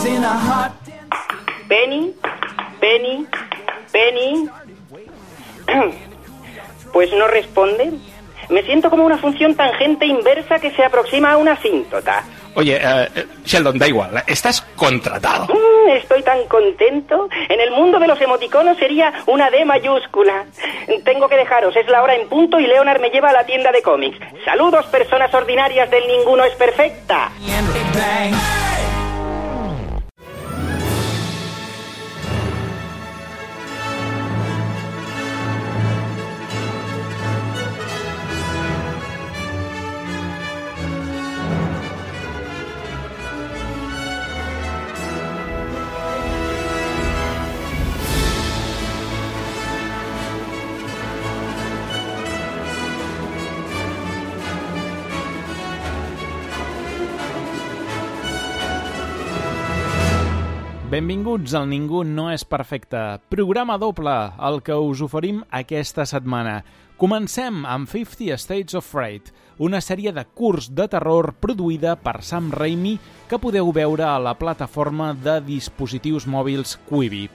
Penny, Penny, Penny. Pues no responde. Me siento como una función tangente inversa que se aproxima a una asíntota. Oye, Sheldon, da igual, estás contratado. Estoy tan contento. En el mundo de los emoticonos sería una D mayúscula. Tengo que dejaros, es la hora en punto y Leonard me lleva a la tienda de cómics. Saludos, personas ordinarias del Ninguno es Perfecta. Benvinguts al Ningú no és perfecte, programa doble, el que us oferim aquesta setmana. Comencem amb 50 States of Fright, una sèrie de curts de terror produïda per Sam Raimi que podeu veure a la plataforma de dispositius mòbils Quibi.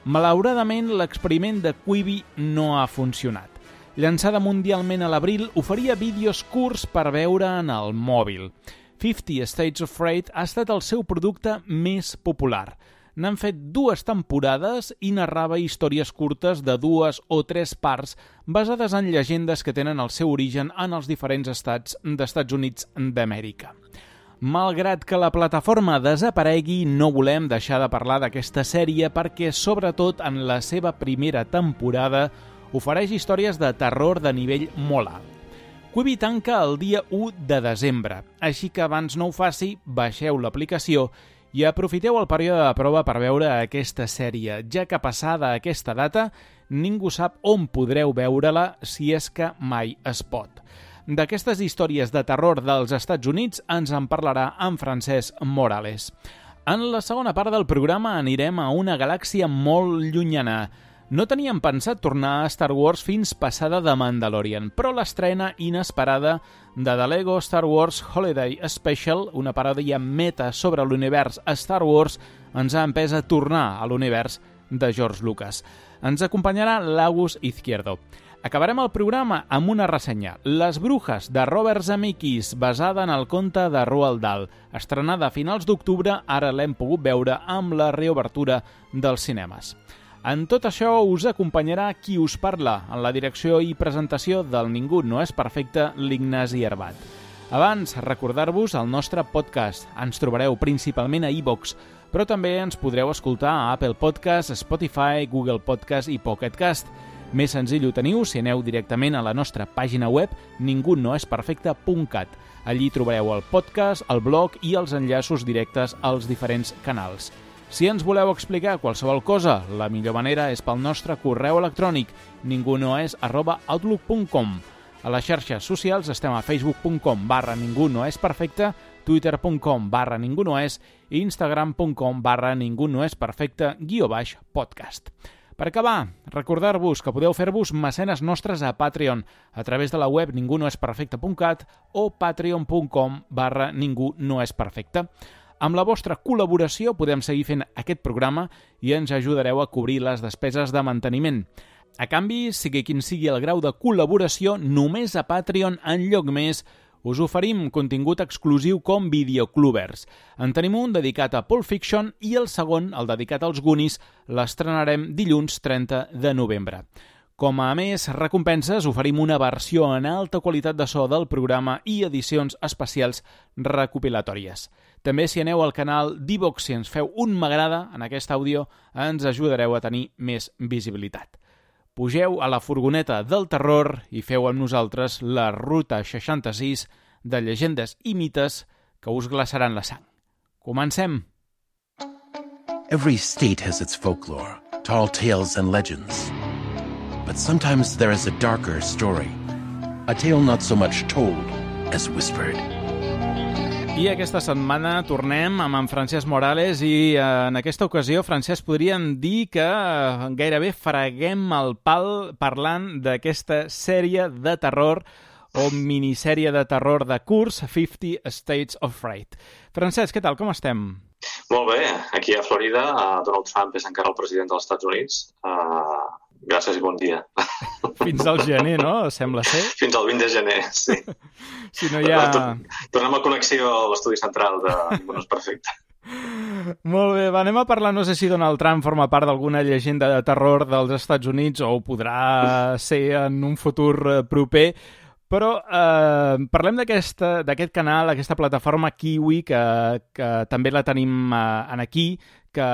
Malauradament, l'experiment de Quibi no ha funcionat. Llançada mundialment a l'abril, oferia vídeos curts per veure en el mòbil. 50 States of Fright ha estat el seu producte més popular. N'han fet 2 temporades i narrava històries curtes de 2 o 3 parts basades en llegendes que tenen el seu origen en els diferents estats d'Estats Units d'Amèrica. Malgrat que la plataforma desaparegui, no volem deixar de parlar d'aquesta sèrie perquè, sobretot en la seva primera temporada, ofereix històries de terror de nivell molt alt. Quibi tanca el dia 1 de desembre, així que abans no ho faci, baixeu l'aplicació i aprofiteu el període de prova per veure aquesta sèrie, ja que passada aquesta data ningú sap on podreu veure-la si és que mai es pot. D'aquestes històries de terror dels Estats Units ens en parlarà en Francesc Morales. En la segona part del programa anirem a una galàxia molt llunyana. No teníem pensat tornar a Star Wars fins passada de Mandalorian, però l'estrena inesperada de The Lego Star Wars Holiday Special, una paròdia meta sobre l'univers Star Wars, ens ha empès a tornar a l'univers de George Lucas. Ens acompanyarà l'Agus Izquierdo. Acabarem el programa amb una ressenya, Les Brujas, de Robert Zemeckis, basada en el conte de Roald Dahl. Estrenada a finals d'octubre, ara l'hem pogut veure amb la reobertura dels cinemes. En tot això us acompanyarà qui us parla, en la direcció i presentació del Ningú no és perfecte, l'Ignasi Herbat. Abans, recordar-vos el nostre podcast. Ens trobareu principalment a iVoox, però també ens podreu escoltar a Apple Podcast, Spotify, Google Podcast i Pocket Cast. Més senzill ho teniu si aneu directament a la nostra pàgina web ningunoesperfecte.cat. Allí trobareu el podcast, el blog i els enllaços directes als diferents canals. Si ens voleu explicar qualsevol cosa, la millor manera és pel nostre correu electrònic ningunoes@outlook.com. A les xarxes socials estem a facebook.com/ningunoesperfecte, twitter.com/ningunoes i instagram.com/ningunoesperfecte_podcast. Per acabar, recordar-vos que podeu fer-vos mecenes nostres a Patreon a través de la web ningunoesperfecte.cat o patreon.com/ningunoesperfecte. Amb la vostra col·laboració podem seguir fent aquest programa i ens ajudareu a cobrir les despeses de manteniment. A canvi, sigui quin sigui el grau de col·laboració, només a Patreon, en lloc més, us oferim contingut exclusiu com Videoclubers. En tenim un dedicat a Pulp Fiction i el segon, el dedicat als Goonies, l'estrenarem dilluns 30 de novembre. Com a més recompenses, oferim una versió en alta qualitat de so del programa i edicions especials recopilatòries. També si aneu al canal d'iVoox i ens feu un m'agrada en aquest àudio, ens ajudareu a tenir més visibilitat. Pugeu a la furgoneta del terror i feu amb nosaltres la Ruta 66 de llegendes i mites que us glaçaran la sang. Comencem! Every state has its folklore, tall tales and legends. But sometimes there is a darker story, a tale not so much told as whispered. I aquesta setmana tornem amb en Francesc Morales i en aquesta ocasió, Francesc, podríem dir que gairebé freguem el pal parlant d'aquesta sèrie de terror o minissèrie de terror de curs, 50 States of Fright. Francesc, què tal? Com estem? Molt bé, aquí a Florida, Donald Trump és encara el president dels Estats Units. Gràcies i bon dia. Fins al gener, no? Sembla ser. Fins al 20 de gener, sí. Si no hi ha... Tornem a connexió a l'estudi central de Ningú no és perfecte. Molt bé, anem a parlar, no sé si Donald Trump forma part d'alguna llegenda de terror dels Estats Units o ho podrà ser en un futur proper, però parlem d'aquest canal, aquesta plataforma Kiwi, que també la tenim aquí, que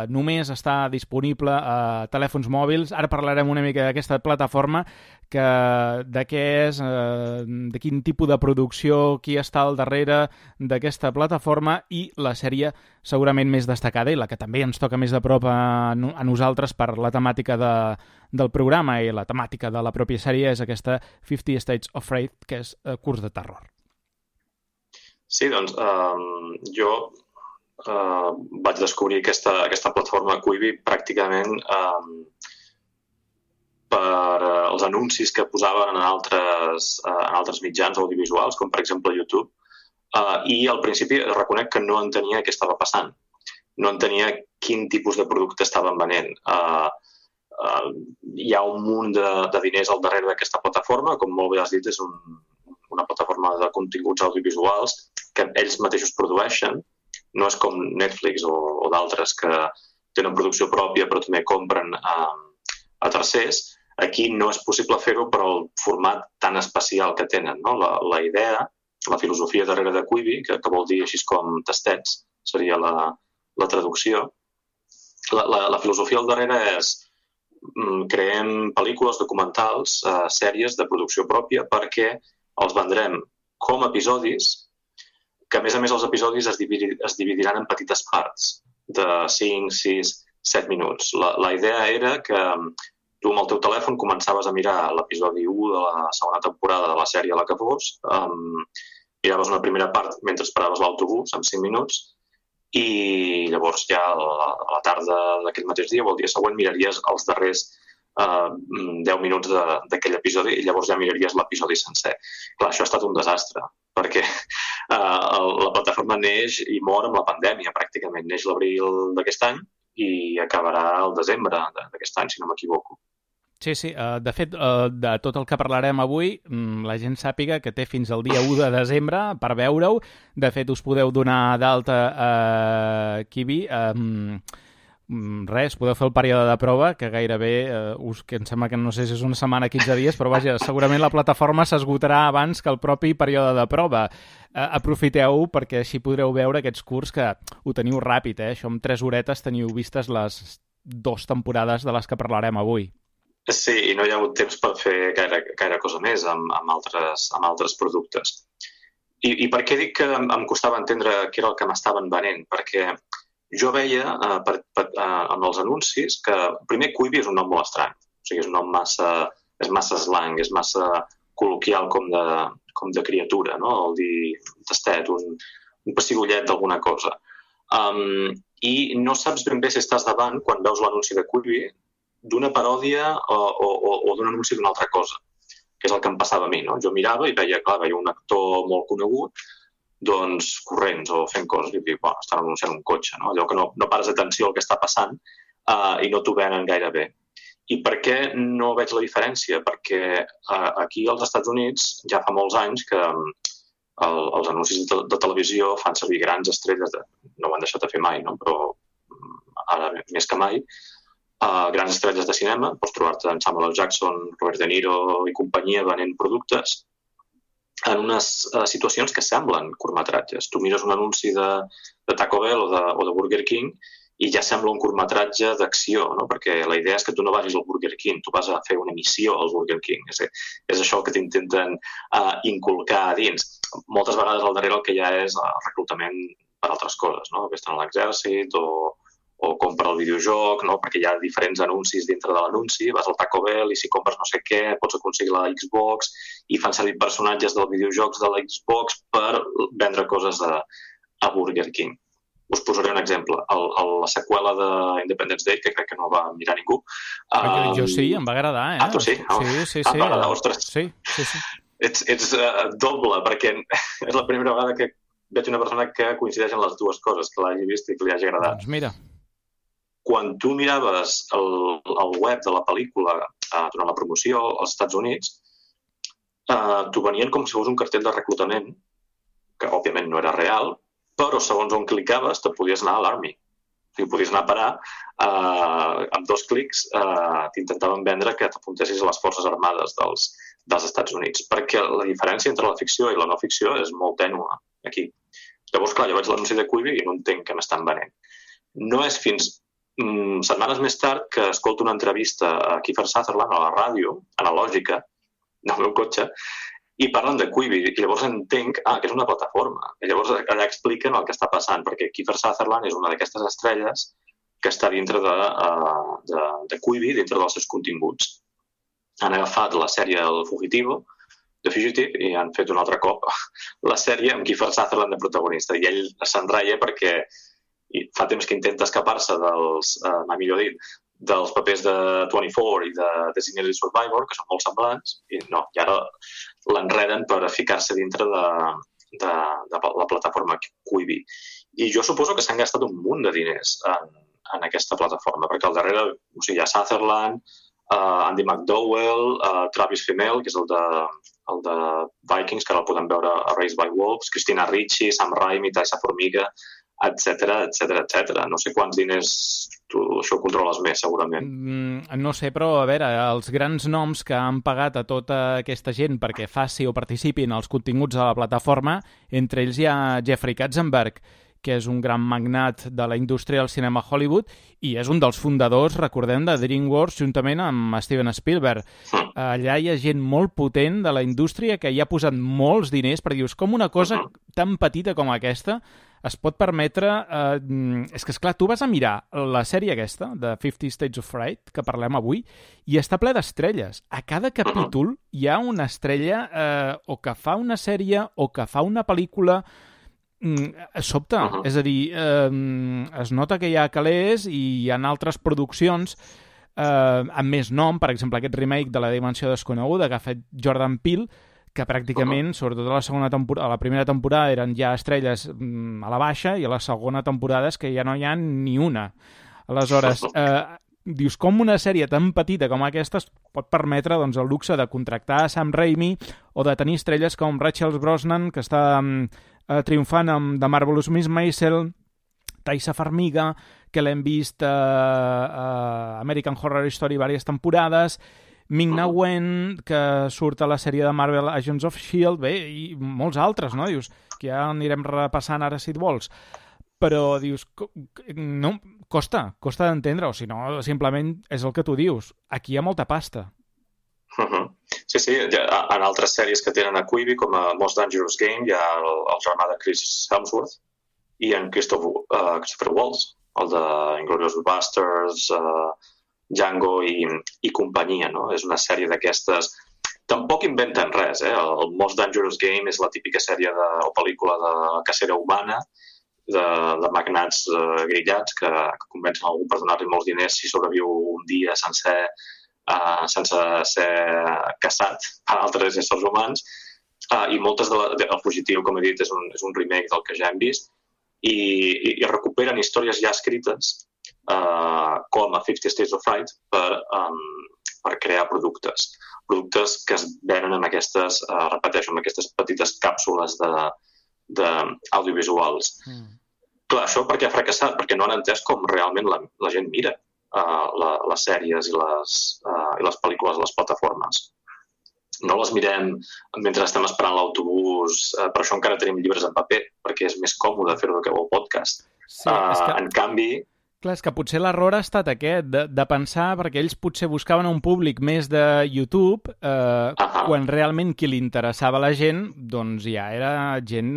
només està disponible a telèfons mòbils. Ara parlarem una mica d'aquesta plataforma, de què és, de quin tipus de producció, qui està al darrere d'aquesta plataforma i la sèrie segurament més destacada i la que també ens toca més de prop a nosaltres per la temàtica del programa i la temàtica de la pròpia sèrie és aquesta 50 States of Fright, que és curs de terror. Sí, doncs jo vaig descobrir aquesta plataforma Quibi pràcticament per els anuncis que posaven en altres mitjans audiovisuals, com per exemple YouTube, i al principi reconec que no entenia què estava passant. No entenia quin tipus de producte estaven venent. Hi ha un munt de diners al darrere d'aquesta plataforma, com molt bé has dit, és una plataforma de continguts audiovisuals que ells mateixos produeixen. No és com Netflix o d'altres que tenen producció pròpia però també compren a tercers. Aquí no és possible fer-ho per al format tan especial que tenen, no? La idea, la filosofia darrere de Quibi, que vol dir així com tastets, seria la traducció. La filosofia al darrere és creem pel·lícules, documentals, sèries de producció pròpia perquè els vendrem com a episodis que, a més, els episodis es dividiran en petites parts de 5, 6, 7 minuts. La idea era que tu amb el teu telèfon començaves a mirar l'episodi 1 de la segona temporada de la sèrie a la que fos, miraves una primera part mentre esperaves l'autobús, en 5 minuts, i llavors ja a la tarda d'aquell mateix dia o el dia següent miraries els darrers 10 minuts d'aquell episodi i llavors ja miraries l'episodi sencer. Clar, això ha estat un desastre, perquè la plataforma neix i mor amb la pandèmia, pràcticament. Neix l'abril d'aquest any i acabarà el desembre d'aquest any, si no m'equivoco. Sí. De fet, de tot el que parlarem avui, la gent sàpiga que té fins al dia 1 de desembre per veure-ho. De fet, us podeu donar d'alta a Quibi. Res, podeu fer el període de prova, que gairebé, que em sembla que no sé si és una setmana o 15 dies, però vaja, segurament la plataforma s'esgotarà abans que el propi període de prova. Aprofiteu-ho perquè així podreu veure aquests curs que ho teniu ràpid, Això amb 3 horetes teniu vistes les 2 temporades de les que parlarem avui. Sí, i no hi ha hagut temps per fer gaire cosa més amb altres productes. I per què dic que em costava entendre què era el que m'estaven venent? Perquè jo veia amb els anuncis que, primer, Quibi és un nom molt estrany. O sigui, és un nom és massa slang, és massa col·loquial com de criatura, no? El dir tastet, un pessigollet d'alguna cosa. I no saps ben bé si estàs davant, quan veus l'anunci de Quibi, d'una paròdia o d'un anunci d'una altra cosa, que és el que em passava a mi, no? Jo mirava i veia un actor molt conegut doncs corrents o fent coses i dic, estan anunciant un cotxe, no? Allò que no pares atenció al que està passant i no t'ho venen gaire bé. I per què no veig la diferència? Perquè aquí als Estats Units ja fa molts anys que els anuncis de televisió fan servir grans estrelles, no ho han deixat de fer mai, no? Però ara més que mai, grans estrelles de cinema, pots trobar-te en Samuel L. Jackson, Robert De Niro i companyia venent productes en unes situacions que semblen curtmetratges. Tu mires un anunci de Taco Bell o de Burger King i ja sembla un curtmetratge d'acció, no? Perquè la idea és que tu no vagis al Burger King, tu vas a fer una missió al Burger King. És això el que t'intenten inculcar a dins. Moltes vegades al darrere el que hi ha és reclutament per altres coses, no? Que estan a l'exèrcit o compra el videojoc, no? Perquè hi ha diferents anuncis dintre de l'anunci, vas al Taco Bell i si compres no sé què pots aconseguir la Xbox i fan servir personatges dels videojocs de la Xbox per vendre coses a Burger King. Us posaré un exemple. La seqüela d'Independence Day, que crec que no va mirar ningú. Jo sí, em va agradar. Tu sí? Sí. Em va agradar, ostres. Sí. Ets doble, perquè és la primera vegada que veig una persona que coincideix en les dues coses, que l'hagi vist i que li hagi agradat. Doncs mira. Quan tu miraves el web de la pel·lícula durant la promoció als Estats Units, t'ho venien com si fos un cartell de reclutament, que òbviament no era real, però segons on clicaves te podies anar a l'Army. O sigui, podies anar a parar, amb 2 clics t'intentaven vendre que t'apuntessis a les forces armades dels Estats Units, perquè la diferència entre la ficció i la no ficció és molt tènua aquí. Llavors, clar, jo veig l'anunci de Quibi i no entenc què m'estan venent. No és fins setmanes més tard que escolto una entrevista a Kiefer Sutherland a la ràdio, analògica, del meu cotxe, i parlen de Quibi, i llavors entenc que és una plataforma. I llavors allà expliquen el que està passant, perquè Kiefer Sutherland és una d'aquestes estrelles que està dintre de Quibi, dintre dels seus continguts. Han agafat la sèrie El Fugitivo, The Fugitive, i han fet un altre cop la sèrie amb Kiefer Sutherland de protagonista. I ell s'enraia perquè fa temps que intenta escapar-se mai millor dit, dels papers de 24 i de Designated Survivor, que són molt semblants, i ara l'enreden per ficar-se dintre de la plataforma Quibi. I jo suposo que s'han gastat un munt de diners en aquesta plataforma, perquè al darrere hi ha Sutherland, Andy McDowell, Travis Fimmel, que és el de Vikings, que ara el podem veure a Raised by Wolves, Christina Ricci, Sam Raimi, Taissa Formiga, etcètera. No sé quants diners tu això ho controles més, segurament. No sé, però a veure, els grans noms que han pagat a tota aquesta gent perquè faci o participi en els continguts de la plataforma, entre ells hi ha Jeffrey Katzenberg, que és un gran magnat de la indústria del cinema Hollywood i és un dels fundadors, recordem, de DreamWorks juntament amb Steven Spielberg. Allà hi ha gent molt potent de la indústria que hi ha posat molts diners, perquè dius, com una cosa tan petita com aquesta es pot permetre... És que, esclar, tu vas a mirar la sèrie aquesta, de 50 States of Fright, que parlem avui, i està ple d'estrelles. A cada capítol hi ha una estrella o que fa una sèrie o que fa una pel·lícula... sobte, és a dir, es nota que hi ha calés i hi ha altres produccions amb més nom, per exemple aquest remake de La Dimensió Desconeguda que ha fet Jordan Peele, que pràcticament, sobretot a la primera temporada eren ja estrelles a la baixa i a la segona temporada és que ja no hi ha ni una. Aleshores, dius, com una sèrie tan petita com aquesta es pot permetre el luxe de contractar Sam Raimi o de tenir estrelles com Rachel Brosnan, que està triomfant amb The Marvelous Miss Maisel, Taissa Farmiga, que l'hem vist a American Horror Story diverses temporades, Ming-Na Wen, que surt a la sèrie de Marvel Agents of S.H.I.E.L.D., bé, i molts altres, no? Dius, que ja anirem repassant ara si et vols. Però dius, no, costa d'entendre, o si no, simplement és el que tu dius. Aquí hi ha molta pasta. Sí, en altres sèries que tenen a Quibi, com a Most Dangerous Game, hi ha el germà de Chris Hemsworth i en Christopher Waltz, el de Inglourious Basterds, Django i companyia, no? És una sèrie d'aquestes... Tampoc inventen res, El Most Dangerous Game és la típica sèrie o pel·lícula de cacera humana, de magnats grillats que convencen algú per donar-li molts diners si sobreviu un dia sense ser caçat per altres éssers humans. I moltes El Fugitiu, com he dit, és un remake del que ja hem vist i recuperen històries ja escrites com a 50 States of Fright per crear productes que es venen amb aquestes, repeteixo, amb aquestes petites càpsules d'audiovisuals. Clar, això per què ha fracassat? Perquè no han entès com realment la gent mira les sèries i les pel·lícules a les plataformes. No les mirem mentre estem esperant l'autobús, per això encara tenim llibres en paper, perquè és més còmode fer-ho que el podcast. Sí, en canvi... Clar, és que potser l'error ha estat aquest, de pensar, perquè ells potser buscaven un públic més de YouTube, quan realment qui li interessava a la gent, doncs ja era gent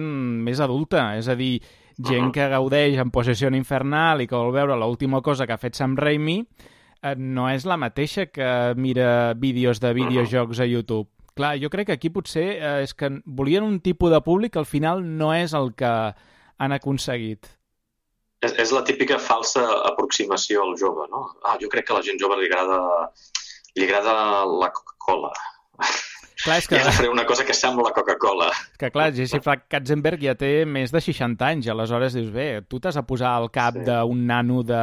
més adulta, és a dir, gent que gaudeix en Possession Infernal i que vol veure l'última cosa que ha fet Sam Raimi, no és la mateixa que mira vídeos de videojocs a YouTube. Clar, jo crec que aquí potser és que volien un tipus de públic que al final no és el que han aconseguit. És la típica falsa aproximació al jove, no? Jo crec que a la gent jove li agrada la Coca-Cola. Clar, és que... I ara faré una cosa que sembla Coca-Cola. Que clar, Jesse Katzenberg ja té més de 60 anys, aleshores dius, bé, tu t'has a posar al cap d'un nano de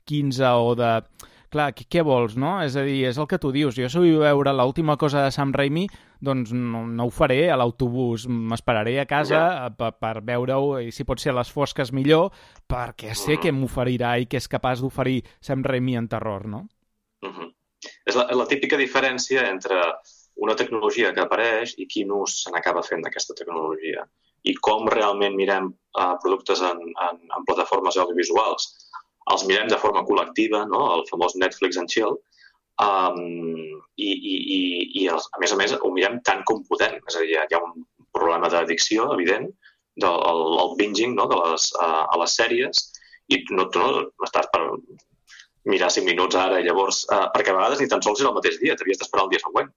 15 o de... Clar, què vols, no? És a dir, és el que tu dius. Jo si vull veure l'última cosa de Sam Raimi, doncs no ho faré a l'autobús. M'esperaré a casa per veure-ho, i si pot ser a les fosques millor, perquè sé què m'oferirà i què és capaç d'oferir Sam Raimi en terror, no? És la típica diferència entre una tecnologia que apareix i quin ús se n'acaba fent d'aquesta tecnologia. I com realment mirem productes en plataformes audiovisuals. Els mirem de forma col·lectiva, no? El famós Netflix and Chill, i a més, ho mirem tant com podem. És a dir, hi ha un problema d'addicció, evident, del binging, no? A les sèries, i no estàs per mirar 5 minuts ara, i llavors, perquè a vegades ni tan sols és el mateix dia, t'havies d'esperar el dia següent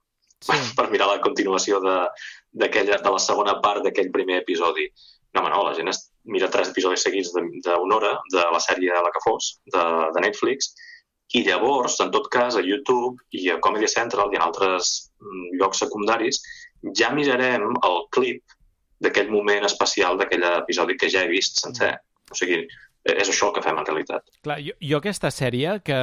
per mirar la continuació de la segona part d'aquell primer episodi. No, la gent mira 3 episodis seguits d'una hora de la sèrie La que fos, de Netflix, i llavors, en tot cas, a YouTube i a Comedy Central i en altres llocs secundaris, ja mirarem el clip d'aquell moment especial d'aquell episodi que ja he vist sencer. O sigui, és això el que fem en realitat. Clar, jo aquesta sèrie, que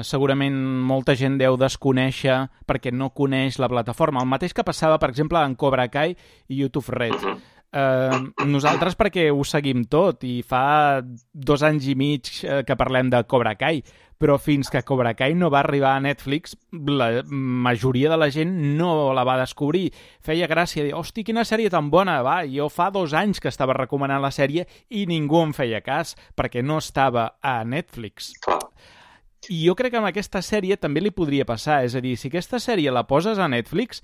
segurament molta gent deu desconèixer perquè no coneix la plataforma, el mateix que passava, per exemple, en Cobra Kai i YouTube Red. Nosaltres perquè ho seguim tot i fa 2 anys i mig que parlem de Cobra Kai, però fins que Cobra Kai no va arribar a Netflix, la majoria de la gent no la va descobrir. Feia gràcia dir, hosti, quina sèrie tan bona, jo fa 2 anys que estava recomanant la sèrie i ningú em feia cas, perquè no estava a Netflix. I jo crec que amb aquesta sèrie també li podria passar, és a dir, si aquesta sèrie la poses a Netflix,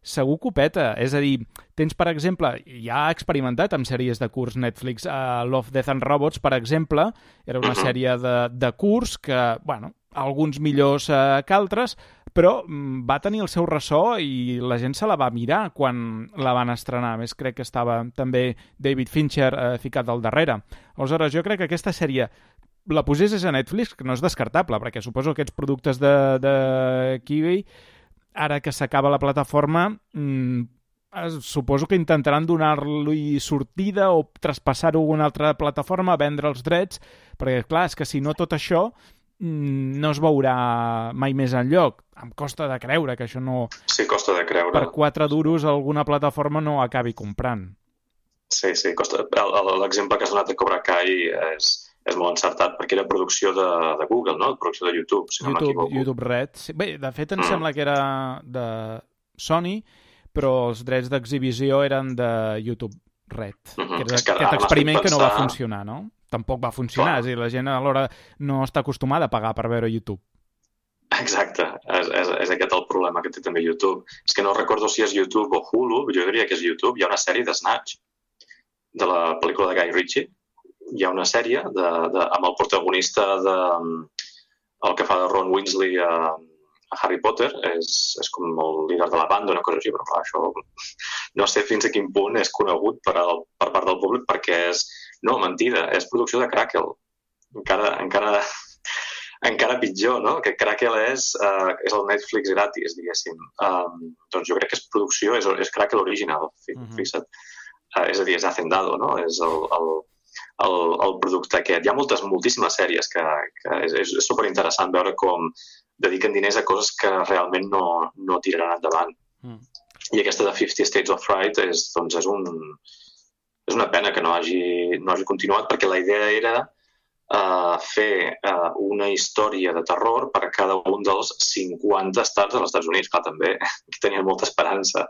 segur que ho peta. És a dir, tens, per exemple, ja ha experimentat amb sèries de curs Netflix. Love, Death and Robots, per exemple, era una sèrie de curs que, alguns millors que altres, però va tenir el seu ressò i la gent se la va mirar quan la van estrenar. A més, crec que estava també David Fincher ficat al darrere. Aleshores, jo crec que aquesta sèrie la posessis a Netflix, que no és descartable, perquè suposo que aquests productes de Kiwi, ara que s'acaba la plataforma, suposo que intentaran donar-li sortida o traspassar-ho a una altra plataforma, vendre els drets, perquè, clar, és que si no tot això no es veurà mai més enlloc. Em costa de creure que això no... Sí, costa de creure. Per 4 duros alguna plataforma no acabi comprant. Sí, costa. L'exemple que has donat de Cobra Kai és molt encertat, perquè era producció de Google, no? Producció de YouTube, si no m'equivoco. YouTube Red. Bé, de fet, em sembla que era de Sony, però els drets d'exhibició eren de YouTube Red. Que era aquest experiment que no va funcionar, no? Tampoc va funcionar, és a dir, la gent alhora no està acostumada a pagar per veure YouTube. Exacte, és aquest el problema que té també YouTube. És que no recordo si és YouTube o Hulu, jo diria que és YouTube. Hi ha una sèrie de Snatch, de la pel·lícula de Guy Ritchie. Hi ha una sèrie amb el protagonista el que fa de Ron Weasley a Harry Potter, és com el líder de la banda, una cosa així, però clar, això no sé fins a quin punt és conegut per part del públic, perquè és, no, mentida, és producció de Crackle. Encara pitjor, no? Que Crackle és el Netflix gratis, diguéssim. Doncs jo crec que és producció, és Crackle original, fixa't. És a dir, és Hacendado, no? És el producte aquest. Hi ha moltíssimes sèries que és superinteressant veure com dediquen diners a coses que realment no tiraran endavant. I aquesta de 50 States of Fright és una pena que no hagi continuat, perquè la idea era fer una història de terror per a cada un dels 50 estats dels Estats Units. Clar, també tenien molta esperança.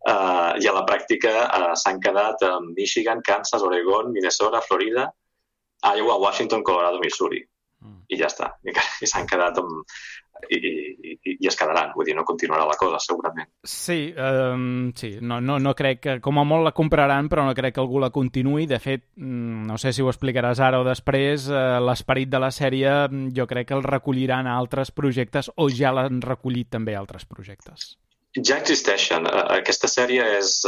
I a la pràctica s'han quedat amb Michigan, Kansas, Oregon, Minnesota, Florida, Iowa, Washington, Colorado, Missouri. I ja està. I s'han quedat i es quedaran. Vull dir, no continuarà la cosa, segurament. Sí, no crec que... Com a molt la compraran, però no crec que algú la continuï. De fet, no sé si ho explicaràs ara o després, l'esperit de la sèrie jo crec que el recolliran a altres projectes o ja l'han recollit també a altres projectes. Ja existeixen. Aquesta sèrie és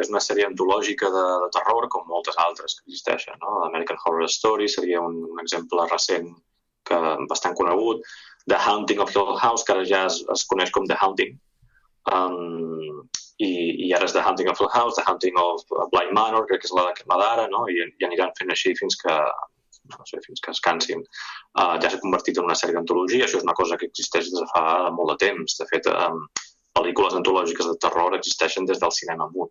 una sèrie antològica de terror, com moltes altres que existeixen, no? American Horror Story seria un exemple recent bastant conegut. The Haunting of Hill House, que ara ja es coneix com The Haunting. i ara és The Haunting of Hill House, The Haunting of Bly Manor, crec que és la d'ara, no? I aniran fent així fins que es cansin. Ja s'ha convertit en una sèrie d'antologia, això és una cosa que existeix des de fa molt de temps. De fet, pel·lícules antològiques de terror existeixen des del cinema mut.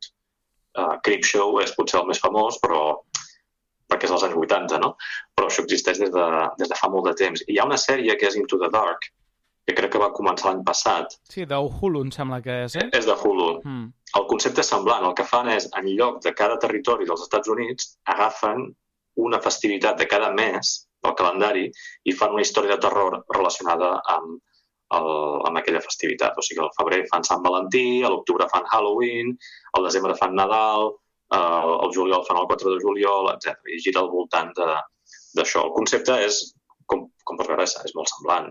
Creepshow és potser el més famós, perquè és dels anys 80, no? Però això existeix des de fa molt de temps. I hi ha una sèrie que és Into the Dark, que crec que va començar l'any passat. Sí, de Hulu, em sembla que és, És de Hulu. El concepte és semblant. El que fan és, en lloc de cada territori dels Estats Units, agafen una festivitat de cada mes del calendari i fan una història de terror relacionada amb aquella festivitat. O sigui, al febrer fan Sant Valentí, a l'octubre fan Halloween, al desembre fan Nadal, al juliol fan el 4 de juliol, etc. I gira al voltant d'això. El concepte és, com pots veure, és molt semblant,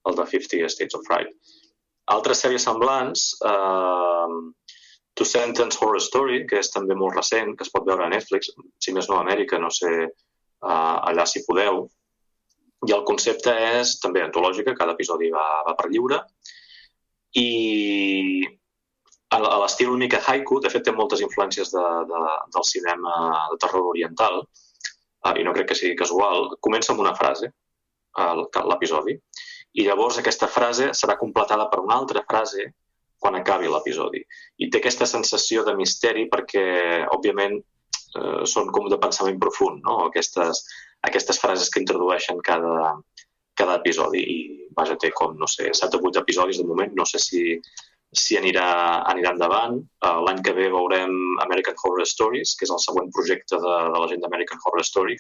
el de 50 States of Fright. Altres sèries semblants, Two Sentence Horror Story, que és també molt recent, que es pot veure a Netflix, si més no a Amèrica, no sé allà si podeu. I el concepte és també antològica, cada episodi va per lliure. I a l'estil una mica haiku, de fet té moltes influències del cinema de terror oriental, i no crec que sigui casual. Comença amb una frase, l'episodi, i llavors aquesta frase serà completada per una altra frase quan acabi l'episodi. I té aquesta sensació de misteri perquè, òbviament, són com de pensament profund, no? Aquestes frases que introdueixen cada episodi. I, vaja, té com, no sé, 7 o 8 episodis de moment. No sé si anirà endavant. L'any que ve veurem American Horror Stories, que és el següent projecte de la gent d'American Horror Story,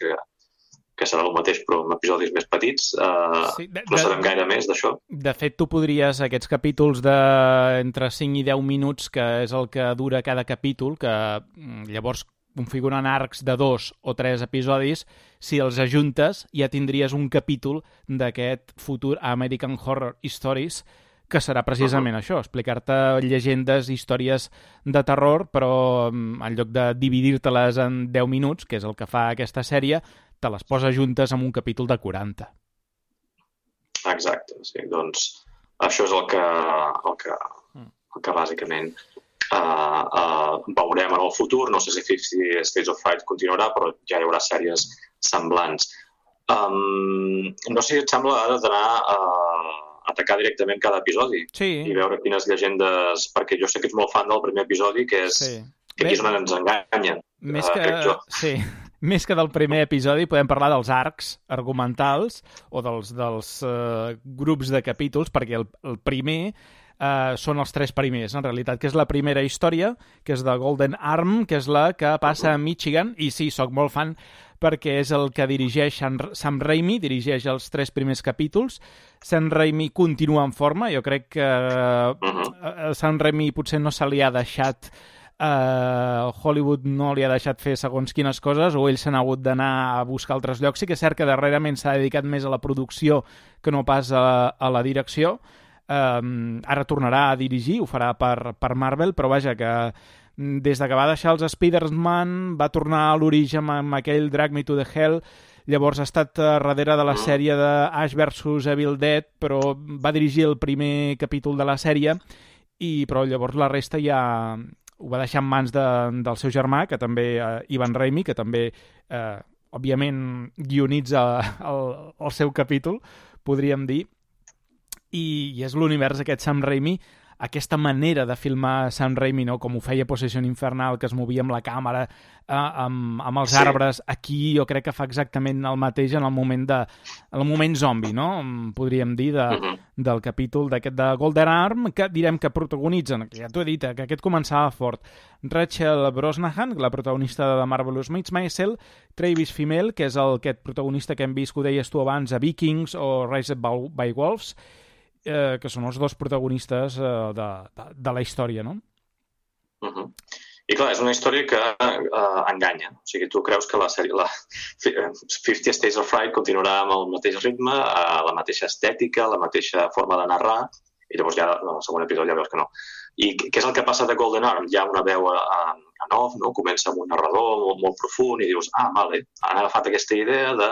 que serà el mateix però amb episodis més petits. No sabem gaire més d'això. De fet, tu podries, aquests capítols d'entre 5 i 10 minuts, que és el que dura cada capítol, que llavors configuren arcs de 2 o 3 episodis, si els ajuntes ja tindries un capítol d'aquest futur American Horror Stories, que serà precisament això, explicar-te llegendes, històries de terror, però en lloc de dividir-te-les en 10 minuts, que és el que fa aquesta sèrie, te les posa juntes en un capítol de 40. Exacte, sí. Doncs això és el que bàsicament veurem en el futur. No sé si 50 States of Fright continuarà, però ja hi haurà sèries semblants. No sé si et sembla ara d'anar a atacar directament cada episodi i veure quines llegendes... Perquè jo sé que ets molt fan del primer episodi, que és que aquí és on ens enganyen. Més que del primer episodi podem parlar dels arcs argumentals o dels grups de capítols, perquè el primer són els 3 primers, en realitat, que és la primera història, que és de Golden Arm, que és la que passa a Michigan, i sí, soc molt fan perquè és el que dirigeix Sam Raimi, dirigeix els 3 primers capítols. Sam Raimi continua en forma, jo crec que Sam Raimi potser no se li ha deixat... Hollywood no li ha deixat fer segons quines coses, o ell s'ha hagut d'anar a buscar altres llocs. Sí que és cert que darrerament s'ha dedicat més a la producció que no pas a la direcció. Ara tornarà a dirigir, ho farà per Marvel, però vaja, que des que va deixar els Spider-Man va tornar a l'origen amb aquell Drag Me to the Hell. Llavors ha estat darrere de la sèrie de Ash vs Evil Dead, però va dirigir el primer capítol de la sèrie, però llavors la resta ja ho va deixar en mans del seu germà, que també, Ivan Raimi, que també, òbviament, guionitza el seu capítol, podríem dir, i és l'univers aquest Sam Raimi, aquesta manera de filmar Sam Raimi, no? Com ho feia Possession Infernal, que es movia amb la càmera, amb els arbres. Aquí jo crec que fa exactament el mateix en el moment zombi, no? Podríem dir, del capítol d'aquest de Golden Arm, que direm que protagonitzen, que ja t'ho he dit, que aquest començava fort, Rachel Brosnahan, la protagonista de The Marvelous Mrs. Maisel, Travis Fimmel, que és aquest protagonista que hem vist, que ho deies tu abans, a Vikings o Raised by Wolves, que són els 2 protagonistes de la història, no? I clar, és una història que enganya. O sigui, tu creus que la sèrie, 50 States of Fright continuarà amb el mateix ritme, la mateixa estètica, la mateixa forma de narrar, i llavors ja en el segon episodi ja veus que no. I què és el que passa de Golden Arm? Hi ha una veu en off, no? Comença amb un narrador molt profund i dius, vale, han agafat aquesta idea de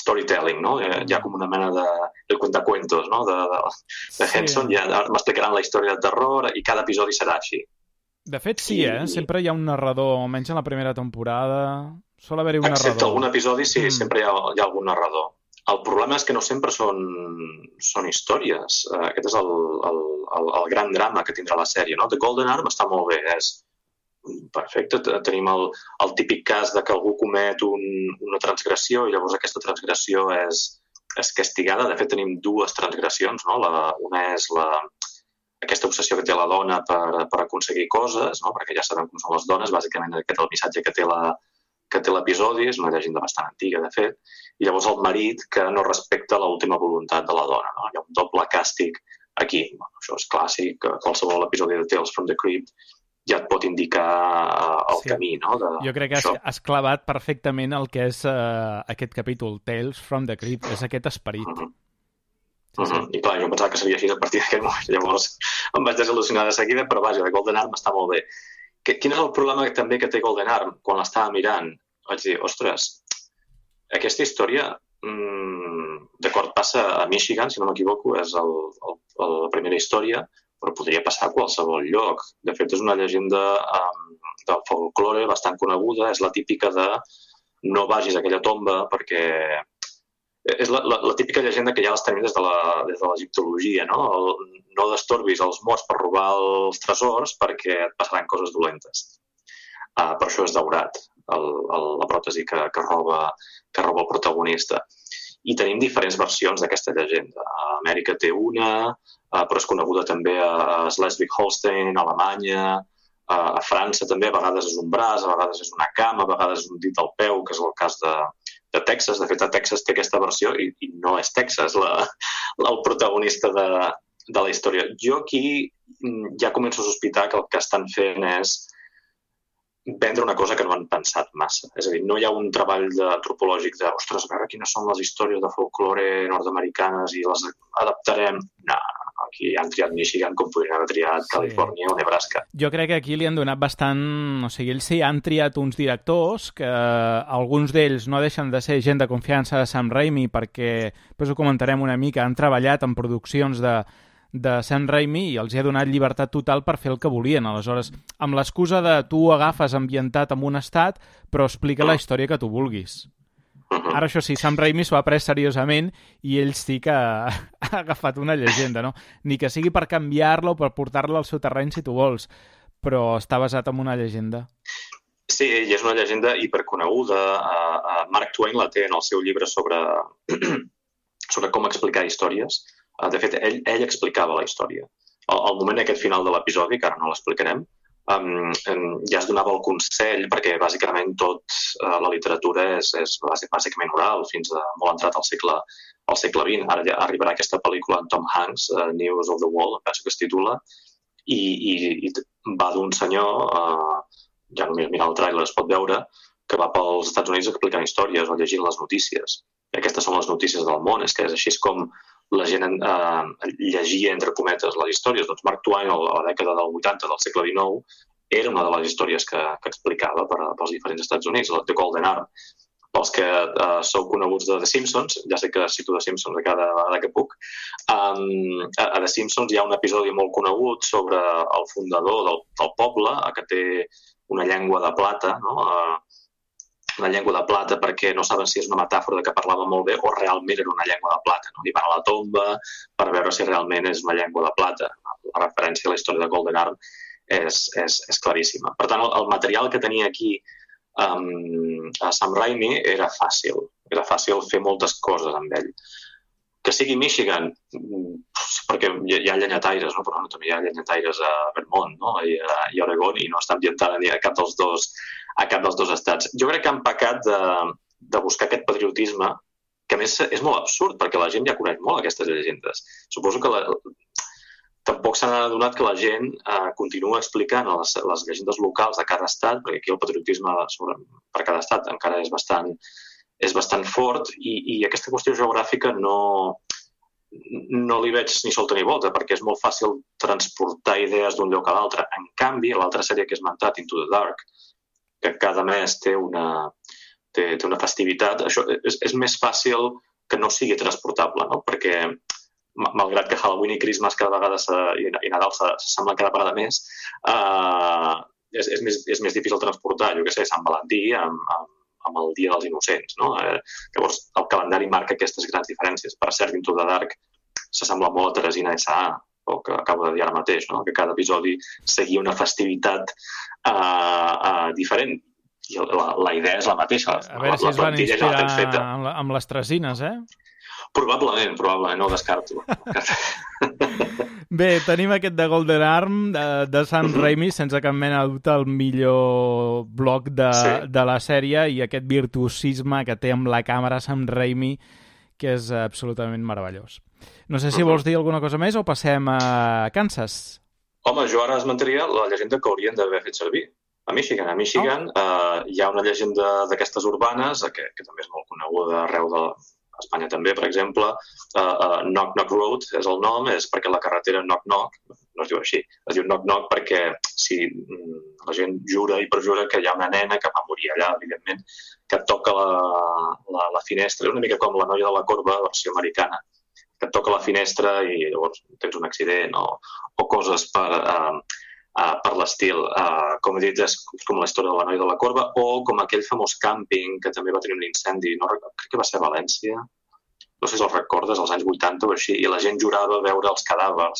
storytelling, no? Hi ha com una mena de cuentacuentos, no? De Henson, ja m'explicaran la història de terror i cada episodi serà així. De fet, sí, sempre hi ha un narrador, almenys en la primera temporada, sol haver-hi un narrador. Excepte algun episodi, sí, sempre hi ha algun narrador. El problema és que no sempre són històries. Aquest és el gran drama que tindrà la sèrie, no? The Golden Arm està molt bé, és perfecte. Tenim el típic cas de que algú comet una transgressió i llavors aquesta transgressió és castigada. De fet, tenim dues transgressions, no? Una és aquesta obsessió que té la dona per aconseguir coses, no? Perquè ja sabem com són les dones, bàsicament aquest és el missatge que té l'episodi, és una llegenda bastant antiga, de fet, i llavors el marit que no respecta l'última voluntat de la dona, no? Hi ha un doble càstig aquí. Bueno, això és clàssic, qualsevol episodi de Tales from the Crypt ja et pot indicar el camí, no? Jo crec que has clavat perfectament el que és aquest capítol, Tales from the Crypt, és aquest esperit. I clar, jo pensava que seria així a partir d'aquest moment, llavors em vaig desil·lusionar de seguida, però vaja, The Golden Arm està molt bé. Quin és el problema també que té Golden Arm? Quan l'estava mirant, vaig dir, ostres, aquesta història, d'acord, passa a Michigan, si no m'equivoco, és la primera història, però podria passar a qualsevol lloc. De fet, és una llegenda del folklore bastant coneguda, és la típica de no vagis a aquella tomba perquè... És la típica llegenda que ja les tenim des de l'egiptologia, no? No destorbis els morts per robar els tresors perquè et passaran coses dolentes. Per això és daurat, la pròtesi que roba el protagonista. I tenim diferents versions d'aquesta llegenda. A Amèrica té una, però és coneguda també a Schleswig-Holstein, a Alemanya, a França també, a vegades és un braç, a vegades és una cama, a vegades és un dit al peu, que és el cas de Texas. De fet, a Texas té aquesta versió i no és Texas el protagonista de la història. Jo aquí ja començo a sospitar que el que estan fent és vendre una cosa que no han pensat massa. És a dir, no hi ha un treball antropològic de, ostres, a veure quines són les històries de folklore nord-americanes i les adaptarem. No, aquí han triat Michigan com podrien haver triat Califòrnia o Nebraska. Jo crec que aquí li han donat bastant... O sigui, ells sí han triat uns directors que alguns d'ells no deixen de ser gent de confiança de Sam Raimi perquè, després ho comentarem una mica, han treballat en produccions de Sam Raimi i els ha donat llibertat total per fer el que volien. Aleshores, amb l'excusa de tu agafes ambientat en un estat però explica la història que tu vulguis. Ara, això sí, Sam Raimi s'ho ha pres seriosament i ell sí que ha agafat una llegenda, no? Ni que sigui per canviar-la o per portar-la al seu terreny si tu vols, però està basat en una llegenda. Sí, i és una llegenda hiperconeguda. Mark Twain la té en el seu llibre sobre com explicar històries. De fet, ell explicava la història. Al moment aquest final de l'episodi, que ara no l'explicarem, ja es donava el consell, perquè bàsicament tota la literatura és bàsicament oral, fins a molt entrat al segle XX. Ara ja arribarà aquesta pel·lícula en Tom Hanks, News of the World, penso que es titula, i va d'un senyor, ja només mirant el tràiler es pot veure, que va pels Estats Units explicant històries o llegint les notícies. Aquestes són les notícies del món, és que és així com la gent llegia, entre cometes, les històries. Doncs Mark Twain, a la dècada del 80 del segle XIX, era una de les històries que explicava pels diferents Estats Units, The Golden Arm. Pels que sou coneguts de The Simpsons, ja sé que cito The Simpsons a cada vegada que puc, a The Simpsons hi ha un episodi molt conegut sobre el fundador del poble, que té una llengua de plata, no? Una llengua de plata perquè no saben si és una metàfora que parlava molt bé o realment era una llengua de plata. No? I van a la tomba per veure si realment és una llengua de plata. La referència a la història de Golden Arm és claríssima. Per tant, el material que tenia aquí a Sam Raimi era fàcil. Era fàcil fer moltes coses amb ell. Que sigui Michigan, perquè hi ha llenyataires, no? Però també hi ha llenyataires a Vermont, no? I a Oregon, i no està ambientada ni a cap dels dos estats. Jo crec que han pecat de buscar aquest patriotisme, que a més és molt absurd, perquè la gent ja coneix molt aquestes llegendes. Suposo que tampoc s'han adonat que la gent continua explicant les llegendes locals de cada estat, perquè aquí el patriotisme per cada estat encara és bastant fort, i aquesta qüestió geogràfica no li veig ni solta ni volta, perquè és molt fàcil transportar idees d'un lloc a l'altre. En canvi, l'altra sèrie que he esmentat, Into the Dark, que cada mes té una té una festivitat. Això és més fàcil que no sigui transportable, no? Perquè malgrat que Halloween i Christmas cada vegada i Nadal s'assemblen cada vegada més, és més difícil transportar, jo què sé, Sant Valentí amb el Dia dels Innocents, no? Llavors, el calendari marca aquestes grans diferències. Per cert, Into the Dark s'assembla molt a Teresina S.A., el que acabo de dir ara mateix, no? Que cada episodi seguia una festivitat diferent. I la idea és la mateixa. A veure si es van inspirar amb les Tresines, eh? Probablement, no ho descarto. Bé, tenim aquest de Golden Arm de Sam Raimi, sense cap mena de dubte el millor bloc de la sèrie, i aquest virtuosisme que té amb la càmera Sam Raimi, que és absolutament meravellós. No sé si vols dir alguna cosa més o passem a Kansas. Home, jo ara esmentaria la llegenda que haurien d'haver fet servir. A Michigan hi ha una llegenda d'aquestes urbanes, que també és molt coneguda arreu de Espanya també, per exemple. Knock Knock Road és el nom, és perquè la carretera Knock Knock, no es diu així, es diu Knock Knock perquè si la gent jura i perjura que hi ha una nena que va morir allà, evidentment, que et toca la finestra, una mica com la noia de la corba, versió americana, que et toca la finestra i llavors tens un accident o coses per l'estil. Com he dit, és com la història de la noia de la corba, o com aquell famós càmping que també va tenir un incendi, crec que va ser a València, no sé si el recordes, als anys 80 o així, i la gent jurava veure els cadàvers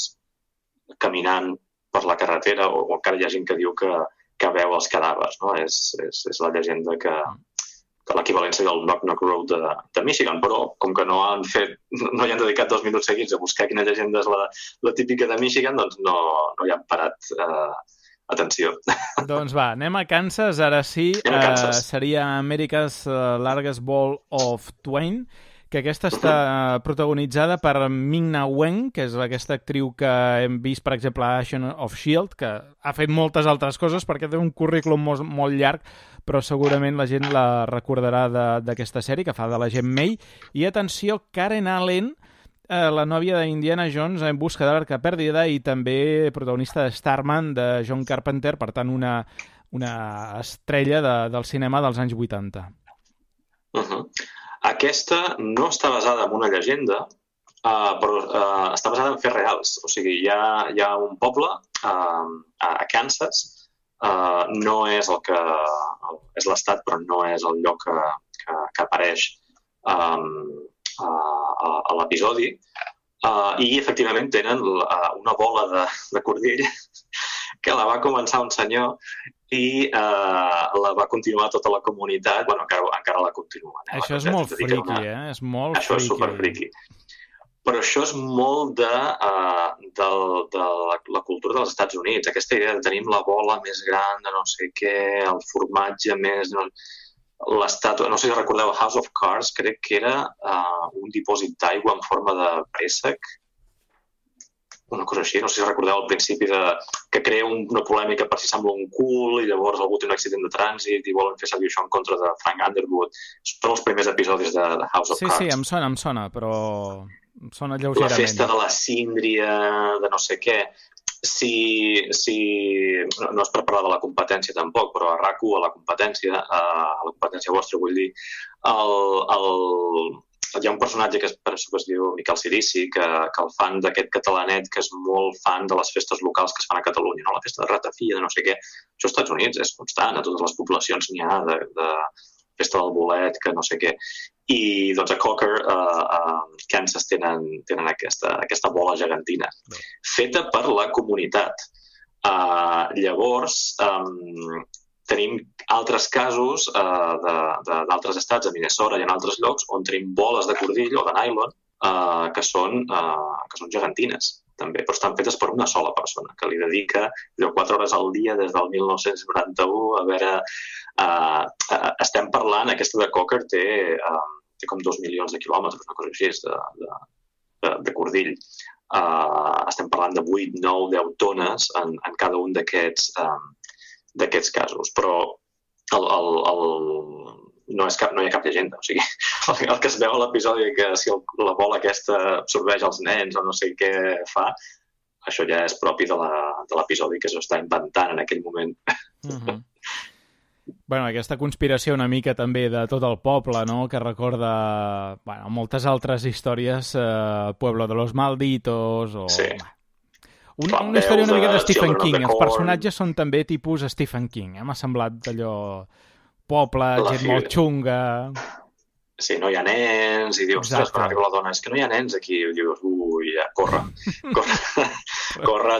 caminant per la carretera, o encara hi ha gent que diu que veu els cadàvers, no? És la llegenda que l'equivalència del Knock Knock Road de Michigan, però com que no hi han dedicat 2 minuts seguits a buscar quina llegenda és la típica de Michigan, doncs no hi han parat atenció. Doncs va, anem a Kansas, ara sí. Seria America's Largest Ball of Twain, que aquesta està protagonitzada per Ming-Na Wen, que és aquesta actriu que hem vist, per exemple, a Agent of S.H.I.E.L.D., que ha fet moltes altres coses perquè té un currículum molt llarg, però segurament la gent la recordarà d'aquesta sèrie que fa de l'agent May. I atenció, Karen Allen, la nòvia d'Indiana Jones en busca de l'Arca Perdida i també protagonista de Starman, de John Carpenter, per tant una estrella del cinema dels anys 80. Aquesta no està basada en una llegenda, però està basada en fets reals. O sigui, hi ha un poble a Kansas, no és el que és l'estat, però no és el lloc que apareix a l'episodi, i efectivament tenen una bola de cordill que la va començar un senyor i la va continuar tota la comunitat. Bueno, encara la continua. Això és molt friqui, És molt això friqui. És superfriqui. Però això és molt de la cultura dels Estats Units. Aquesta idea de tenir la bola més gran de no sé què, el formatge més... L'estàtua, no sé si recordeu, House of Cards, crec que era un dipòsit d'aigua en forma de préssec, una cosa així, no sé si recordeu al principi que crea una polèmica per si sembla un cul i llavors algú té un accident de trànsit i volen fer servir això en contra de Frank Underwood. Són els primers episodis de House of Cards. Sí, em sona, però em sona lleugerament. La festa de la síndria, de no sé què. No és per parlar de la competència tampoc, però a RAC1, a la competència vostra, vull dir, hi ha un personatge que es diu Miquel Cirici, que el fan d'aquest catalanet, que és molt fan de les festes locals que es fan a Catalunya, no? La festa de Ratafia, de no sé què. Això als Estats Units és constant, a totes les poblacions n'hi ha de festa del bolet, que no sé què. I doncs a Cocker, a Kansas, tenen aquesta bola gegantina, feta per la comunitat. Llavors, tenim altres casos d'altres estats, a Minnesota i en altres llocs, on tenim boles de cordill o de nylon que són gegantines, també, però estan fetes per una sola persona, que li dedica 4 hores al dia des del 1991. A veure, estem parlant, aquesta de Cocker té com 2 milions de quilòmetres, una cosa així, de cordill. Estem parlant de 8, 9, 10 tones en cada un d'aquests casos, però no hi ha cap llegenda. O sigui, el que es veu a l'episodi, que si la bola aquesta absorbeix els nens o no sé què fa, això ja és propi de l'episodi que s'ho està inventant en aquell moment. Bueno, aquesta conspiració una mica també de tot el poble, no?, que recorda moltes altres històries, Pueblo de los Malditos o... Sí. Una història una mica de Stephen King. Els personatges són també tipus Stephen King. M'ha semblat d'allò... Poble, gent molt xunga... Sí, no hi ha nens, i dius, ostres, quan arriba la dona, és que no hi ha nens aquí, i dius, ja, corre,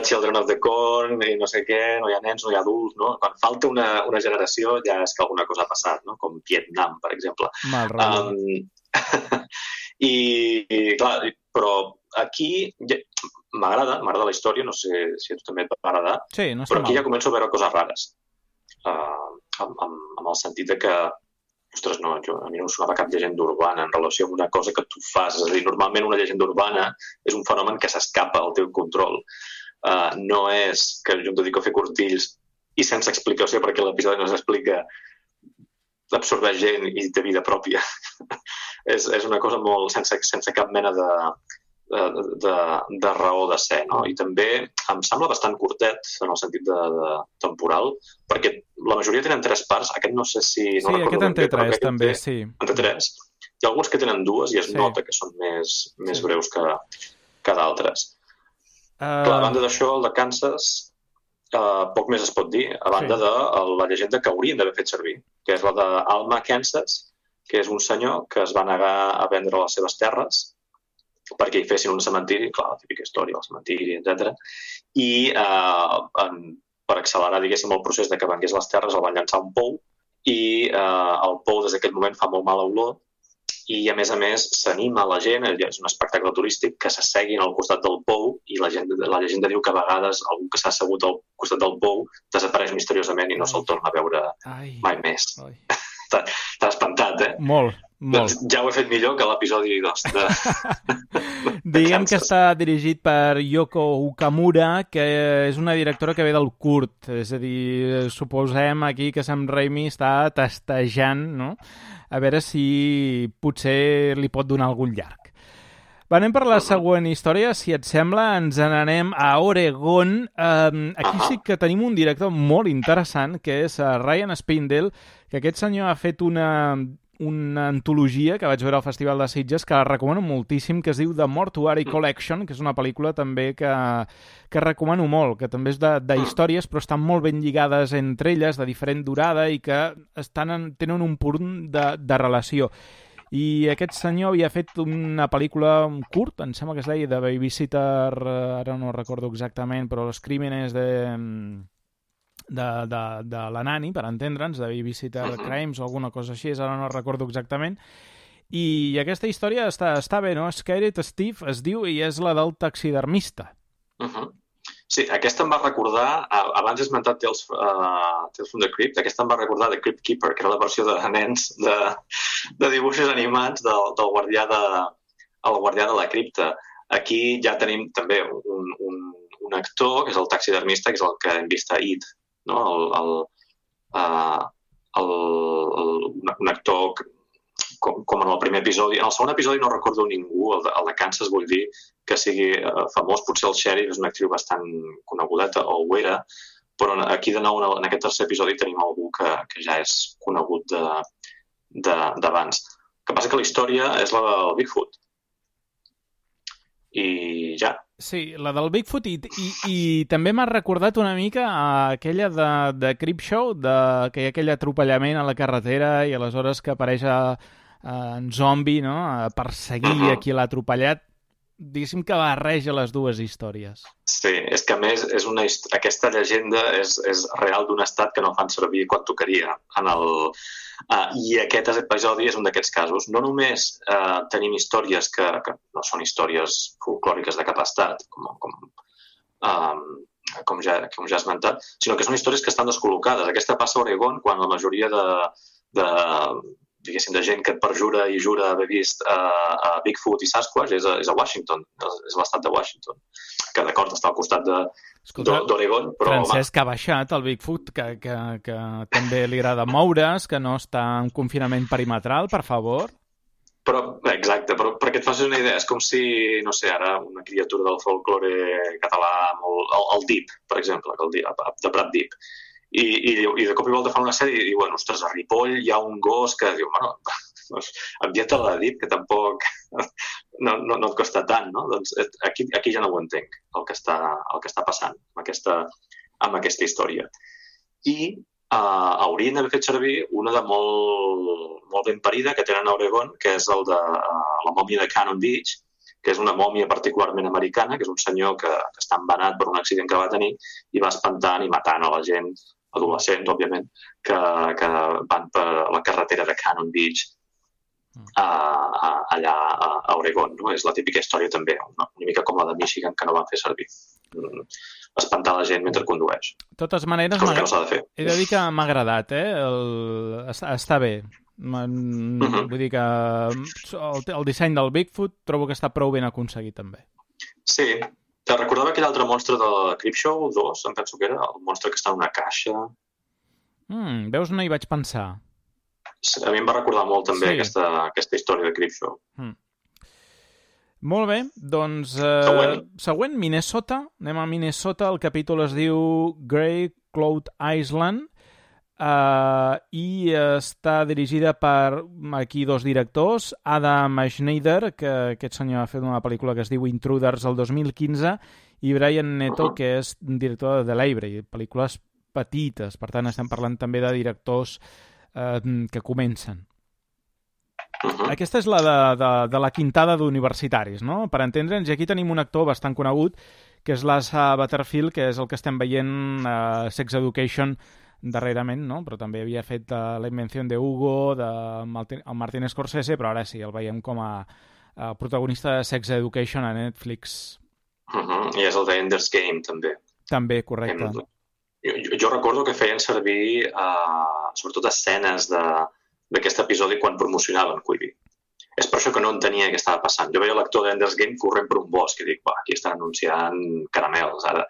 Children of the Corn, i no sé què, no hi ha nens, no hi ha adults, no? Quan falta una generació ja és que alguna cosa ha passat, no? Com Vietnam, per exemple. Mal rotllo. I clar, però aquí m'agrada la història, no sé si a tu també et va agradar, sí, no però aquí ja començo a veure coses rares, amb el sentit de que ostres, no, a mi no em sonava cap llegenda urbana en relació amb una cosa que tu fas. És a dir, normalment una llegenda urbana és un fenomen que s'escapa al teu control. No és que jo em dedico a fer cortills i sense explicació, perquè l'episodi no s'explica, absorbeix gent i té vida pròpia. És una cosa molt sense cap mena de raó de ser, no? I també em sembla bastant curtet en el sentit de temporal, perquè la majoria tenen 3 parts. Aquest no sé si... Sí, aquest en té 3 també, sí. En té 3. Hi ha alguns que tenen 2 i es nota que són més breus que d'altres. Clar, a banda d'això, el de Kansas, poc més es pot dir, a banda de la llegenda que haurien d'haver fet servir, que és la d'Alma Kansas, que és un senyor que es va negar a vendre les seves terres perquè hi fessin un cementiri, clar, la típica història, el cementiri, etc. I per accelerar, diguéssim, el procés de que vengués les terres, el van llançar a un pou i el pou des d'aquell moment fa molt mala olor i, a més, s'anima la gent, és un espectacle turístic, que s'asseguin al costat del pou i la llegenda diu que a vegades algú que s'ha assegut al costat del pou desapareix misteriosament i no se'l torna a veure mai més. T'ha espantat, eh? Molt. Ja ho he fet millor que l'episodi 2 Diguem que està dirigit per Yoko Ukamura, que és una directora que ve del curt, és a dir, suposem aquí que Sam Raimi està testejant, no?, a veure si potser li pot donar algun llarg. Anem per la següent història, si et sembla, ens n'anem a Oregon. Aquí sí que tenim un director molt interessant, que és Ryan Spindell, que aquest senyor ha fet una antologia que vaig veure al Festival de Sitges, que la recomano moltíssim, que es diu The Mortuary Collection, que és una pel·lícula també que recomano molt, que també és d'històries, però estan molt ben lligades entre elles, de diferent durada, i que tenen un punt de relació. I aquest senyor havia fet una pel·lícula curt, em sembla que es deia The Babysitter, ara no recordo exactament, però Los Crímenes de la Nani, per entendre'ns, de Babysitter Crimes o alguna cosa així, ara no recordo exactament. I aquesta història està bé, no? Scared Steve es diu, i és la del taxidermista. Sí, aquesta em va recordar, abans he esmentat Tales from the Crypt, aquesta em va recordar The Crypt Keeper, que era la versió de nens de dibuixos animats del guardià de la cripta. Aquí ja tenim també un actor, que és el taxidermista, que és el que hem vist a It, no? Un actor com en el primer episodi. En el segon episodi no recordo ningú, el de Kansas, vull dir que sigui famós, potser el sheriff és una actriu bastant conegudeta, o ho era, però aquí de nou en aquest tercer episodi tenim algú que ja és conegut d'abans. El que passa que la història és la del Bigfoot. I ja. Sí, la del Bigfoot, i també m'ha recordat una mica a aquella de Creepshow, que hi ha aquell atropellament a la carretera i aleshores que apareix en zombi, no?, a perseguir a qui l'ha atropellat. Diguéssim que barreja les dues històries. Sí, és que a més aquesta llegenda és real d'un estat que no fan servir quan tocaria. I aquest episodi és un d'aquests casos. No només tenim històries que no són històries folclòriques de cap estat, com ja he esmentat, sinó que són històries que estan descol·locades. Aquesta passa a Oregon, quan la majoria diguéssim, de gent que et perjura i jura haver vist Bigfoot i Sasquatch és a Washington, és l'estat de Washington, que d'acord està al costat d'Oregon, però... Francesc ha baixat el Bigfoot, que també li agrada moure's, que no està en confinament perimetral, per favor. Exacte, però perquè et facis una idea, és com si, no sé, ara una criatura del folklore català, el Deep, per exemple, de Prat Deep. I de cop i volta fan una sèrie i diuen, ostres, a Ripoll hi ha un gos que diu, bueno, envia-te-la de dit, que tampoc no et costa tant, no? Doncs aquí ja no ho entenc, el que està passant amb aquesta història. I haurien d'haver fet servir una de molt ben parida que tenen a Oregon, que és el de la mòmia de Cannon Beach, que és una mòmia particularment americana, que és un senyor que està embenat per un accident que va tenir i va espantant i matant a la gent, adolescents, òbviament, que van per la carretera de Cannon Beach allà a Oregon. No? És la típica història també, una mica com la de Michigan, que no van fer servir. Espantar la gent mentre condueix. De totes maneres, cosa que no s'ha de fer. He de dir que m'ha agradat, està bé. Vull dir que el disseny del Bigfoot trobo que està prou ben aconseguit també. Sí, te recordava aquell altre monstre de Creepshow 2, em penso que era, el monstre que està en una caixa. Veus, no hi vaig pensar. A mi em va recordar molt també aquesta història de Creepshow. Molt bé, doncs següent, Minnesota. Anem a Minnesota, el capítol es diu Grey Cloud Island. I està dirigida per aquí dos directors, Adam Schneider, que aquest senyor ha fet una pel·lícula que es diu Intruders el 2015, i Brian Neto, que és director de The Library, pel·lícules petites, per tant estem parlant també de directors que comencen. Aquesta és la de la quintada d'universitaris, no? Per entendre'ns, i aquí tenim un actor bastant conegut, que és l'Asa Butterfield, que és el que estem veient a Sex Education darrerament, no? Però també havia fet La invenció de Hugo, de Martin Scorsese, però ara sí, el veiem com a protagonista de Sex Education a Netflix. I és el de Ender's Game, també. També, correcte. Jo recordo que feien servir sobretot escenes d'aquest episodi quan promocionaven Quibi. És per això que no entenia què estava passant. Jo veia l'actor d'Ender's Game corrent per un bosc i dic, aquí estan anunciant caramels, ara.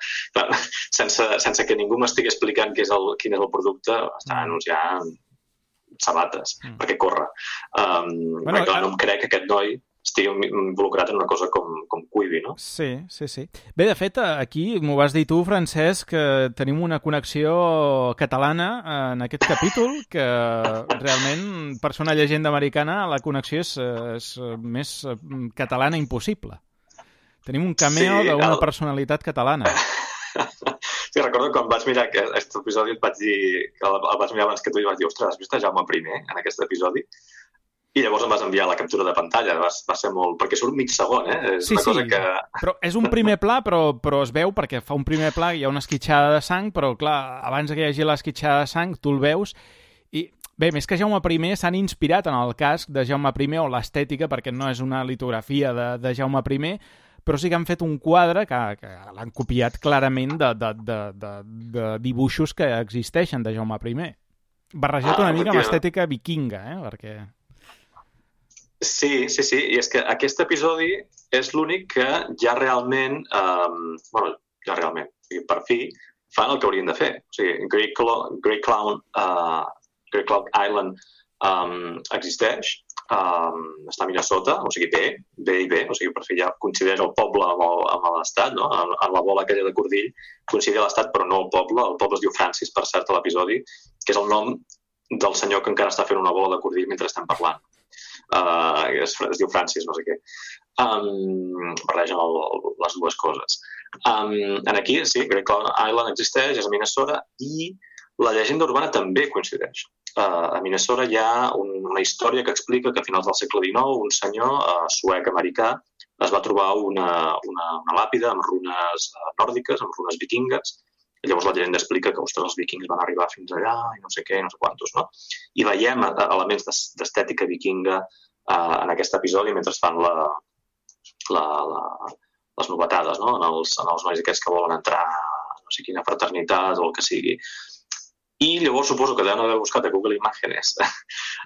Sense que ningú m'estigui explicant quin és el producte, estan anunciant sabates, perquè corre. Clar, no em crec que aquest noi estigui involucrat en una cosa com Quibi, no? Sí. Bé, de fet, aquí m'ho vas dir tu, Francesc, que tenim una connexió catalana en aquest capítol, que realment, per ser una llegenda americana, la connexió és més catalana impossible. Tenim un cameo d'una personalitat catalana. Sí, recordo quan vaig mirar aquest episodi, el vaig mirar abans que tu i vaig dir, ostres, has vist Jaume I en aquest episodi? I llavors em vas enviar la captura de pantalla. Va ser molt... perquè surt mig segon, És una cosa que... Però és un primer pla, però es veu, perquè fa un primer pla, hi ha una esquitxada de sang, però, clar, abans que hi hagi l'esquitxada de sang, tu el veus, i, bé, més que Jaume I, s'han inspirat en el casc de Jaume I, o l'estètica, perquè no és una litografia de Jaume I, però sí que han fet un quadre que l'han copiat clarament de dibuixos que existeixen de Jaume I. Barrejat una mica amb estètica vikinga, perquè... Sí, i és que aquest episodi és l'únic que ja realment, per fi, fan el que haurien de fer. O sigui, Grey Cloud Island existeix, està a Minnesota, o sigui, bé, o sigui, per fi ja considera el poble amb l'estat, no? En la bola aquella de cordill, considera l'estat, però no el poble es diu Francis, per cert, a l'episodi, que és el nom del senyor que encara està fent una bola de cordill mentre estem parlant. Es diu Francis, no sé què. Barregen les dues coses. Aquí, sí, Grey Cloud Island existeix, és a Minnesota, i la llegenda urbana també coincideix. A Minnesota hi ha una història que explica que a finals del segle XIX un senyor suec-americà es va trobar una làpida amb runes nòrdiques, amb runes vikingues. Llavors la llegenda explica que, ostres, els vikings van arribar fins allà i no sé què, no sé quantos, no? I veiem elements d'estètica vikinga en aquest episodi mentre fan les novetades, no? En els nois aquests que volen entrar a no sé quina fraternitat o el que sigui. I llavors suposo que deuen haver buscat a Google Images.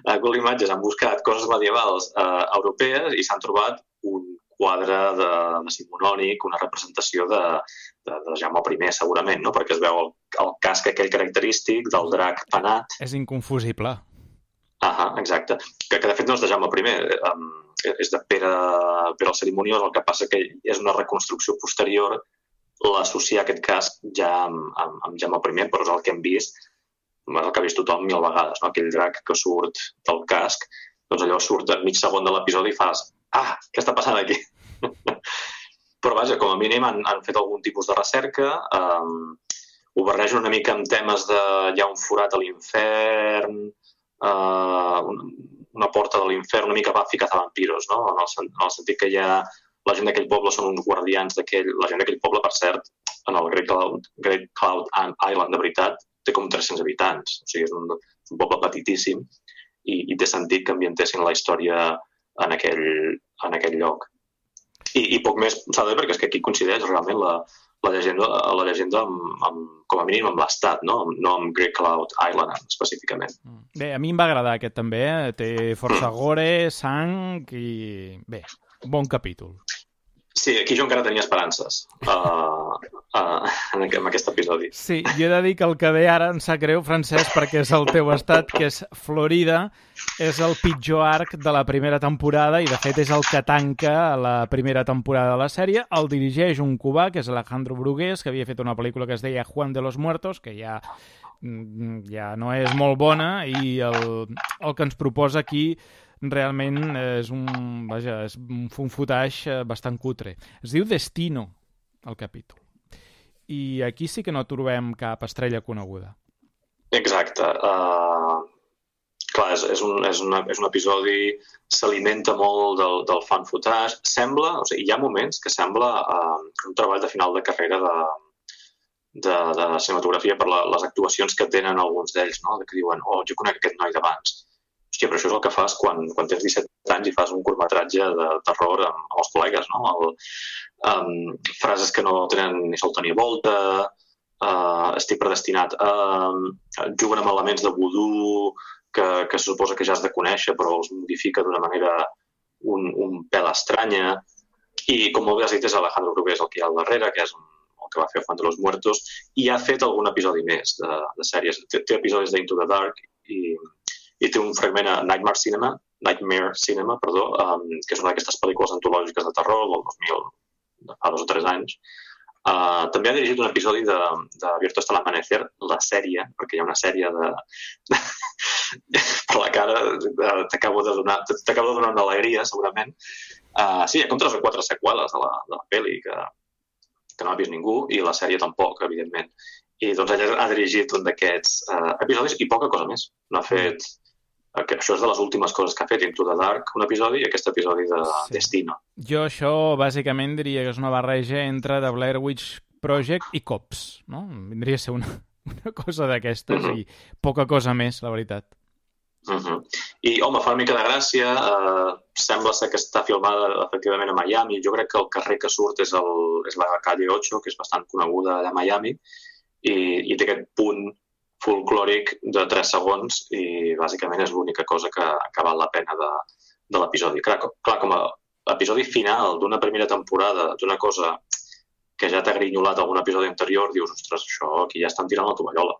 A Google Images han buscat coses medievals europees i s'han trobat un quadre de decimonònic, una representació de Jaume I, segurament, no? Perquè es veu el casc aquell característic del drac penat. És inconfusible. Exacte. Que de fet no és de Jaume I, és de Pere el Cerimoniós, el que passa que és una reconstrucció posterior l'associar aquest casc ja amb Jaume I, però és el que hem vist, el que ha vist tothom 1000 vegades, no? Aquell drac que surt del casc, doncs allò surt a mig segon de l'episodi i fas què està passant aquí? Però vaja, com a mínim han fet algun tipus de recerca, ho barregen una mica amb temes de hi ha un forat a l'infern, una porta de l'infern, una mica Buffy cazavampiros, no? En el sentit que la gent d'aquell poble són uns guardians la gent d'aquell poble, per cert, en el Great Cloud Island de veritat, té com 300 habitants, o sigui, és un poble petitíssim i té sentit que ambientessin la història en aquell lloc. I poc més s'ha de dir perquè és que aquí coincideix realment la llegenda com a mínim amb l'estat, no amb Great Cloud Island específicament. Bé, a mi em va agradar aquest també, té força gore, sang i... Bé, bon capítol. Sí, aquí jo encara tenia esperances en aquest episodi. Sí, jo he de dir que el que ve ara em sap greu, Francesc, perquè és el teu estat, que és Florida, és el pitjor arc de la primera temporada i, de fet, és el que tanca la primera temporada de la sèrie. El dirigeix un cubà, que és Alejandro Brugués, que havia fet una pel·lícula que es deia Juan de los Muertos, que ja no és molt bona, i el que ens proposa aquí realment és un footage bastant cutre. Es diu Destino, el capítol. I aquí sí que no trobem cap estrella coneguda. Exacte. Clar, és un episodi, s'alimenta molt del fan footage. Sembla, o sigui, hi ha moments que sembla un treball de final de carrera de cinematografia per les actuacions que tenen alguns d'ells, no? Que diuen, jo conec aquest noi d'abans. Hòstia, però això és el que fas quan tens 17 anys i fas un curtmetratge de terror amb els col·legues, no? Frases que no tenen ni solta ni volta, estic predestinat, juguen amb elements de vudú que se suposa que ja has de conèixer, però els modifica d'una manera un pèl estranya. I, com molt bé has dit, és Alejandro Brugués el que hi ha al darrere, que és el que va fer Juan de los Muertos, i ha fet algun episodi més de sèries. Té episodis d'Into the Dark i té un fragment a Nightmare Cinema, que és una d'aquestes pel·lícules antològiques de terror del 2000, fa 2 o 3 anys. També ha dirigit un episodi de Abierto hasta el amanecer, la sèrie, perquè hi ha una sèrie per la cara, t'acabo de donar una alegria, segurament. Sí, hi ha com 3 o 4 seqüeles de la pel·li que no ha vist ningú, i la sèrie tampoc, evidentment. I doncs ella ha dirigit un d'aquests episodis i poca cosa més. No ha fet... Això és de les últimes coses que ha fet, Into the Dark, un episodi, i aquest episodi de Destino. Jo això, bàsicament, diria que és una barreja entre The Blair Witch Project i Cops, no? Vindria a ser una cosa d'aquestes i poca cosa més, la veritat. I, home, fa una mica de gràcia, sembla ser que està filmada efectivament a Miami. Jo crec que el carrer que surt és la calle 8, que és bastant coneguda allà a Miami, i té aquest punt folclòric de 3 segons i bàsicament és l'única cosa que val la pena de l'episodi. Clar, com a episodi final d'una primera temporada, d'una cosa que ja t'ha grinyolat algun episodi anterior, dius, ostres, això aquí ja estan tirant la tovallola.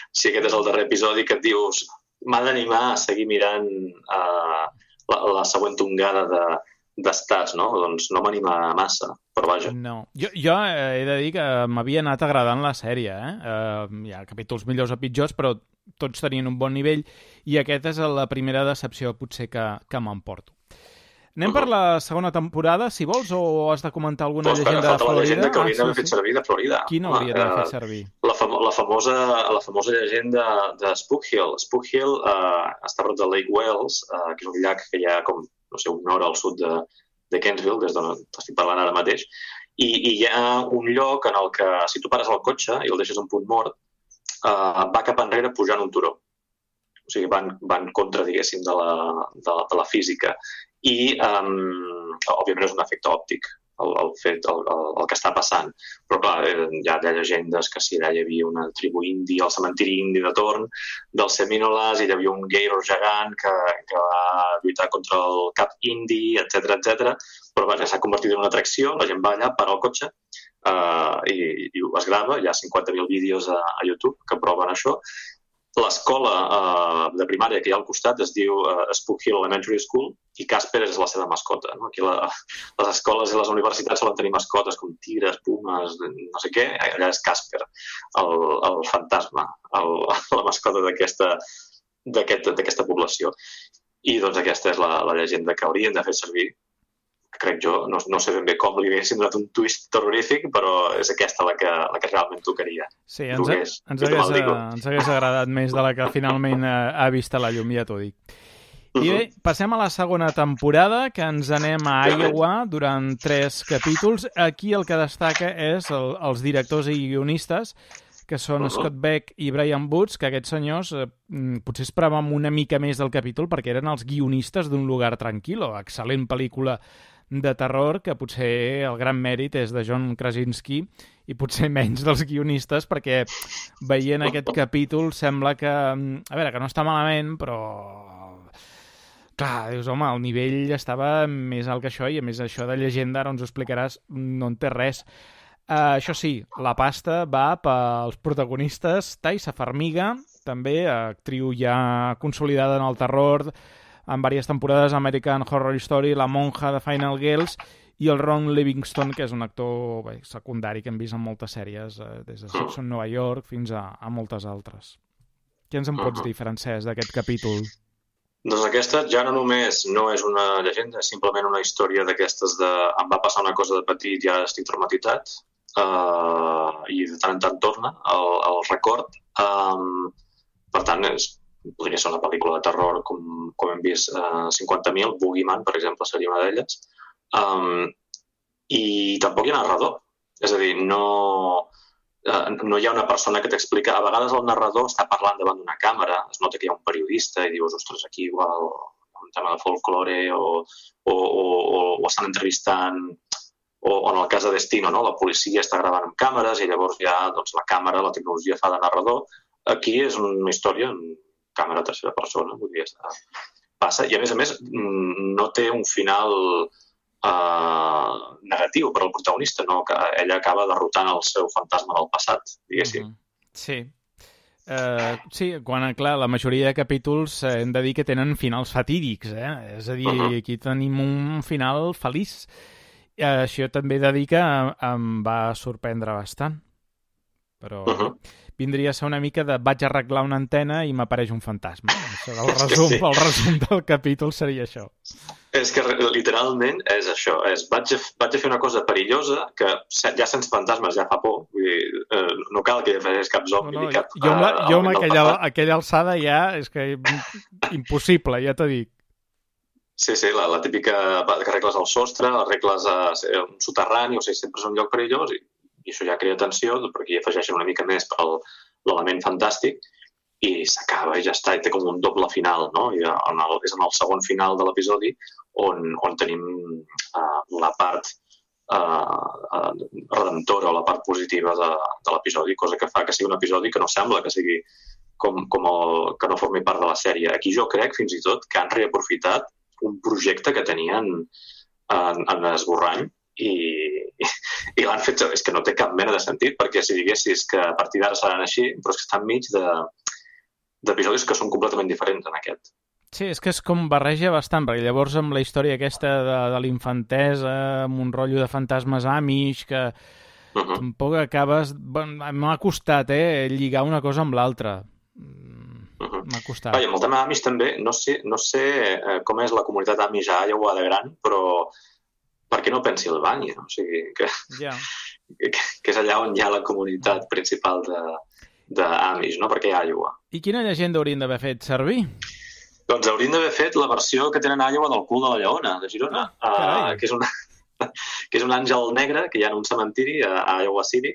Si aquest és el darrer episodi que et dius, m'ha d'animar a seguir mirant la següent tongada d'estats, no? Doncs no m'anima massa, però vaja. No. Jo he de dir que m'havia anat agradant la sèrie, Hi ha capítols millors o pitjors, però tots tenien un bon nivell i aquesta és la primera decepció potser que m'emporto. Anem per la segona temporada, si vols, o has de comentar alguna llegenda de Florida? La llegenda que hauríem d'haver fet servir de Florida. Quina hauria d'haver fet servir? La famosa llegenda de Spook Hill. Spook Hill està a prop de Lake Wales, que és un llac que hi ha com, no sé, una hora al sud de Kensville, des d'on estic parlant ara mateix, i hi ha un lloc en el que, si tu pares el cotxe i el deixes en punt mort, va cap enrere pujant un turó. O sigui, van contra, diguéssim, de la física. I, òbviament, és un efecte òptic, el que està passant. Però, clar, hi ha llegendes que si allà hi havia una tribu indi, el cementiri indi de Torn, dels Seminoles, i hi havia un gator gegant que va lluitar contra el cap indi, etc. Però, vaja, s'ha convertit en una atracció, la gent va allà, para el cotxe, i es grava, hi ha 50.000 vídeos a YouTube que proven això. L'escola de primària que hi ha al costat es diu Spook Hill Elementary School, i Casper és la seva mascota. No? Aquí les escoles i les universitats solen tenir mascotes com tigres, pumes, no sé què. Allà és Casper, el fantasma, la mascota d'aquesta població. I doncs aquesta és la llegenda que haurien de fer servir. Crec jo, no sé ben bé com li haguessin donat un twist terrorífic, però és aquesta la que realment tocaria. Sí, ens hagués agradat més de la que finalment ha vist a la llum, ja t'ho dic. I bé, passem a la segona temporada, que ens anem a Iowa durant 3 capítols. Aquí el que destaca és els directors i guionistes, que són Scott Beck i Brian Boots, que aquests senyors potser esperàvem una mica més del capítol perquè eren els guionistes d'Un lugar tranquilo, excel·lent pel·lícula de terror, que potser el gran mèrit és de John Krasinski i potser menys dels guionistes, perquè veient aquest capítol sembla que, a veure, que no està malament, però clar, dius, home, el nivell estava més alt que això, i a més això de llegenda, ara ens ho explicaràs, no en té res. Això sí, la pasta va pels protagonistes. Taissa Farmiga, també actriu ja consolidada en el terror, en diverses temporades, American Horror Story, La monja de Final Girls, i el Ron Livingston, que és un actor secundari que hem vist en moltes sèries, des de Sex on Nova York fins a moltes altres. Què ens en pots dir, Francesc, d'aquest capítol? Doncs aquesta ja no només no és una llegenda, és simplement una història d'aquestes de em va passar una cosa de petit i ara estic traumatitzat, i de tant en tant torna el record. Per tant, podria ser una pel·lícula de terror com hem vist 50.000, Boogeyman, per exemple, seria una d'elles. I tampoc hi ha narrador. És a dir, no hi ha una persona que t'explica. A vegades el narrador està parlant davant d'una càmera, es nota que hi ha un periodista i dius, ostres, aquí igual un tema de folklore o estan entrevistant, o en el cas de Destino, no? La policia està gravant amb càmeres i llavors ja doncs, la càmera, la tecnologia fa de narrador. Aquí és una història en càmera tercera persona, vull dir, passa. I a més, no té un final negatiu per al protagonista, no? Que ella acaba derrotant el seu fantasma del passat, diguéssim. Sí. Sí, quan, clar, la majoria de capítols hem de dir que tenen finals fatídics, És a dir, aquí tenim un final feliç. Això també he de dir que em va sorprendre bastant. Però vindria a ser una mica de vaig arreglar una antena i m'apareix un fantasma. El resum del capítol seria això. És que literalment és això. Vaig a fer una cosa perillosa que ja sents fantasmes ja fa por. Vull dir, no cal que facis cap zombi ni cap... Jo amb aquella alçada ja és que impossible, ja t'ho dic. Sí, la típica que arregles el sostre, arregles un soterrani, o sigui, sempre és un lloc perillós i això ja crea tensió, perquè hi afegeixen una mica més per l'element fantàstic i s'acaba i ja està, i té com un doble final, no? I és en el segon final de l'episodi on tenim la part redemptora o la part positiva de l'episodi, cosa que fa que sigui un episodi que no sembla que sigui que no formi part de la sèrie. Aquí jo crec, fins i tot, que han reaprofitat un projecte que tenien en esborrany i l'han fet... És que no té cap mena de sentit, perquè si diguessis que a partir d'ara seran així, però és que estan enmig d'episodis que són completament diferents en aquest. Sí, és que és com barreja bastant, perquè llavors amb la història aquesta de l'infantesa, amb un rotllo de fantasmes amish, que tampoc acabes... M'ha costat, lligar una cosa amb l'altra. M'ha costat. Amb el tema Amish també, no sé com és la comunitat Amish a Iowa de gran, però per què no Pennsilvània? O sigui, que és allà on hi ha la comunitat principal d'Amish, no? Perquè a Iowa. I quina llegenda haurien d'haver fet servir? Doncs haurien d'haver fet la versió que tenen a Iowa del cul de la lleona, de Girona, que és un àngel negre que hi ha en un cementiri a Iowa City.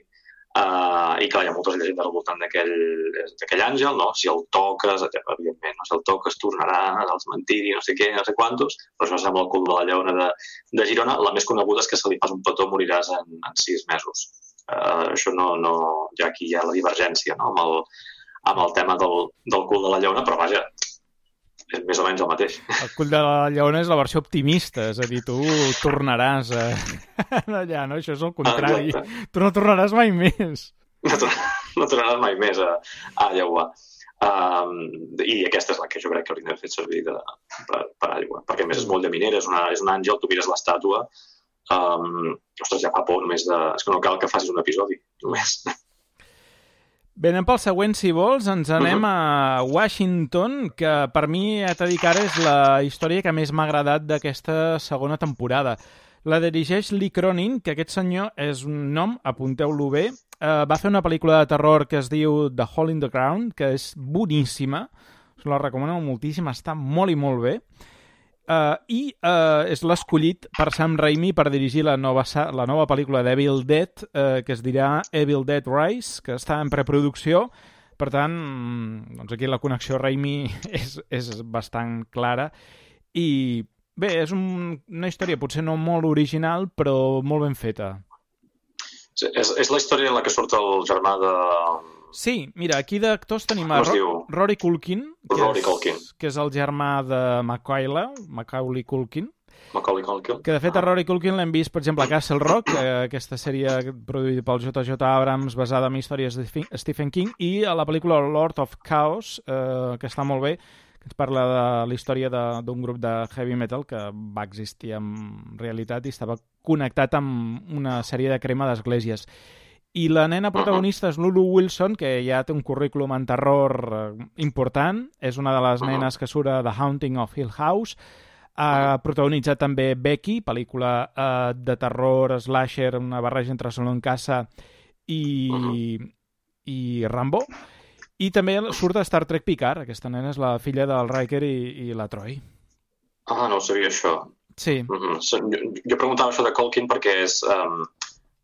I clar, hi ha moltes llegendes al voltant d'aquell àngel, no? Si el toques, evidentment, no? Si el toques tornarà al cementiri, no sé què, no sé quantos, però això sembla el cul de la lleona de Girona. La més coneguda és que si li fas un petó moriràs en 6 mesos. Això no... Ja aquí hi ha la divergència, no? Amb el tema del cul de la lleona, però vaja, és més o menys el mateix. El cul de la lleona és la versió optimista, és a dir, tu tornaràs allà, no? Això és el contrari. Tu no tornaràs mai més. No tornaràs mai més a Iowa. I aquesta és la que jo crec que hauríem d'haver fet servir per aigua, perquè a més és molt de minera, és un àngel, tu mires l'estàtua, ostres, ja fa por només de... És que no cal que facis un episodi, només. Bé, anem pel següent, si vols. Ens anem a Washington, que per mi, ja t'he dit que ara és la història que més m'ha agradat d'aquesta segona temporada. La dirigeix Lee Cronin, que aquest senyor és un nom, apunteu-lo bé. Va fer una pel·lícula de terror que es diu The Hole in the Ground, que és boníssima. Us la recomano moltíssim, està molt i molt bé. I és l'escollit per Sam Raimi per dirigir la nova pel·lícula d'Evil Dead, que es dirà Evil Dead Rise, que està en preproducció. Per tant, doncs aquí la connexió Raimi és bastant clara. I bé, és una història potser no molt original, però molt ben feta. Sí, és la història en la que surt el germà de... Sí, mira, aquí d'actors tenim a Rory Culkin, que és el germà de Macaulay Culkin. Que de fet a Rory Culkin l'hem vist, per exemple, a Castle Rock, aquesta sèrie produïda pel J.J. Abrams basada en històries de Stephen King, i a la pel·lícula Lord of Chaos, que està molt bé, que ens parla de la història d'un grup de heavy metal que va existir en realitat i estava connectat amb una sèrie de crema d'esglésies. I la nena protagonista és Lulu Wilson, que ja té un currículum en terror important. És una de les nenes que surt a The Haunting of Hill House. Ha protagonitzat també Becky, pel·lícula de terror, slasher, una barreja entre Solo en casa i Rambo. I també surt a Star Trek Picard. Aquesta nena és la filla del Riker i la Troy. No sabia això. Sí. Jo preguntava això de Culkin perquè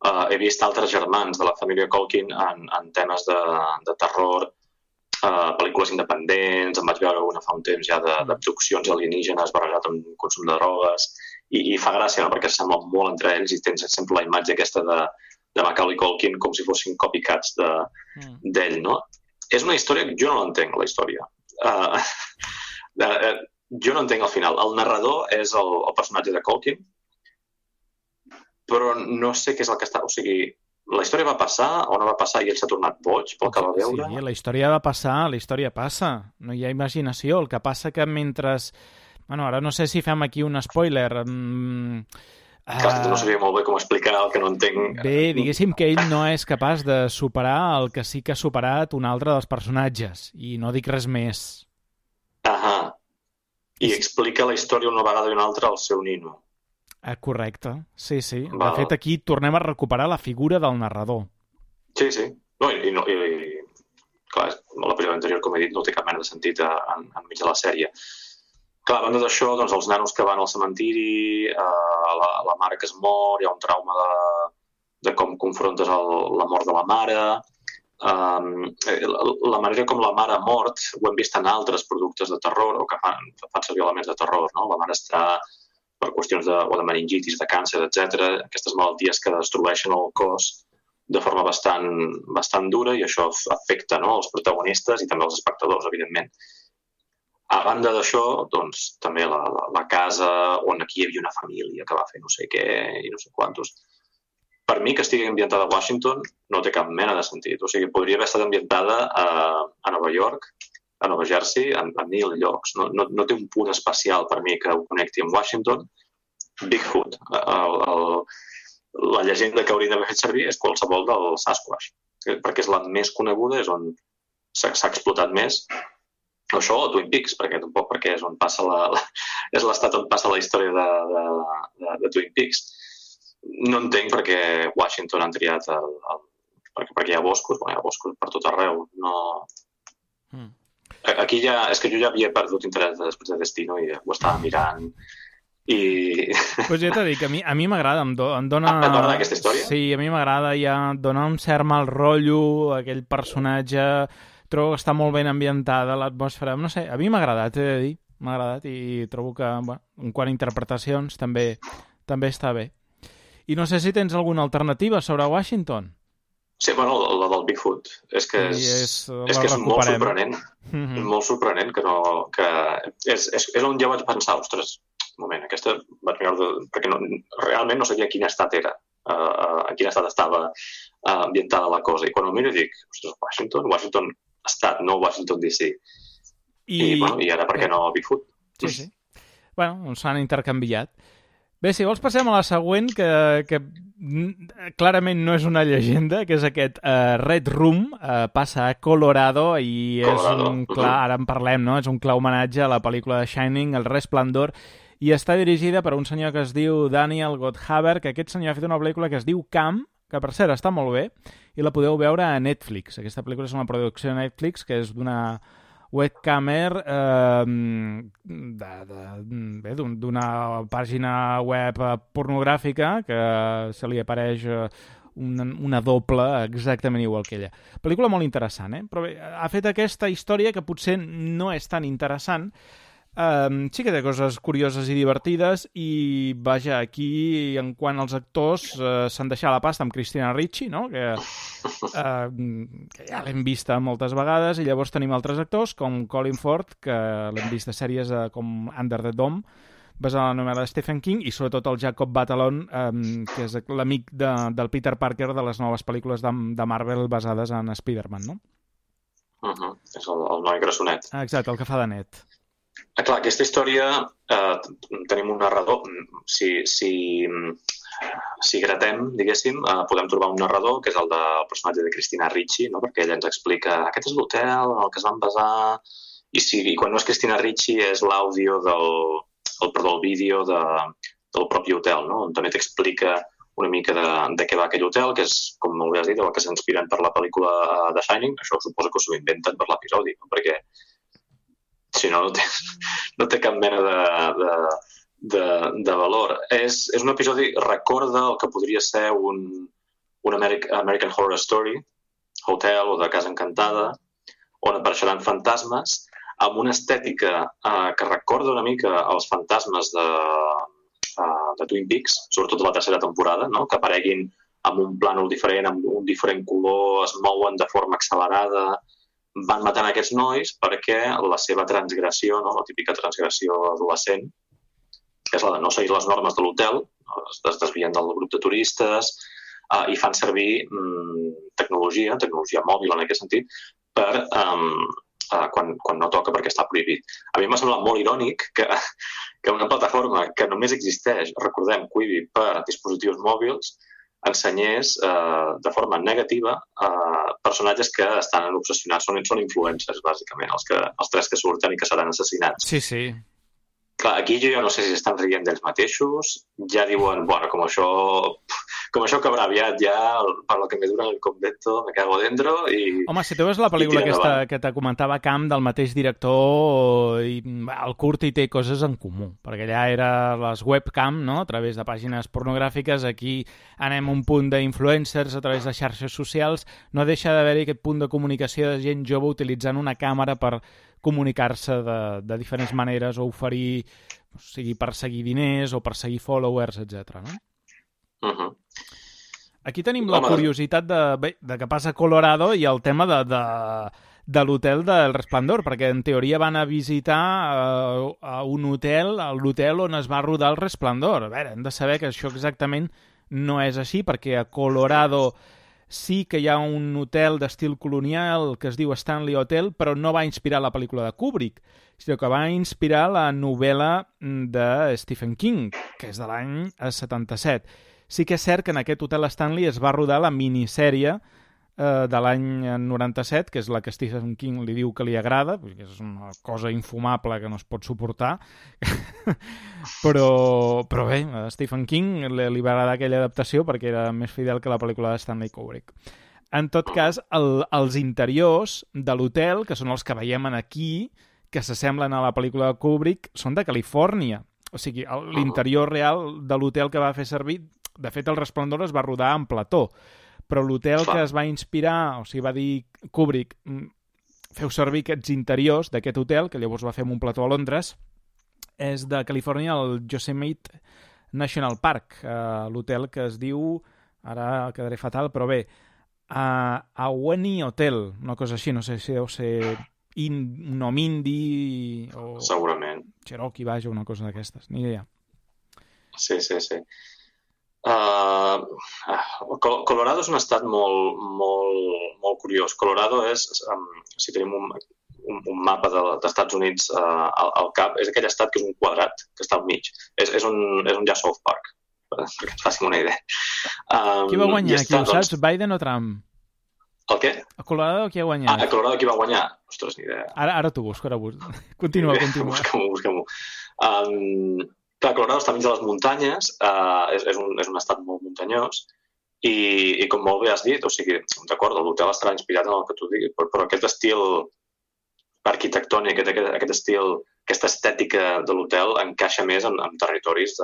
he vist altres germans de la família Culkin en temes de terror, pel·lícules independents, em vaig veure una fa un temps ja d'abduccions alienígenes barrejat amb consum de drogues, i fa gràcia, no?, perquè s'assemblen molt entre ells i tens sempre la imatge aquesta de Macaulay Culkin com si fossin copycats d'ell, no? És una història que jo no l'entenc, la història. Jo no entenc el final. El narrador és el personatge de Culkin, però no sé què és el que està... O sigui, la història va passar o no va passar i ell s'ha tornat boig pel que va veure? Sí, la història va passar, la història passa. No hi ha imaginació. El que passa que mentre... Bueno, ara no sé si fem aquí un spoiler... No sabia molt bé com explicar el que no entenc. Bé, diguéssim que ell no és capaç de superar el que sí que ha superat un altre dels personatges, i no dic res més. I explica la història una vegada i una altra al seu nino. Correcte, sí. De fet, aquí tornem a recuperar la figura del narrador. Sí. Clar, l'episodi anterior, com he dit, no té cap mena de sentit enmig de la sèrie. Clar, a banda d'això, doncs, els nanos que van al cementiri, la mare que es mor, hi ha un trauma de com confrontes la mort de la mare. La manera com la mare ha mort ho hem vist en altres productes de terror o que fan servir elements de terror, no? La mare està per qüestions de meningitis, de càncer, etc. Aquestes malalties que destrueixen el cos de forma bastant dura i això afecta, no?, els protagonistes i també els espectadors, evidentment. A banda d'això, doncs, també la casa on aquí hi havia una família que va fer no sé què i no sé quantos. Per mi, que estigui ambientada a Washington no té cap mena de sentit. O sigui, podria haver estat ambientada a Nova York, a Nova Jersey, a 1000 llocs. No té un punt especial per mi que ho connecti amb Washington. Bigfoot. La llegenda que hauríem d'haver fet servir és qualsevol del Sasquatch, perquè és la més coneguda, és on s'ha explotat més. Això o Twin Peaks, perquè és on passa és l'estat on passa la història de Twin Peaks. No entenc perquè Washington han triat perquè hi ha boscos, hi ha boscos per tot arreu. Aquí és que jo ja havia perdut interès després de Destino i ho estava mirant Pues ja t'he dit que a mi m'agrada, em dona... T'agrada aquesta història? Sí, a mi m'agrada, ja dona un cert mal rotllo, aquell personatge... Trobo que està molt ben ambientada l'atmosfera. No sé, a mi m'ha agradat, he de dir. M'ha agradat i trobo que, en quant a interpretacions, també està bé. I no sé si tens alguna alternativa sobre Washington. Sí, bueno, la del Bigfoot. És que és molt sorprenent. Molt sorprenent que és on ja vaig pensar, ostres, un moment, aquesta vaig mirar... Perquè realment no sabia quin estat era, en quin estat estava ambientada la cosa. I quan ho miro dic, ostres, Washington estat, no Washington DC. I ara per què no Bigfoot? Sí. Bueno, s'han intercanviat. Bé, si vols passem a la següent, que clarament no és una llegenda, que és aquest Red Room, passa a Colorado i és un clar, ara en parlem, no? És un clar homenatge a la pel·lícula de Shining, El Resplendor, i està dirigida per un senyor que es diu Daniel Goldhaber, que aquest senyor ha fet una pel·lícula que es diu Cam, que per cert està molt bé, i la podeu veure a Netflix. Aquesta pel·lícula és una producció de Netflix que és d'una webcamer d'una pàgina web pornogràfica que se li apareix una doble exactament igual que ella. Pel·lícula molt interessant, Però bé, ha fet aquesta història que potser no és tan interessant. Sí que té coses curioses i divertides i, vaja, aquí en quant als actors s'han deixat la pasta amb Christina Ricci, no? Que ja l'hem vista moltes vegades, i llavors tenim altres actors com Colin Firth, que l'hem vist a sèries com Under the Dome, basada en la novel·la de Stephen King, i sobretot el Jacob Batalon, que és l'amic del Peter Parker de les noves pel·lícules de Marvel basades en Spider-Man, no? És el noi grassonet. Exacte, el que fa de net. Clar, aquesta història tenim un narrador. Si gratem, diguéssim, podem trobar un narrador, que és el del personatge de Christina Ricci, no? Perquè ella ens explica aquest és l'hotel en el que es van basar, i quan no és Christina Ricci és l'àudio el vídeo del propi hotel, no? On també t'explica una mica de què va aquell hotel, que és, com molt bé has dit, el que s'inspiren per la pel·lícula de Shining. Això suposo que s'ho inventen per l'episodi, no? Perquè si no, no té cap mena de valor. És un episodi, recorda el que podria ser un American Horror Story, Hotel o de Casa Encantada, on apareixeran fantasmes amb una estètica que recorda una mica els fantasmes de Twin Peaks, sobretot de la tercera temporada, no? Que apareguin amb un plànol diferent, amb un diferent color, es mouen de forma accelerada, van matant aquests nois perquè la seva transgressió, no? La típica transgressió adolescent, que és la de no seguir les normes de l'hotel, es desvien del grup de turistes i fan servir tecnologia mòbil en aquest sentit, per quan no toca perquè està prohibit. A mi m'ha semblat molt irònic que una plataforma que només existeix, recordem, Quibi, per dispositius mòbils, ensenyés de forma negativa personatges que estan obsessionats, són influencers, bàsicament, els tres que surten i que seran assassinats. Sí. Clar, aquí jo no sé si estan rient d'ells mateixos, ja diuen, bueno, com això acabarà aviat, ja, per lo que me dura el convento, me cago dentro, i... Home, si tu veus la pel·lícula aquesta que te comentava Camp, del mateix director, i el curt hi té coses en comú, perquè allà era les webcam, no?, a través de pàgines pornogràfiques, aquí anem a un punt d'influencers a través de xarxes socials, no deixa d'haver-hi aquest punt de comunicació de gent jove utilitzant una càmera per comunicar-se de diferents maneres o oferir, o sigui, perseguir diners o perseguir followers, etc. No? Aquí tenim la curiositat de que passa a Colorado i el tema de l'hotel del Resplendor, perquè en teoria van a visitar a un hotel, l'hotel on es va rodar el Resplendor. A veure, hem de saber que això exactament no és així, perquè a Colorado sí que hi ha un hotel d'estil colonial que es diu Stanley Hotel, però no va inspirar la pel·lícula de Kubrick, sinó que va inspirar la novel·la de Stephen King, que és de l'any 77. Sí que és cert que en aquest hotel Stanley es va rodar la minissèrie de l'any 97, que és la que Stephen King li diu que li agrada, perquè és una cosa infumable que no es pot suportar, però bé, a Stephen King li va agradar aquella adaptació perquè era més fidel que la pel·lícula de Stanley Kubrick. En tot cas, els interiors de l'hotel, que són els que veiem aquí, que s'assemblen a la pel·lícula de Kubrick, són de Califòrnia. O sigui, l'interior real de l'hotel que va fer servir, de fet, El Resplendor es va rodar en plató, però l'hotel que es va inspirar, o sigui, va dir Kubrick, feu servir aquests interiors d'aquest hotel, que llavors va fer un plató a Londres, és de Califòrnia, el Yosemite National Park, l'hotel que es diu, ara quedaré fatal, però bé, Ahwahnee Hotel, una cosa així, no sé si deu ser un nom indi o... Segurament. Cherokee, vaja, una cosa d'aquestes, ni idea. Sí. Colorado és un estat molt curiós. Colorado és, si tenim un mapa d'Estats Units al cap, és aquell estat que és un quadrat, que està al mig. És un ja South Park, perquè ens facin una idea. Qui va guanyar aquí, ho saps? Biden o Trump? El què? A Colorado qui ha guanyat? A Colorado qui va guanyar? Ostres, ni idea. Ara t'ho busco, Continua. Busca-m'ho. Clar, Colorado està mig de les muntanyes, és un estat molt muntanyós, i com molt bé has dit, o sigui, d'acord, l'hotel estarà inspirat en el que tu diguis, però aquest estil arquitectònic, aquest estil, aquesta estètica de l'hotel encaixa més en territoris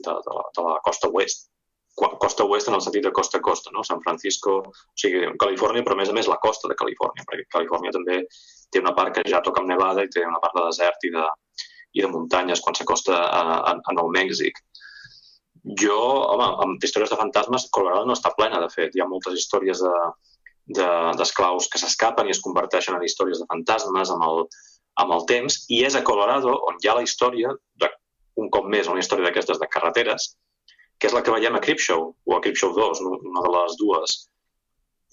de la costa oest. Costa oest en el sentit de costa a costa, no? San Francisco, o sigui, Califòrnia, però a més la costa de Califòrnia, perquè Califòrnia també té una part que ja toca amb nevada i té una part de desert i de muntanyes quan s'acosta a Nou Mèxic. Jo, home, amb històries de fantasmes, Colorado no està plena, de fet. Hi ha moltes històries d'esclaus que s'escapen i es converteixen en històries de fantasmes amb el temps, i és a Colorado on hi ha la història, un cop més, una història d'aquestes de carreteres, que és la que veiem a Creepshow, o a Creepshow 2, una de les dues.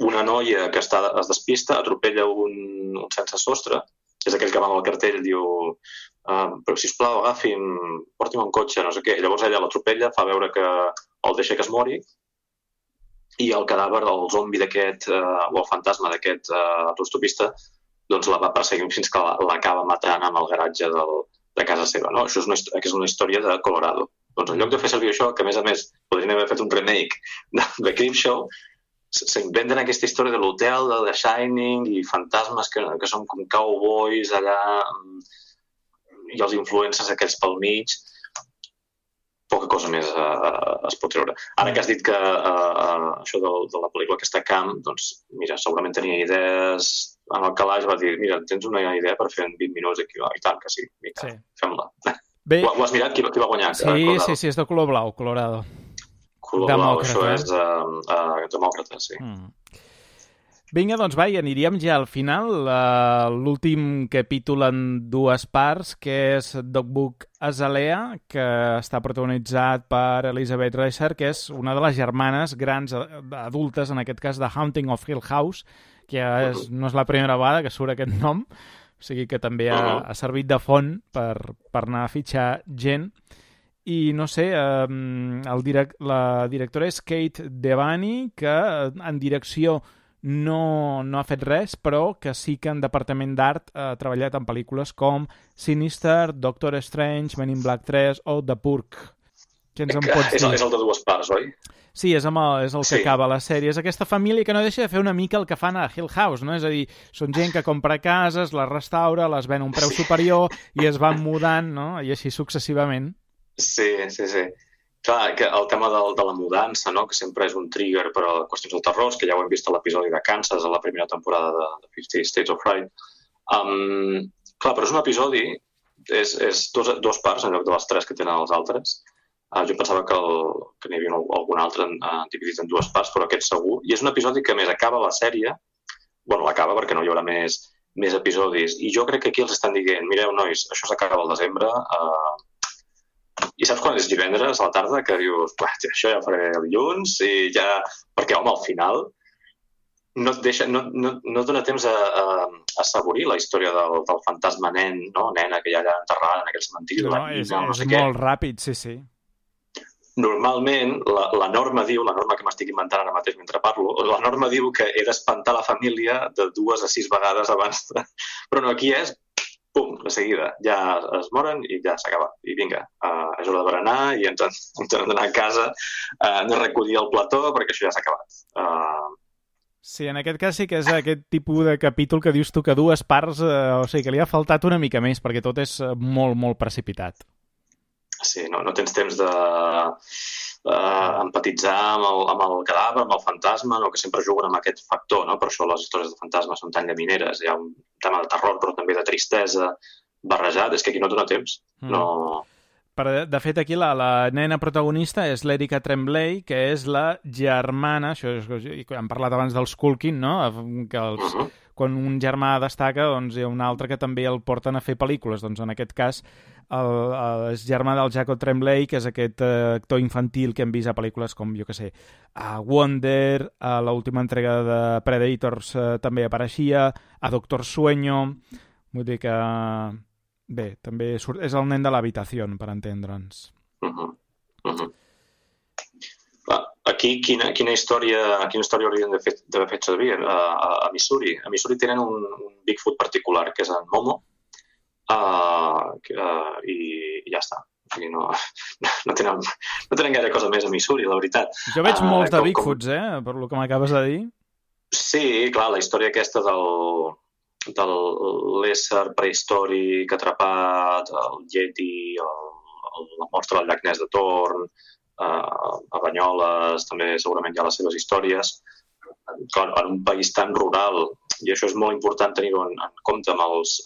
Una noia que es despista, atropella un sense sostre, és aquell que va amb el cartell i diu però sisplau, agafi'm, porti'm un cotxe, no sé què. Llavors ella l'atropella, fa veure que el deixa que es mori, i el cadàver, el zombi d'aquest, o el fantasma d'aquest autostopista, doncs la va perseguir fins que l'acaba matant en el garatge de casa seva. No? Això és una història de Colorado. Doncs en lloc de fer servir això, que a més podrien haver fet un remake de Creepshow, s'inventen aquesta història de l'hotel, de The Shining, i fantasmes que són com cowboys allà, i els influencers aquells pel mig. Poca cosa més es pot treure. Ara que has dit que això de la pel·lícula aquesta Camp, doncs mira, segurament tenia idees en el calaix, va dir, mira, tens una idea per fer en 20 minuts aquí? I tant que sí, mira, fem-la. Ho has mirat? Qui va guanyar? Sí, és de color blau, Colorado. Color blau, això és demòcrata, sí. Vinga, doncs va, i aniríem ja al final. L'últim capítol en dues parts, que és Dogbook Azalea, que està protagonitzat per Elizabeth Reser, que és una de les germanes grans adultes, en aquest cas, de Haunting of Hill House, que no és la primera vegada que surt aquest nom, o sigui que també ha servit de font per anar a fitxar gent. I no sé, la directora és Kate Devany, que en direcció no ha fet res, però que sí que en departament d'art ha treballat en pel·lícules com Sinister, Doctor Strange, Men in Black 3 o The Purge. Què ens en pots dir? És el de dues parts, oi? Sí, és el que acaba la sèrie. És aquesta família que no deixa de fer una mica el que fan a Hill House, no? És a dir, són gent que compra cases, les restaura, les ven a un preu superior i es van mudant, no? I així successivament. Sí. Clar, que el tema de la mudança, no? Que sempre és un trigger per a qüestions de terror, que ja ho hem vist a l'episodi de Kansas, a la primera temporada de 50 States of Fright. Clar, però és un episodi, és dos parts en lloc de les tres que tenen els altres. Jo pensava que n'hi havia algun altre dividit en dues parts, però aquest segur. I és un episodi que, a més, acaba la sèrie, l'acaba perquè no hi haurà més episodis, i jo crec que aquí els estan dient, mireu, nois, això s'acaba al desembre, i saps quan és divendres a la tarda que dius, això ja ho faré el dilluns, i ja... Perquè, home, al final no et dona temps a assaborir la història del fantasma nen, no? Nena que hi ha allà enterrada en aquell cementiri. No, és molt ràpid, sí. Normalment, la norma que m'estic inventant ara mateix mentre parlo, la norma diu que he d'espantar la família de 2 a 6 vegades abans Però no, aquí és... Pum, de seguida, ja es moren i ja s'acaba. I vinga, és hora de berenar i ens hem d'anar a casa, hem de recollir el plató perquè això ja s'ha acabat. Sí, en aquest cas sí que és aquest tipus de capítol que dius tu que dues parts, o sigui, que li ha faltat una mica més perquè tot és molt, molt precipitat. Sí, no tens temps de empatitzar amb el cadàver, amb el fantasma, no? Que sempre juguen amb aquest factor, no? Per això les històries de fantasmes són tan llamineres. Hi ha un tema de terror, però també de tristesa barrejat. És que aquí no dona temps. No... De fet, aquí la nena protagonista és l'Erika Tremblay, que és la germana, això hem parlat abans dels Culkin, no? Que quan un germà destaca, doncs hi ha un altre que també el porten a fer pel·lícules. Doncs en aquest cas és germà del Jacob Tremblay, que és aquest actor infantil que hem vist a pel·lícules com, jo què sé, a Wonder, a l'última entrega de Predators també apareixia, a Doctor Sueño, vull dir que... Bé, també és el nen de l'habitació, per entendre'ns. Aquí, quina història haurien d'haver fet servir a Missouri? A Missouri tenen un Bigfoot particular, que és en Momo, i ja està. No tenen gaire cosa més a Missouri, la veritat. Jo veig molts de Bigfoots, per lo que m'acabes de dir. Sí, clar, la història aquesta de l'ésser prehistòric atrapat, el Yeti, la mostra del llac Ness de Torn, a Banyoles, també segurament hi ha les seves històries. Clar, en un país tan rural, i això és molt important tenir-ho en compte als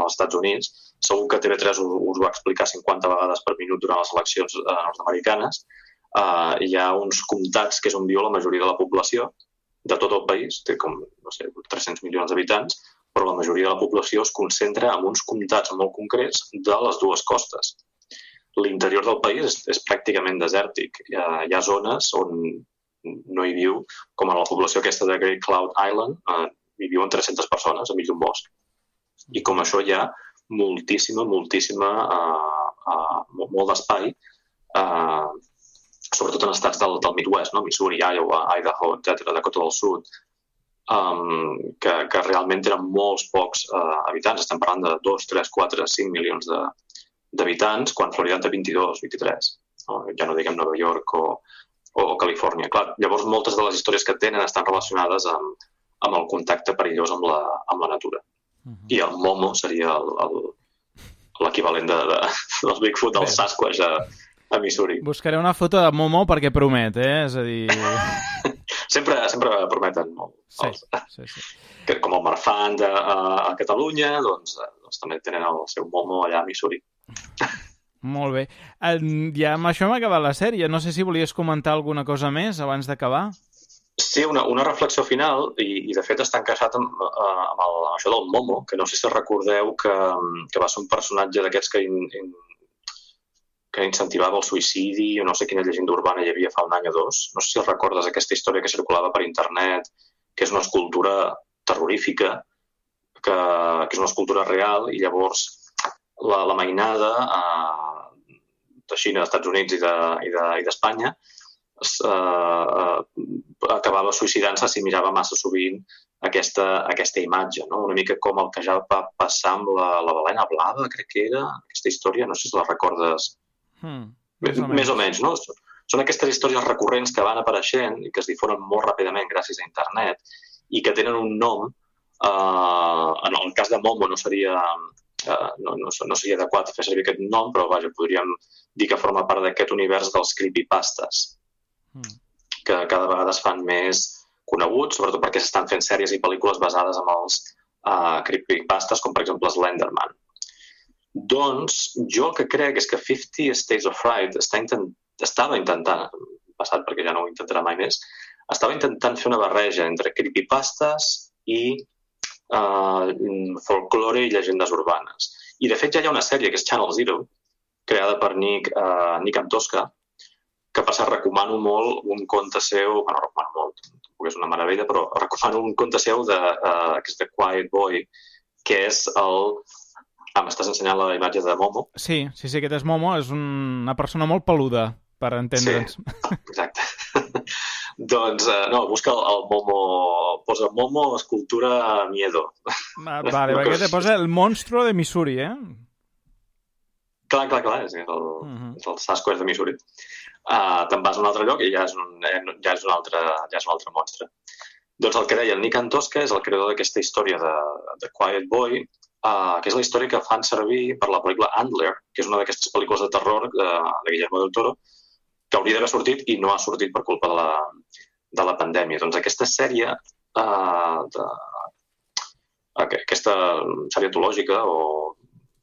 Estats Units, segur que TV3 us va explicar 50 vegades per minut durant les eleccions nord-americanes, hi ha uns comtats que és on viu la majoria de la població de tot el país, té com, no sé, 300 milions d'habitants, però la majoria de la població es concentra en uns comtats molt concrets de les dues costes. L'interior del país és pràcticament desèrtic. Hi ha zones on no hi viu, com a la població aquesta de Great Cloud Island, hi viuen 300 persones enmig d'un bosc. I com això hi ha molt d'espai, sobretot en estats del Midwest, no? Missouri, Iowa, Idaho, etc., Dakota del Sud, que realment tenen molts pocs habitants. Estem parlant de 2, 3, 4, 5 milions d'habitants, quan Florida en té 22, 23. No? Ja no diguem Nova York o Califòrnia. Clar, llavors, moltes de les històries que tenen estan relacionades amb el contacte perillós amb la natura. I el Momo seria l'equivalent del Bigfoot, del Sasquatch a Missouri. Buscaré una foto de Momo perquè promet, És a dir... sempre prometen molt. Sí. Que, com el Marfan a Catalunya, doncs també tenen el seu Momo allà a Missouri. Molt bé. Ja amb això m'ha acabat la sèrie. No sé si volies comentar alguna cosa més abans d'acabar. Sí, una reflexió final, i de fet està encaixat amb això del Momo, que no sé si recordeu que va ser un personatge d'aquests que incentivava el suïcidi, o no sé quina llegenda urbana hi havia fa un any o dos. No sé si recordes aquesta història que circulava per internet, que és una escultura terrorífica, que és una escultura real, i llavors la mainada de Xina, dels Estats Units i d'Espanya acabava suïcidant-se si mirava massa sovint aquesta imatge, no? Una mica com el que ja va passar amb la balena blava, crec que era, aquesta història, no sé si la recordes. Més o menys, no? Són aquestes històries recurrents que van apareixent i que es difonen molt ràpidament gràcies a internet i que tenen un nom. En el cas de Momo no seria adequat fer servir aquest nom, però vaja, podríem dir que forma part d'aquest univers dels creepypastes, que cada vegada es fan més coneguts, sobretot perquè s'estan fent sèries i pel·lícules basades en els creepypastes, com per exemple Slenderman. Doncs jo el que crec és que 50 States of Fright estava intentant, passat perquè ja no ho intentarà mai més, estava intentant fer una barreja entre creepypastes i folklore i llegendes urbanes. I de fet ja hi ha una sèrie que és Channel Zero, creada per Nick Antosca, que per cert recomano molt un conte seu, bueno, recomano molt, tampoc és una meravella, però recomano un conte seu que és The Quiet Boy, que és m'estàs ensenyant la imatge de Momo? Sí, aquest és Momo, és una persona molt peluda, per entendre'ns. Sí, exacte. Doncs, busca el Momo, posa Momo, escultura miedo. Vale, perquè te posa el monstruo de Missouri, Clar, és el Sasquatch de Missouri. Te'n vas a un altre lloc i ja és un altre monstre. Doncs el que deia el Nick Antosca és el creador d'aquesta història de Quiet Boy, que és la història que fan servir per la pel·lícula Antler, que és una d'aquestes pel·lícules de terror de Guillermo del Toro, que hauria d'haver sortit i no ha sortit per culpa de la pandèmia. Doncs aquesta sèrie, aquesta sèrie antològica o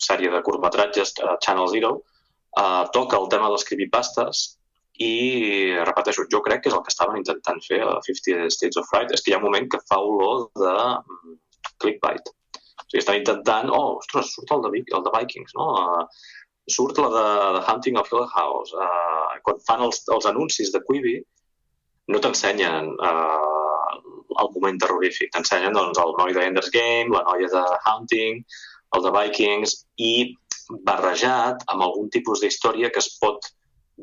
sèrie de curtmetratges Channel Zero, toca el tema dels creepypastes i, repeteixo, jo crec que és el que estaven intentant fer a 50 States of Fright. És que hi ha un moment que fa olor de clickbait. O sigui, estan intentant, ostres, surt el de Vikings, no? Surt la de Hunting of Hill House. Quan fan els anuncis de Quibi, no t'ensenyen el moment terrorífic, t'ensenyen doncs, el noi de Ender's Game, la noia de Hunting, el de Vikings, i barrejat amb algun tipus d'història que es pot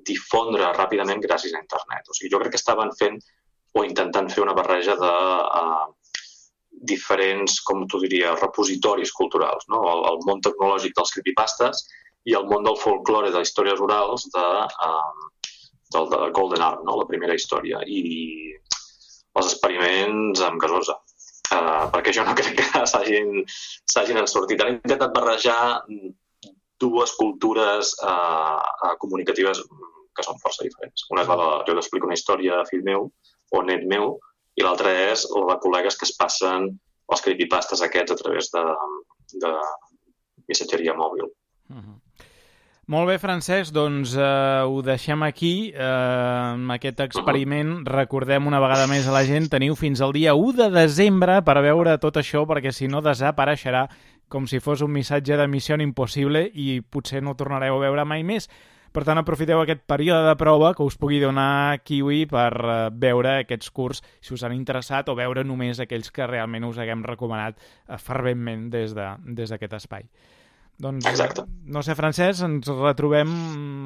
difondre ràpidament gràcies a internet. O sigui, jo crec que estaven fent o intentant fer una barreja de diferents, com t'ho diria, repositoris culturals, no? El món tecnològic dels creepypastes i el món del folklore de històries orals del de Golden Arm, no? La primera història, i els experiments amb gasosa. Perquè jo no crec que s'hagin ensortit. Han intentat barrejar dues cultures comunicatives que són força diferents. Una és la de jo t'explico una història a fill meu o net meu, i l'altra és la de col·legues que es passen els creepypastes aquests a través de missatgeria mòbil. Molt bé, Francesc, doncs ho deixem aquí, amb aquest experiment. Recordem una vegada més a la gent, teniu fins al dia 1 de desembre per veure tot això, perquè si no desapareixerà com si fos un missatge de Missió Impossible i potser no tornareu a veure mai més. Per tant, aprofiteu aquest període de prova que us pugui donar Kiwi per veure aquests curts, si us han interessat, o veure només aquells que realment us haguem recomanat ferventment des d'aquest espai. Doncs, exacte. No sé, Francesc, ens retrobem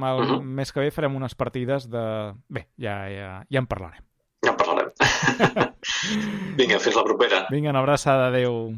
el mes que ve, farem unes partides de... Bé, ja en parlarem. Ja en parlarem. Vinga, fins la propera. Vinga, una abraçada, adéu.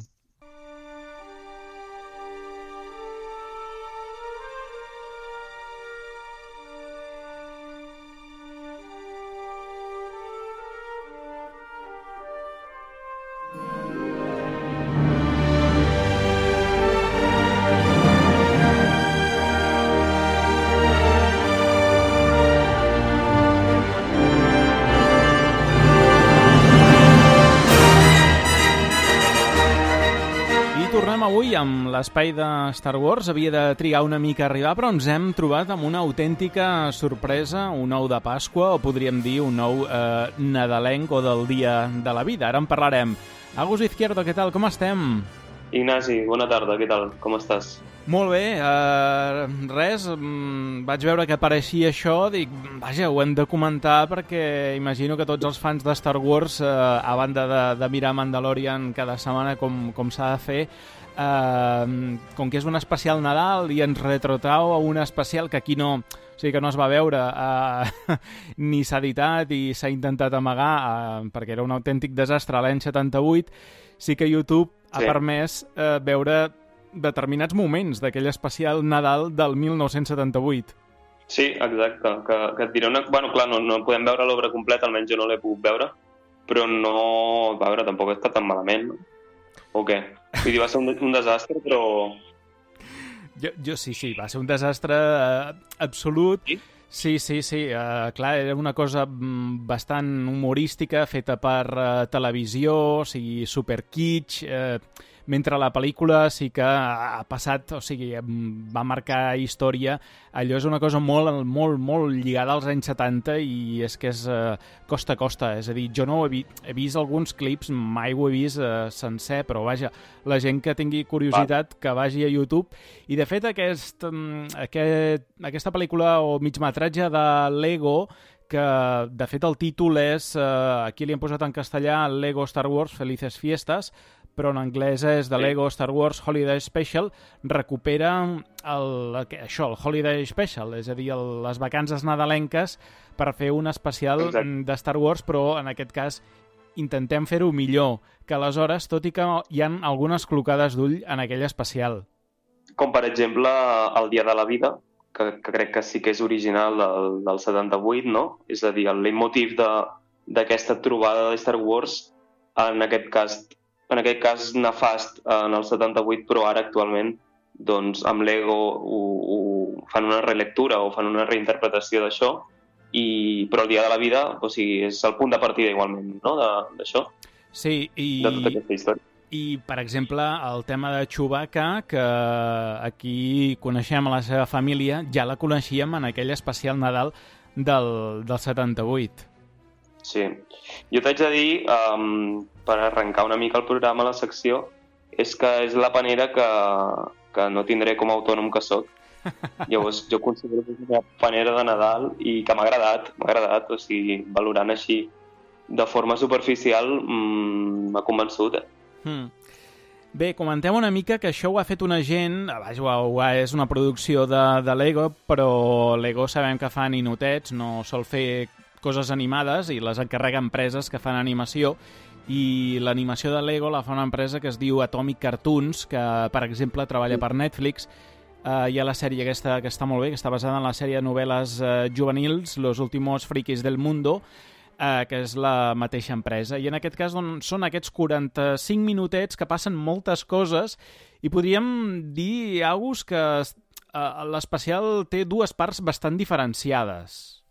Avui, amb l'espai de Star Wars, havia de trigar una mica a arribar, però ens hem trobat amb una autèntica sorpresa, un ou de Pasqua, o podríem dir un ou nadalenc o del dia de la vida. Ara en parlarem. Agus Izquierdo, què tal? Com estem? Ignasi, bona tarda, què tal? Com estàs? Molt bé, res, vaig veure que apareixia això, dic, vaja, ho hem de comentar perquè imagino que tots els fans de Star Wars, a banda de mirar Mandalorian cada setmana com s'ha de fer, com que és un especial Nadal i ens retrotrau a un especial que aquí no... O sigui que no es va veure, ni s'ha editat i s'ha intentat amagar, perquè era un autèntic desastre l'any 78, sí que YouTube ha permès veure determinats moments d'aquell especial Nadal del 1978. Sí, exacte. Que et diré una... Bueno, clar, no podem veure l'obra completa, almenys jo no l'he pogut veure, però no... A veure, tampoc està tan malament, no? O què? Vull dir, va ser un desastre, però... Jo sí, va ser un desastre absolut. Sí? Sí. Clar, era una cosa bastant humorística, feta per televisió, o sigui, super kitsch, mentre la pel·lícula sí que ha passat, o sigui, va marcar història. Allò és una cosa molt, molt, molt lligada als anys 70 i és que és costa a costa. És a dir, jo no he vist alguns clips, mai ho he vist sencer, però vaja, la gent que tingui curiositat que vagi a YouTube. I de fet aquesta pel·lícula o migmetratge de Lego, que de fet el títol és, aquí li han posat en castellà Lego Star Wars Felices Fiestas, però en anglès és The Lego Star Wars Holiday Special, recupera el Holiday Special, és a dir, les vacances nadalenques per fer un especial de Star Wars, però en aquest cas intentem fer-ho millor que aleshores, tot i que hi ha algunes clocades d'ull en aquell especial. Com per exemple el Dia de la Vida, que crec que sí que és original del 78, no? És a dir, el leitmotiv d'aquesta trobada de Star Wars, en aquest cas nefast en el 78, però ara actualment doncs, amb Lego ho fan una relectura o fan una reinterpretació d'això, però el Dia de la Vida, o sigui, és el punt de partida igualment, no?, d'això. Sí, de tota aquesta història. I, per exemple, el tema de Chewbacca, que aquí coneixem a la seva família, ja la coneixíem en aquell especial Nadal del 78. Sí. Jo t'haig de dir, per arrencar una mica el programa, la secció, és que és la panera que no tindré com a autònom que soc. Llavors jo considero que és una panera de Nadal i que m'ha agradat, o sigui, valorant així de forma superficial m'ha convençut. Bé, comentem una mica que això ho ha fet una gent, és una producció de Lego, però Lego sabem que fa ninotets, no sol fer coses animades i les encarrega empreses que fan animació, i l'animació de Lego la fa una empresa que es diu Atomic Cartoons, que per exemple treballa per Netflix. Hi ha la sèrie aquesta que està molt bé, que està basada en la sèrie de novel·les juvenils Los últimos frikis del mundo, que és la mateixa empresa. I en aquest cas són aquests 45 minutets que passen moltes coses i podríem dir, Agus, que l'especial té dues parts bastant diferenciades.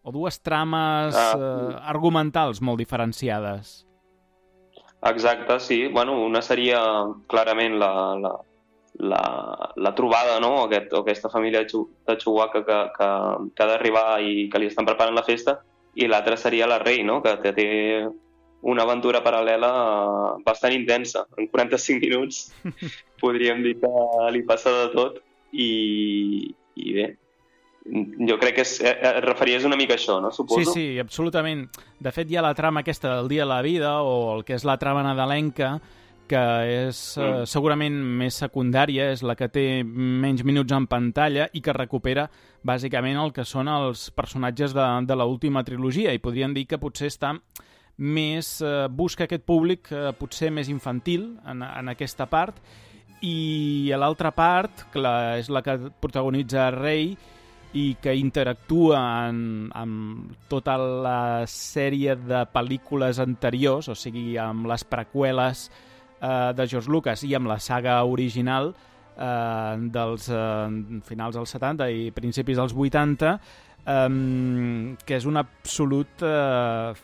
O dues trames argumentals molt diferenciades. Exacte, sí. Bueno, una seria clarament la trobada, no? O aquesta família de Chewbacca que ha d'arribar i que li estan preparant la festa, i l'altra seria la Rey, no? Que té una aventura paral·lela bastant intensa. En 45 minuts podríem dir que li passa de tot i bé, jo crec que et referies una mica a això, no? Suposo. Sí, absolutament. De fet, hi ha la trama aquesta del Dia de la Vida, o el que és la trama nadalenca, que és segurament més secundària, és la que té menys minuts en pantalla i que recupera bàsicament el que són els personatges de l'última trilogia, i podríem dir que potser està més... busca aquest públic potser més infantil en aquesta part, i a l'altra part, que és la que protagonitza Rey i que interactua amb tota la sèrie de pel·lícules anteriors, o sigui, amb les preqüeles de George Lucas i amb la saga original dels finals dels 70 i principis dels 80, que és un absolut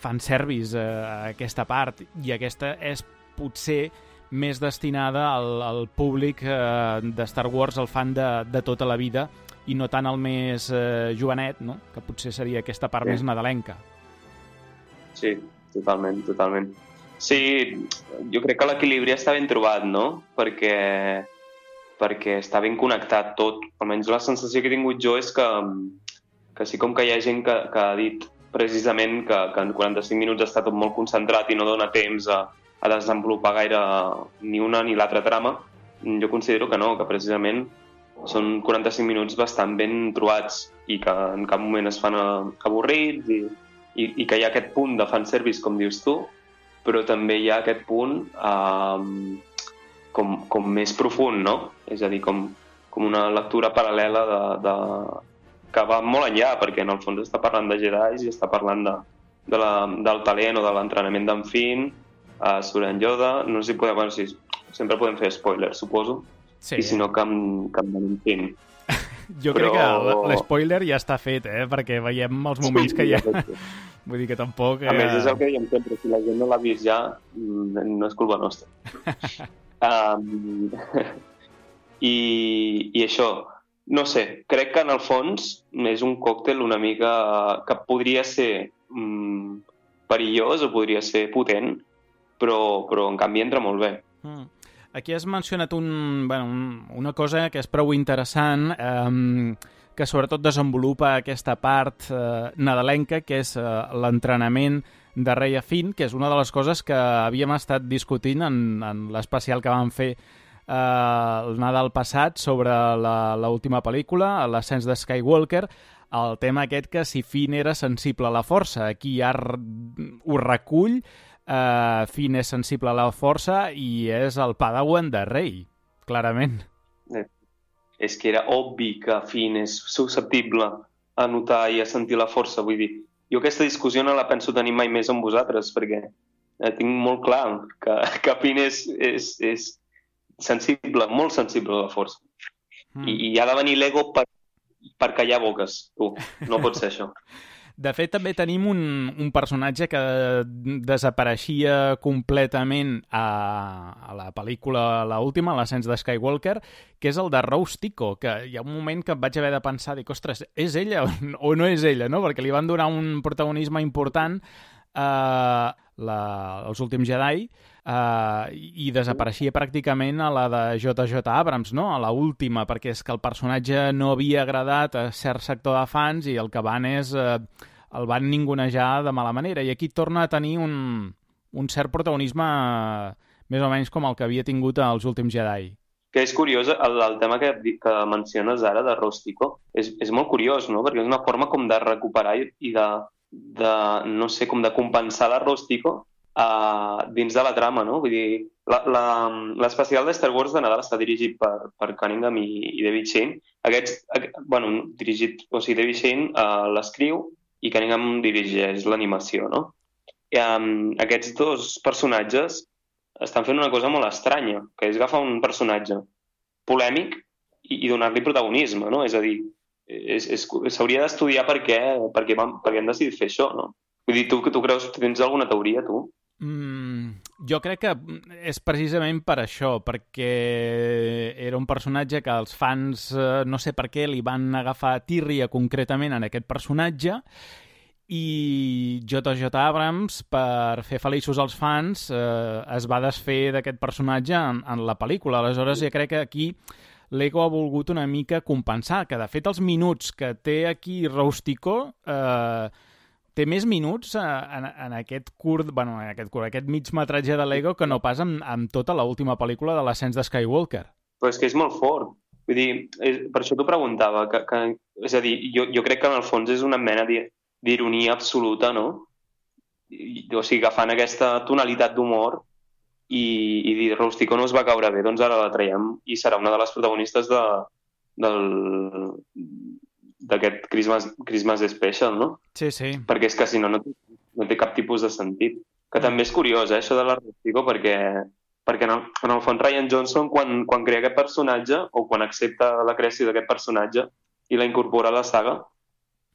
fanservice aquesta part, i aquesta és potser més destinada al públic de Star Wars, el fan de tota la vida, i no tant el més jovenet, no? Que potser seria aquesta part més nadalenca. Sí, totalment. Sí, jo crec que l'equilibri està ben trobat, no? Perquè està ben connectat tot. Almenys la sensació que he tingut jo és que sí, com que hi ha gent que ha dit precisament que en 45 minuts està tot molt concentrat i no dona temps a desenvolupar gaire ni una ni l'altra trama, jo considero que no, que precisament són 45 minuts bastant ben trobats i que en cap moment es fan avorrits i que hi ha aquest punt de fanservice, com dius tu, però també hi ha aquest punt com més profund, no? És a dir, com una lectura paral·lela que va molt enllà, perquè en el fons està parlant de Jedi i està parlant del talent o de l'entrenament d'en Finn, Suren Yoda, no sé si podem... Bueno, sí, sempre podem fer spoilers, suposo. Sí. I si no, que em donin Finn. Jo crec que l'espoiler ja està fet, perquè veiem els moments que hi ha. Vull dir que tampoc... A més, és el que diem sempre, si la gent no l'ha vist ja, no és culpa nostra. I això, no sé, crec que en el fons és un còctel una mica que podria ser perillós o podria ser potent, però en canvi entra molt bé. Aquí has mencionat una cosa que és prou interessant, que sobretot desenvolupa aquesta part nadalenca, que és l'entrenament de Rey a Finn, que és una de les coses que havíem estat discutint en l'especial que vam fer el Nadal passat sobre l'última pel·lícula, l'ascens de Skywalker, el tema aquest que si Finn era sensible a la força. Aquí ja ho recull. Finn és sensible a la força i és el padawan de Rey, clarament. És que era obvi que Finn és susceptible a notar i a sentir la força, vull dir. Jo aquesta discussió no la penso tenir mai més amb vosaltres, perquè tinc molt clar que Finn és sensible, molt sensible a la força. I ha de venir l'ego per callar boques, tu. No pot ser això. De fet, també tenim un personatge que desapareixia completament a la pel·lícula l'última, l'ascens de Skywalker, que és el de Rose Tico, que hi ha un moment que em vaig haver de pensar, dic, ostres, és ella o no és ella, no? Perquè li van donar un protagonisme important. Els últims Jedi, i desapareixia pràcticament a la de J.J. Abrams, no? A la última, perquè és que el personatge no havia agradat a cert sector de fans i el que van és... el van ningunejar de mala manera. I aquí torna a tenir un cert protagonisme més o menys com el que havia tingut als últims Jedi. Que és curiós, el tema que menciones ara de Rústico, és molt curiós, no? Perquè és una forma com de recuperar i de no sé, com de compensar la Rústico dins de la trama, no? Vull dir, l'especial de Star Wars de Nadal està dirigit per Cunningham i David Shane. David Shane l'escriu i Cunningham dirigeix l'animació, no? I, aquests dos personatges estan fent una cosa molt estranya, que és agafar un personatge polèmic i donar-li protagonisme, no? És a dir, s'hauria d'estudiar per què han decidit fer això, no? Vull dir, tu creus, tens alguna teoria, tu? Jo crec que és precisament per això, perquè era un personatge que els fans, no sé per què, li van agafar tírria concretament en aquest personatge, i J.J. Abrams, per fer feliços als fans, es va desfer d'aquest personatge en la pel·lícula. Aleshores, jo crec que aquí Lego ha volgut una mica compensar, que de fet els minuts que té aquí Rústico té més minuts en aquest aquest mig metratge de Lego que no pas amb tota l'última pel·lícula de l'ascens de Skywalker. Però és que és molt fort. Vull dir, per això t'ho preguntava. És a dir, jo crec que en el fons és una mena d'ironia absoluta, no? O sigui, agafant aquesta tonalitat d'humor i dir, Rústico no us va caure bé, doncs ara la traiem i serà una de les protagonistes d'aquest Christmas Special, no? Sí, sí. Perquè és que si no té cap tipus de sentit. Que també és curiós, això de la Rústico, perquè en el fons Rian Johnson, quan crea aquest personatge, o quan accepta la creació d'aquest personatge i la incorpora a la saga,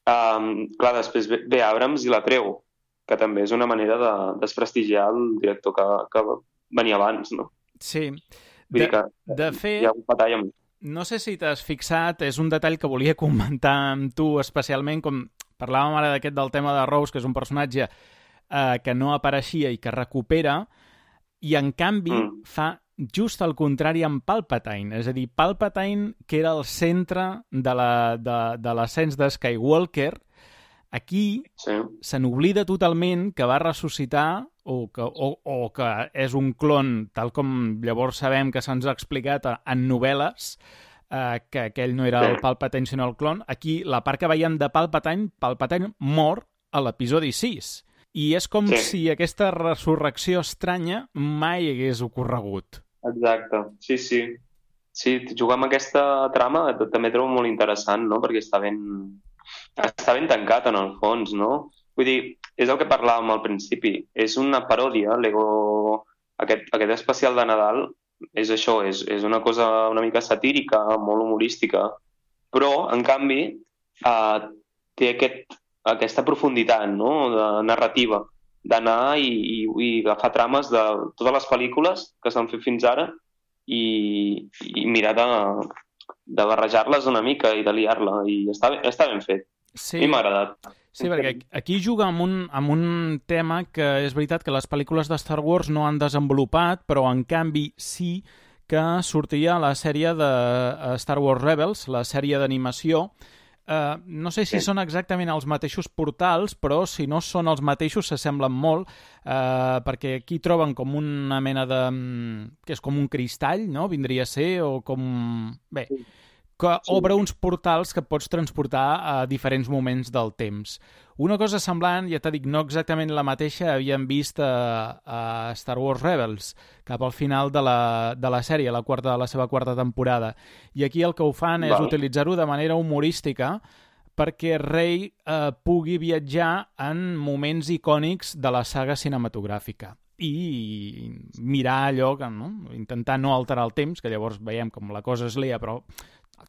clar, després ve Abrams i la treu, que també és una manera de desprestigiar el director que venia abans, no? Sí. De fet, hi ha un batall amb... No sé si t'has fixat, és un detall que volia comentar amb tu especialment, com parlàvem ara del tema de Rose, que és un personatge que no apareixia i que recupera, i en canvi fa just el contrari amb Palpatine. És a dir, Palpatine, que era el centre de l'ascens de Skywalker, aquí se n'oblida totalment que va ressuscitar o que és un clon, tal com llavors sabem que se'ns ha explicat en novel·les, que aquell no era el Palpatine sinó el clon. Aquí, la part que veiem de Palpatine mor a l'episodi 6. I és com si aquesta resurrecció estranya mai hagués ocorregut. Exacte, sí. Sí, jugar amb aquesta trama també trobo molt interessant, no? Perquè està ben tancat en el fons, no? Vull dir, és el que parlàvem al principi. És una paròdia, Lego... Aquest especial de Nadal és això, és una cosa una mica satírica, molt humorística, però, en canvi, té aquesta profunditat, no?, de narrativa, d'anar i agafar trames de totes les pel·lícules que s'han fet fins ara i mirar de barrejar-les una mica i de liar-la, i està ben fet. Sí. A mi m'ha agradat. Sí, perquè aquí juga amb un tema que és veritat que les pel·lícules de Star Wars no han desenvolupat, però en canvi sí que sortia la sèrie de Star Wars Rebels, la sèrie d'animació. No sé si són exactament els mateixos portals, però si no són els mateixos s'assemblen molt, perquè aquí troben com una mena de... que és com un cristall, no? Vindria a ser, o com... Bé, que obre uns portals que pots transportar a diferents moments del temps. Una cosa semblant, ja t'he dit, no exactament la mateixa, havíem vist a Star Wars Rebels, cap al final de la sèrie, de la seva quarta temporada. I aquí el que ho fan és utilitzar-ho de manera humorística perquè Rey pugui viatjar en moments icònics de la saga cinematogràfica i mirar allò, no? Intentar no alterar el temps, que llavors veiem com la cosa es lia, però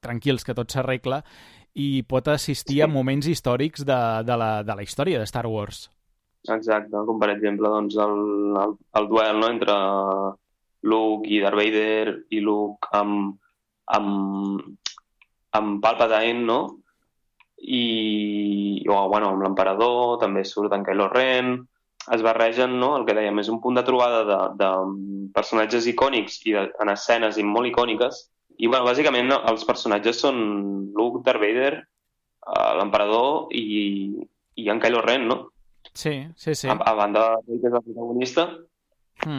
tranquils que tot s'arregla, i pot assistir a moments històrics de la història de Star Wars. Exacte, com per exemple doncs, el duel, no?, entre Luke i Darth Vader i Luke amb Palpatine, no? I amb l'emperador també surt en Kylo Ren. es barregen, no? El que dèiem, és un punt de trobada de personatges icònics i en escenes molt icòniques. I, bueno, bàsicament, els personatges són Luke, Darth Vader, l'emperador i en Kylo Ren, no? Sí. A banda de que és el protagonista.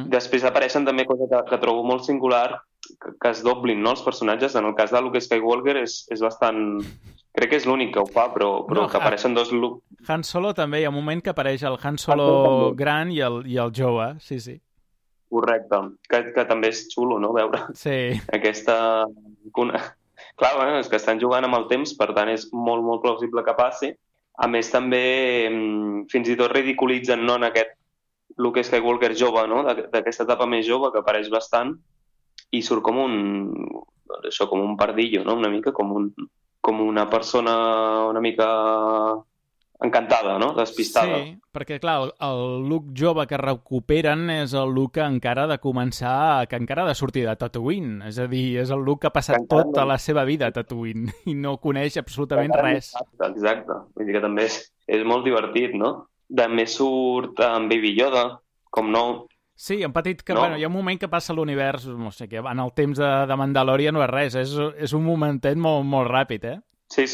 Després apareixen també coses que trobo molt singular, que es doblin, no, els personatges. En el cas de Luke Skywalker és bastant... Crec que és l'únic que ho fa, però no, que apareixen dos Luke. Han Solo també, hi ha un moment que apareix el Han Solo gran i el jove, sí. Correcte, que també és xulo, no?, veure aquesta... Clar, bueno, és que estan jugant amb el temps, per tant és molt, molt plausible que passi. A més, també fins i tot ridiculitzen, no?, en aquest Luke Skywalker jove, no?, d'aquesta etapa més jove, que apareix bastant, i surt com un pardillo, no?, una mica com una persona una mica encantada, no?, despistada. Sí, perquè, clar, el Luke jove que recuperen és el Luke que encara ha de començar, que encara ha de sortir de Tatooine. És a dir, és el Luke que ha passat tota la seva vida a Tatooine i no coneix absolutament res. Exacte. Vull dir que també és molt divertit, no? També surt en Baby Yoda, com no... Sí, un petit que, bueno, hi ha un moment que passa a l'univers, no sé què, en el temps de Mandalorian no és res, és un momentet molt, molt ràpid, eh? Sí,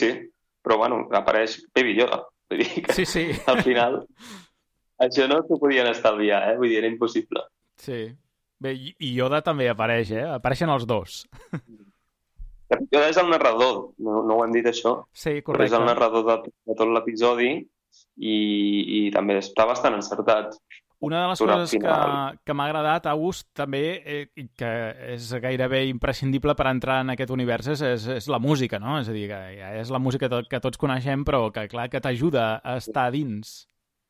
però, bueno, apareix Baby Yoda. Vull dir que sí. Al final això no s'ho podien estalviar, eh? Vull dir, era impossible. Sí. Bé, i Yoda també apareix, eh? Apareixen els dos. Yoda és el narrador, no ho han dit això? Sí, correcte. Però és el narrador de tot l'episodi i també està bastant encertat. Una de les coses que m'ha agradat, August, també, i que és gairebé imprescindible per entrar en aquest univers, és la música, no? És a dir, que ja és la música que tots coneixem, però que, clar, que t'ajuda a estar dins.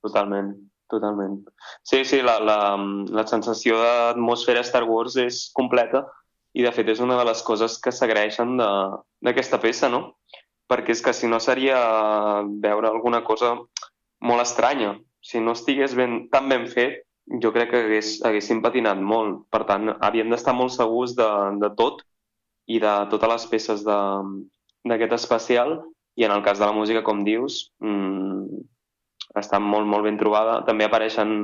Totalment. Sí, la sensació d'atmosfera Star Wars és completa i, de fet, és una de les coses que s'agraeixen d'aquesta peça, no? Perquè és que si no seria veure alguna cosa molt estranya. Si no estigués tan ben fet, jo crec que haguéssim patinat molt. Per tant, havíem d'estar molt segurs de tot i de totes les peces d'aquest especial. I en el cas de la música, com dius, està molt, molt ben trobada. També apareixen,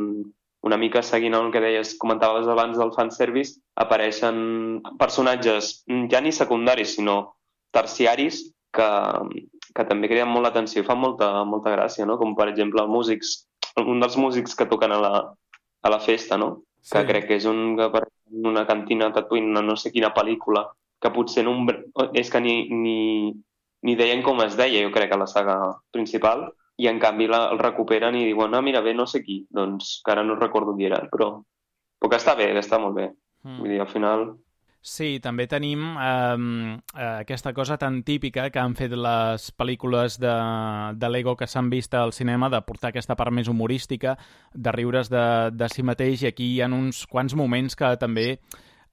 una mica seguint el que deies, comentaves abans del fanservice, apareixen personatges ja ni secundaris, sinó terciaris, que també creen molt l'atenció i fan molta gràcia, no? Com, per exemple, un dels músics que toquen a la festa, no? Sí. Que crec que és una cantina a Tatooine, no sé quina pel·lícula, que potser és que ni deien com es deia, jo crec, a la saga principal, i en canvi el recuperen i diuen, mira, bé, no sé qui, doncs que ara no recordo qui era, però que està bé, està molt bé. Vull dir, al final... Sí, també tenim aquesta cosa tan típica que han fet les pel·lícules de Lego que s'han vist al cinema, de portar aquesta part més humorística, de riure's de si mateix, i aquí hi ha uns quants moments que també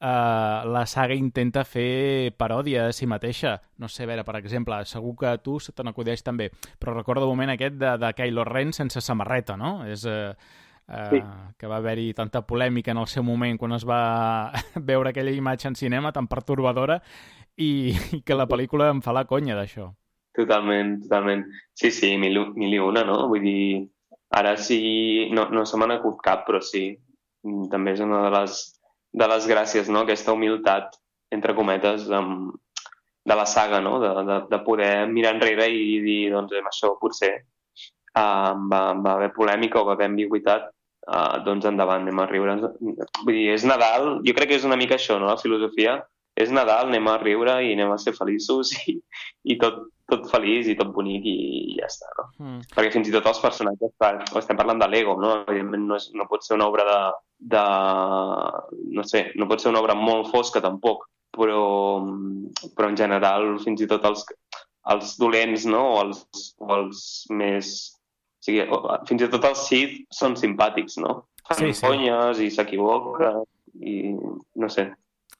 la saga intenta fer paròdia de si mateixa. No sé, a veure, per exemple, segur que a tu se te n'acudeix també, però recordo el moment aquest de Kylo Ren sense samarreta, no? És... Sí. Que va haver-hi tanta polèmica en el seu moment quan es va veure aquella imatge en cinema tan pertorbadora i que la pel·lícula em fa la conya d'això. Totalment. Sí, mil i una, no? Vull dir, ara sí, no se m'ha acut cap, però sí, també és una de les gràcies, no? Aquesta humilitat, entre cometes, de la saga, no? De poder mirar enrere i dir, doncs, amb això potser va haver polèmica o va haver ambigüitat, doncs endavant, anem a riure. Vull dir, és Nadal, jo crec que és una mica això, no? La filosofia és Nadal, anem a riure i anem a ser feliços i tot feliç i tot bonic i ja està, no? Perquè fins i tot els personatges, estem parlant de Lego, no? Evidentment no pot ser una obra no sé, no pot ser una obra molt fosca tampoc, però en general fins i tot els dolents, no? O els més... O sigui, fins i tot els Sith són simpàtics, no? Fan conyes i s'equivoquen i no sé.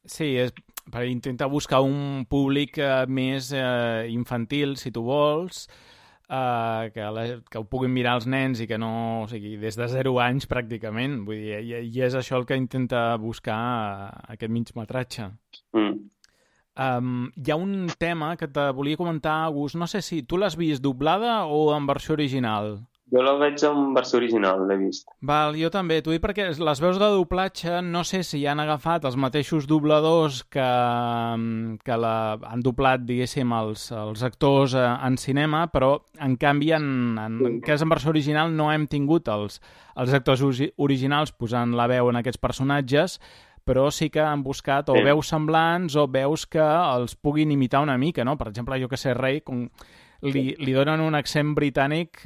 Sí, és per intentar buscar un públic més infantil, si tu vols, que ho puguin mirar els nens i que no... O sigui, des de 0 anys pràcticament. Vull dir, i és això el que intenta buscar aquest migmetratge. Hi ha un tema que te volia comentar, August. No sé si tu l'has vist doblada o en versió original. Jo la veig en versió original, l'he vist. Val, jo també. T'ho dic perquè les veus de doblatge no sé si han agafat els mateixos dobladors que han doblat, diguéssim, els actors en cinema, però en canvi en cas en versió original no hem tingut els actors originals posant la veu en aquests personatges, però sí que han buscat o veus semblants o veus que els puguin imitar una mica, no? Per exemple, jo que sé, Rey, li donen un accent britànic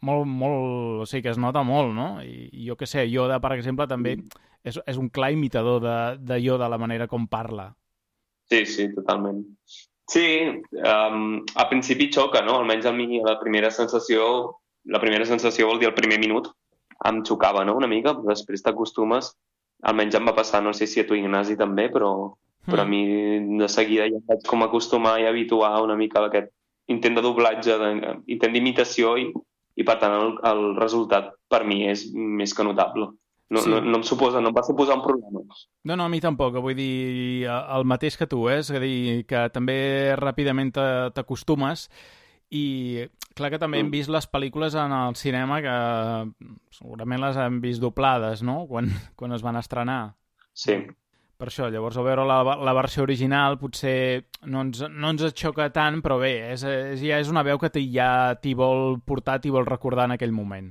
molt, o sigui, que es nota molt, no? I jo que sé, Yoda, per exemple, també és un clar imitador de Yoda, la manera com parla. Sí, totalment. Sí, a principi xoca, no? Almenys a mi la primera sensació vol dir el primer minut, em xocava, no?, una mica, però després t'acostumes, almenys em va passar, no sé si a tu, Ignasi, també, però a mi de seguida ja em vaig com acostumar i habituar una mica a aquest intent de doblatge, intent d'imitació i per tant el resultat per mi és més que notable. No em va suposar un problema. No, a mi tampoc, vull dir el mateix que tu, és a dir, que també ràpidament t'acostumes i clar que també hem vist les pel·lícules en el cinema que segurament les hem vist doblades, no?, quan es van estrenar. Sí. Per això, llavors, al veure la versió original potser no ens xoca tant, però bé, ja és una veu que ja t'hi vol portar, t'hi vol recordar en aquell moment.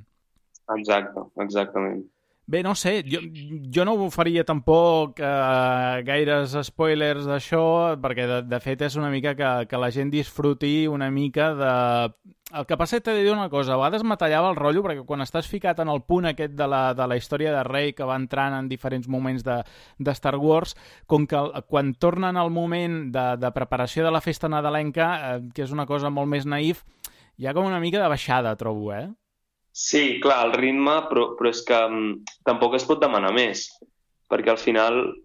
Exactament. Bé, no sé, jo no faria tampoc gaires spoilers d'això, perquè de fet és una mica que la gent disfruti una mica de... El que passa és que t'he de dir una cosa, a vegades me tallava el rotllo, perquè quan estàs ficat en el punt aquest de la història de Rey, que va entrant en diferents moments de Star Wars, com que quan tornen al moment de preparació de la festa nadalenca, que és una cosa molt més naïf, hi ha com una mica de baixada, trobo, Sí, clar, el ritme, però és que tampoc es pot demanar més, perquè al final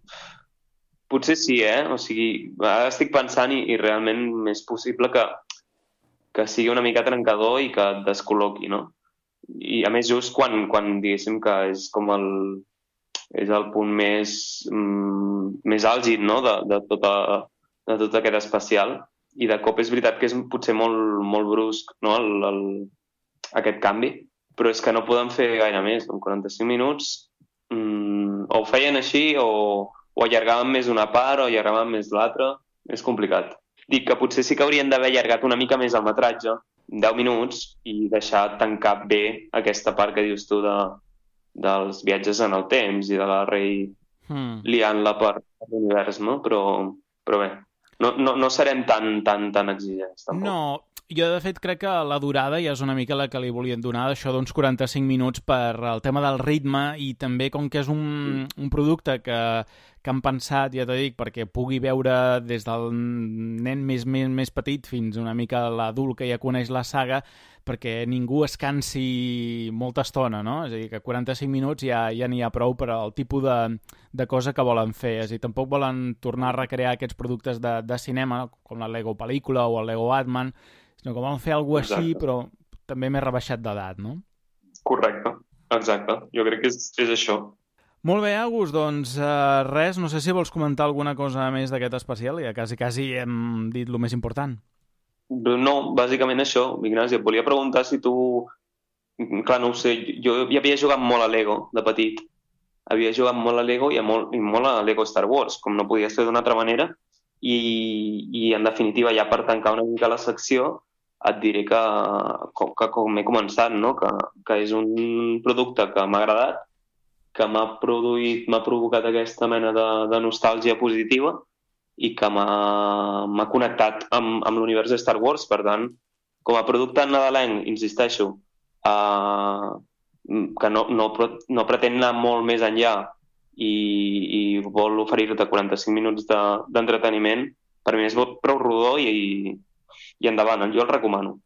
potser sí, o sigui, ara estic pensant i realment és possible que sigui una mica trencador i que et descol·loqui, no? I a més just quan diguéssim que és com és el punt més àlgid, no?, de tot aquest especial, i de cop és veritat que és potser molt brusc, no?, aquest canvi, però és que no podem fer gaire més. En 45 minuts o ho feien així o allargaven més una part o allargaven més l'altra. És complicat. Dic que potser sí que haurien d'haver allargat una mica més el metratge, 10 minuts, i deixar tancar bé aquesta part que dius tu dels viatges en el temps i de la Rey liant-la per l'univers, no? Però bé, no serem tan exigents, tampoc. No, jo de fet crec que la durada ja és una mica la que li volien donar, d'això d'uns 45 minuts per el tema del ritme, i també com que és un producte que han pensat, ja t'ho dic, perquè pugui veure des del nen més petit fins una mica l'adult que ja coneix la saga, perquè ningú es cansi molta estona, no? És a dir, que 45 minuts ja n'hi ha prou per al tipus de cosa que volen fer. És a dir, tampoc volen tornar a recrear aquests productes de cinema, com la Lego pel·lícula o el Lego Batman, sinó que volen fer alguna cosa així, però també més rebaixat d'edat, no? Correcte, exacte. Jo crec que és això. Molt bé, Agus, doncs res, no sé si vols comentar alguna cosa més d'aquest especial, ja quasi hem dit el més important. No, bàsicament això, Ignasi, et volia preguntar si tu... Clar, no ho sé, jo ja havia jugat molt a Lego de petit. Havia jugat molt a Lego i molt a Lego Star Wars, com no podia ser d'una altra manera, i en definitiva, ja per tancar una mica la secció, et diré que com he començat, no? Que és un producte que m'ha agradat, que m'ha provocat aquesta mena de nostàlgia positiva i que m'ha connectat amb l'univers de Star Wars. Per tant, com a producte nadalenc, insisteixo, que no pretén anar molt més enllà i vol oferir-te 45 minuts d'entreteniment, per mi és prou rodó i endavant, jo el recomano.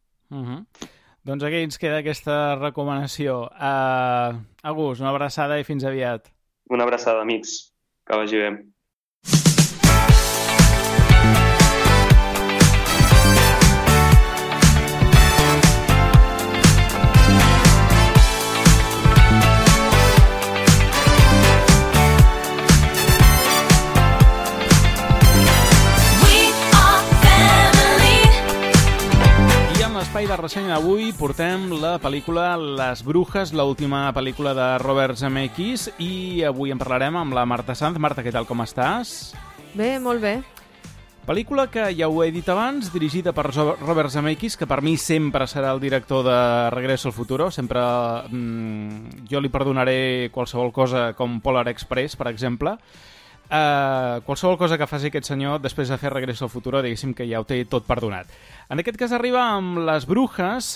Doncs aquí ens queda aquesta recomanació. Agus, una abraçada i fins aviat. Una abraçada, amics. Que vagi bé. la ressenya d'avui portem la pel·lícula Les Brujas, l'última pel·lícula de Robert Zemeckis, i avui en parlarem amb la Marta Sanz. Marta, què tal, com estàs? Bé, molt bé. Pel·lícula que ja ho he dit abans, dirigida per Robert Zemeckis, que per mi sempre serà el director de Regreso al Futuro. Sempre jo li perdonaré qualsevol cosa com Polar Express, per exemple. Qualsevol cosa que faci aquest senyor després de fer Regreso al Futuro, diguéssim que ja ho té tot perdonat. En aquest cas arriba amb Les Brujas,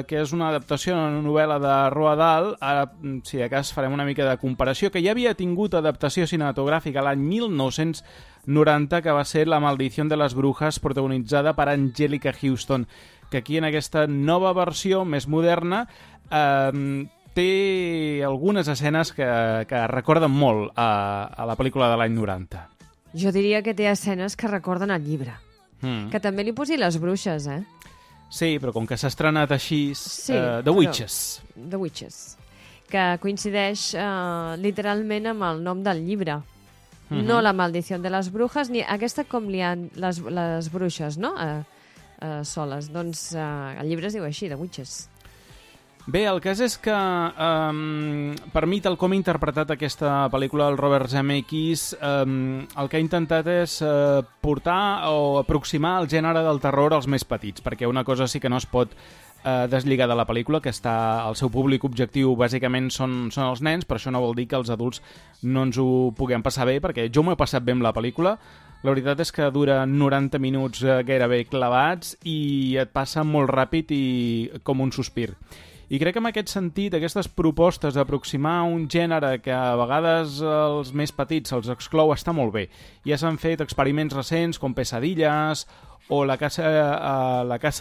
que és una adaptació a una novel·la de Roald Dahl. Ara, si de cas, farem una mica de comparació, que ja havia tingut adaptació cinematogràfica l'any 1990, que va ser La maldició de les brujas, protagonitzada per Anjelica Huston, que aquí en aquesta nova versió, més moderna, té algunes escenes que recorden molt a la pel·lícula de l'any 90. Jo diria que té escenes que recorden el llibre. Que també li posi Les Bruixes, eh? Sí, però com que s'ha estrenat així... Sí, The Witches. The Witches. Que coincideix literalment amb el nom del llibre. No La maldició de les brujas, ni aquesta com li han les bruixes, no? Soles. Doncs el llibre es diu així, The Witches. Bé, el cas és que per mi, tal com he interpretat aquesta pel·lícula del Robert Zemeckis, el que ha intentat és portar o aproximar el gènere del terror als més petits, perquè una cosa sí que no es pot deslligar de la pel·lícula, que el seu públic objectiu bàsicament són els nens, però això no vol dir que els adults no ens ho puguem passar bé, perquè jo m'ho he passat bé amb la pel·lícula. La veritat és que dura 90 minuts gairebé clavats i et passa molt ràpid i com un sospir. I crec que en aquest sentit, aquestes propostes d'aproximar un gènere que a vegades els més petits se'ls exclou està molt bé. Ja s'han fet experiments recents com Pesadillas o la casa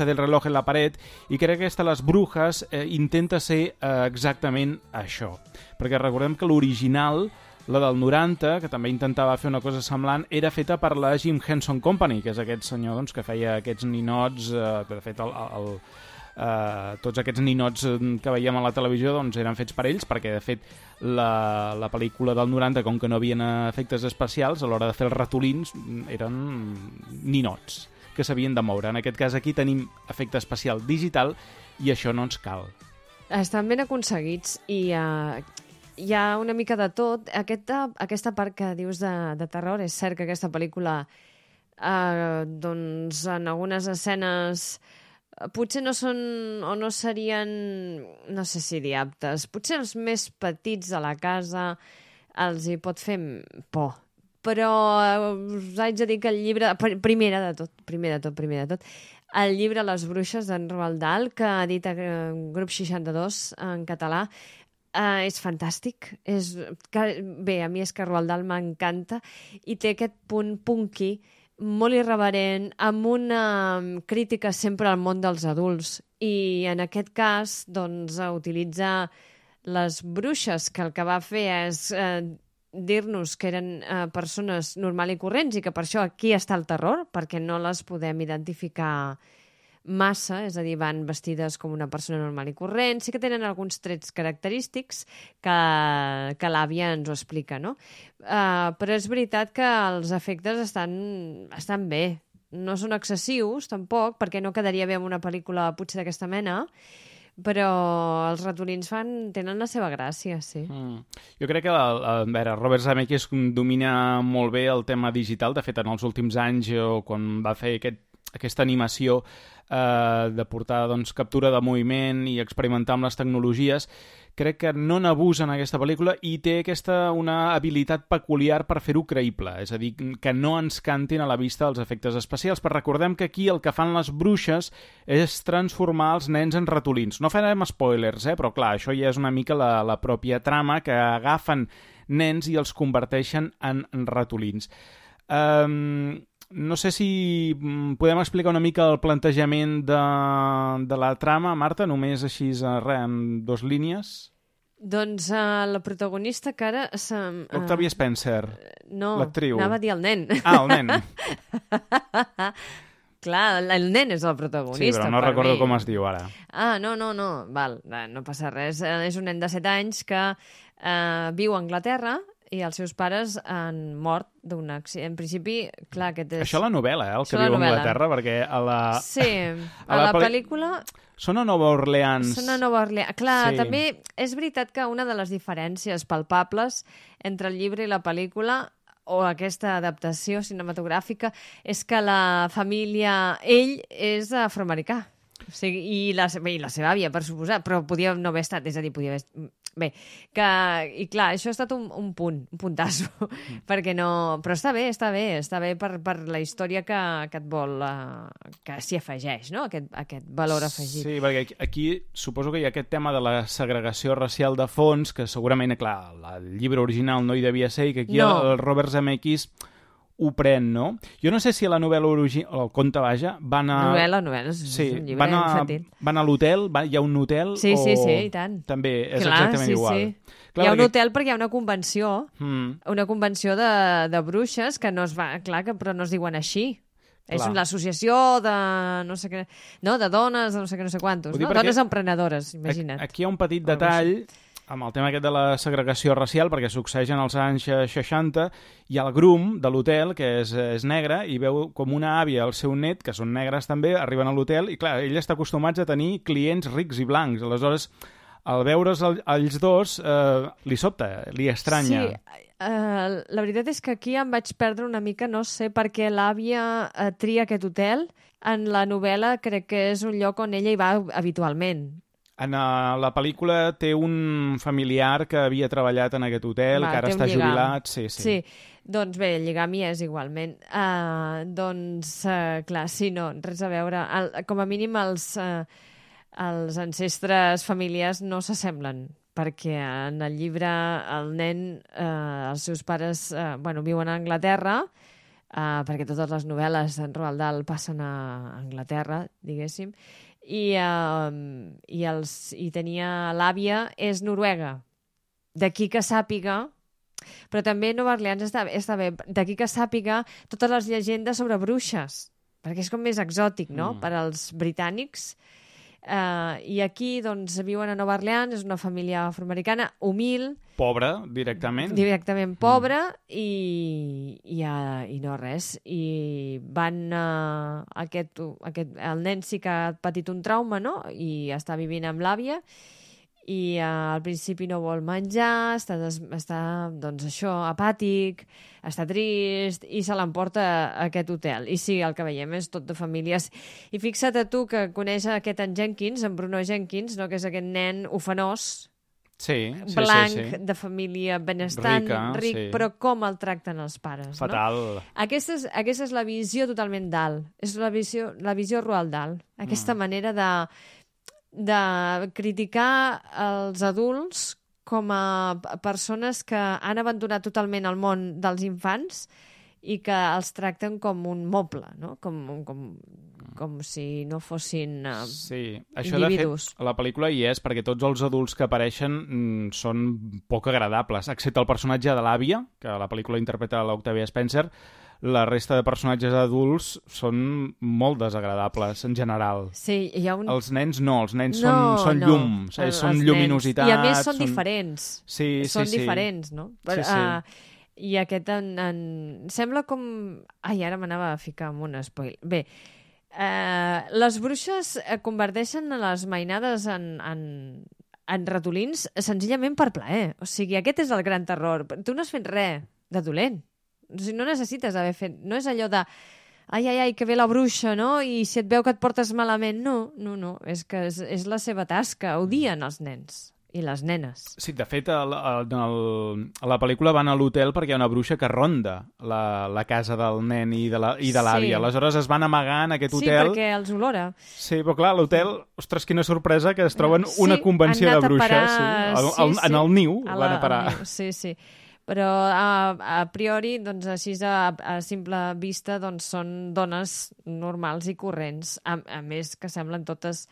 del reloj en la paret, i crec que aquesta Les Brujas intenta ser exactament això. Perquè recordem que l'original, la del 90, que també intentava fer una cosa semblant, era feta per la Jim Henson Company, que és aquest senyor doncs, que feia aquests ninots, que de fet tots aquests ninots que veiem a la televisió doncs, eren fets per ells, perquè de fet la pel·lícula del 90, com que no havien efectes especials, a l'hora de fer els ratolins eren ninots que s'havien de moure. En aquest cas aquí tenim efecte especial digital i això no ens cal. Estan ben aconseguits i hi ha una mica de tot. Aquesta part que dius de terror, és cert que aquesta pel·lícula doncs en algunes escenes potser no són o no serien, no sé si dir aptes, potser els més petits de la casa els hi pot fer por, però us haig de dir que el llibre, primer de tot, el llibre Les Bruixes d'en Roald Dahl, que ha dit Grup 62 en català, és fantàstic. Bé, a mi és que Roald Dahl m'encanta i té aquest punt punky molt irreverent, amb una crítica sempre al món dels adults. I en aquest cas, doncs, utilitza les bruixes, que el que va fer és dir-nos que eren persones normal i corrents i que per això aquí està el terror, perquè no les podem identificar massa, és a dir, van vestides com una persona normal i corrent. Sí que tenen alguns trets característics que l'àvia ens ho explica, no? Però és veritat que els efectes estan bé. No són excessius, tampoc, perquè no quedaria bé amb una pel·lícula potser d'aquesta mena, però els ratolins tenen la seva gràcia, sí. Jo crec que Robert Zemeckis domina molt bé el tema digital. De fet, en els últims anys, quan va fer aquesta animació de portar captura de moviment i experimentar amb les tecnologies, crec que no n'abusa en aquesta pel·lícula i té una habilitat peculiar per fer-ho creïble, és a dir, que no ens cantin a la vista els efectes especials. Però recordem que aquí el que fan les bruixes és transformar els nens en ratolins. No farem spoilers, però clar, això ja és una mica la pròpia trama, que agafen nens i els converteixen en ratolins. No sé si podem explicar una mica el plantejament de la trama, Marta, només així en 2 línies. Doncs la protagonista, que ara... Octavia Spencer, l'actriu. No, anava a dir el nen. Ah, el nen. Clar, el nen és el protagonista. Sí, però no recordo com es diu ara. No. Val, no passa res. És un nen de 7 anys que viu a Anglaterra i els seus pares han mort d'un accident. En principi, clar, aquest és... Això a la novel·la, el que Això a la viu a novel·la. Anglaterra, perquè a la... Sí, a la pel·lícula... Són a Nova Orleans. Són a Nova Orleans. Clar, Sí. també és veritat que una de les diferències palpables entre el llibre i la pel·lícula o aquesta adaptació cinematogràfica és que la família... Ell és afroamericà. O sigui, i la seva àvia, per suposar, però podia no haver estat, és a dir, podia haver... Bé, que... I clar, això ha estat un punt, un puntasso, perquè no... Però està bé per la història que et vol... que s'hi afegeix, no?, aquest valor afegit. Sí, perquè aquí suposo que hi ha aquest tema de la segregació racial de fons, que segurament, clar, el llibre original no hi devia ser, i que aquí el Robert Zemeckis ho pren, no? Jo no sé si a la novel·la original, o el conte, vaja, van a... Novel·la, és un llibre infantil. Van a l'hotel, hi ha un hotel? Sí, i tant. També és Clar, exactament igual. Sí. Clar, hi ha un hotel perquè hi ha una convenció, una convenció de bruixes que no es va... Clar, però no es diuen així. És l'associació de no sé què... No, de dones, de no sé què, no sé quantos. No? Dones emprenedores, imagina't. Aquí hi ha un petit detall amb el tema aquest de la segregació racial, perquè succeeix en els anys 60, i el grum de l'hotel, que és negre, i veu com una àvia i el seu net, que són negres també, arriben a l'hotel, i clar, ell està acostumat a tenir clients rics i blancs. Aleshores, al veure's ells dos, li sobta, li estranya. Sí, la veritat és que aquí em vaig perdre una mica, no sé per què l'àvia tria aquest hotel. En la novel·la crec que és un lloc on ella hi va habitualment. En la pel·lícula té un familiar que havia treballat en aquest hotel, que ara està jubilat. Sí. Doncs bé, el lligam hi és igualment. Clar, sí, no, res a veure. Com a mínim els ancestres familiars no s'assemblen, perquè en el llibre el nen, els seus pares, viuen a Anglaterra, perquè totes les novel·les d'en Roald Dahl passen a Anglaterra, diguéssim, i tenia l'àvia és noruega. D'aquí que sàpiga, però també Nova Orleans està bé, d'aquí que sàpiga totes les llegendes sobre bruixes, perquè és com més exòtic, no?, per als britànics. I aquí, doncs, viuen a Nova Orleans, és una família afroamericana, humil. Pobra, directament. Directament pobra, i no res. I van... el nen sí que ha patit un trauma, no?, i està vivint amb l'àvia, i al principi no vol menjar, està doncs això, apàtic, està trist, i se l'emporta a aquest hotel. I sí, el que veiem és tot de famílies. I fixa't a tu que coneix aquest en Jenkins, en Bruno Jenkins, no?, que és aquest nen ofenós, blanc, de família benestant, ric, però com el tracten els pares. Fatal. No? Aquesta és la visió totalment Dahl. És la visió Roald Dahl. Aquesta manera de criticar els adults com a persones que han abandonat totalment el món dels infants i que els tracten com un moble, no? Com si no fossin això individus. De fet, a la pel·lícula hi és perquè tots els adults que apareixen són poc agradables, excepte el personatge de l'àvia, que a la pel·lícula interpreta l'Octavia Spencer. La resta de personatges adults són molt desagradables, en general. Sí, hi ha Els nens no, els nens són llum, són lluminositat. I a més són diferents. Són diferents, no? I aquest sembla com... Ai, ara m'anava a ficar en un spoil. Bé, les bruixes converteixen les mainades en ratolins senzillament per plaer. O sigui, aquest és el gran terror. Tu no has fet res de dolent. O sigui, no necessites haver fet... No és allò de... Ai, que ve la bruixa, no? I si et veu que et portes malament... No. És que és la seva tasca. Odien els nens i les nenes. Sí, de fet, a la pel·lícula van a l'hotel perquè hi ha una bruixa que ronda la casa del nen i de l'àvia. Aleshores es van amagar en aquest hotel. Sí, perquè els olora. Sí, però clar, l'hotel, ostres, quina sorpresa, que es troben una convenció de bruixes. En el niu van a parar. Sí. Però a priori, doncs, així a simple vista, doncs, són dones normals i corrents, a més que semblen totes...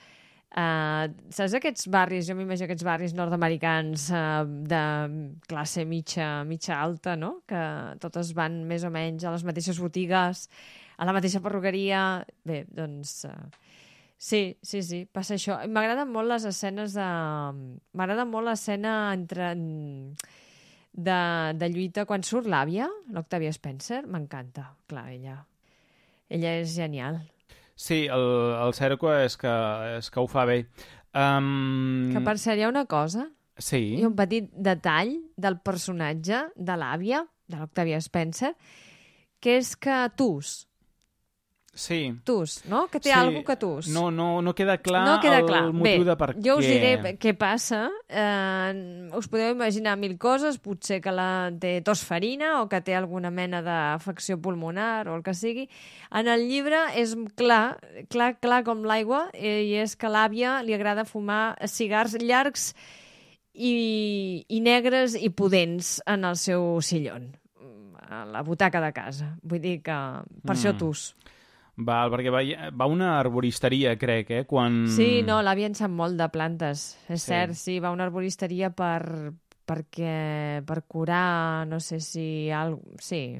saps aquests barris, jo m'imagino aquests barris nord-americans de classe mitja alta, no?, que totes van més o menys a les mateixes botigues, a la mateixa perruqueria. Bé, doncs... Sí, passa això. M'agraden molt les escenes de... M'agrada molt l'escena entre... de lluita quan surt l'àvia, l'Octavia Spencer, m'encanta. Clar, ella és genial. Sí, el Cerco és que ho fa bé. Que per cert, hi ha una cosa, Sí. hi ha un petit detall del personatge de l'àvia, de l'Octavia Spencer, que és que Sí. no? Que té alguna que No queda clar, no queda clar. el motiu de per jo us què. diré què passa. Us podeu imaginar mil coses, potser que té tos farina o que té alguna mena d'afecció pulmonar o el que sigui. En el llibre és clar com l'aigua, i és que l'àvia li agrada fumar cigars llargs i negres i pudents en el seu sillon, a la butaca de casa. Vull dir que per això Val, perquè va a una arboristeria, crec, quan... Sí, no, l'àvia en sap molt de plantes. És cert, sí, va a una arboristeria per curar, no sé si... Sí,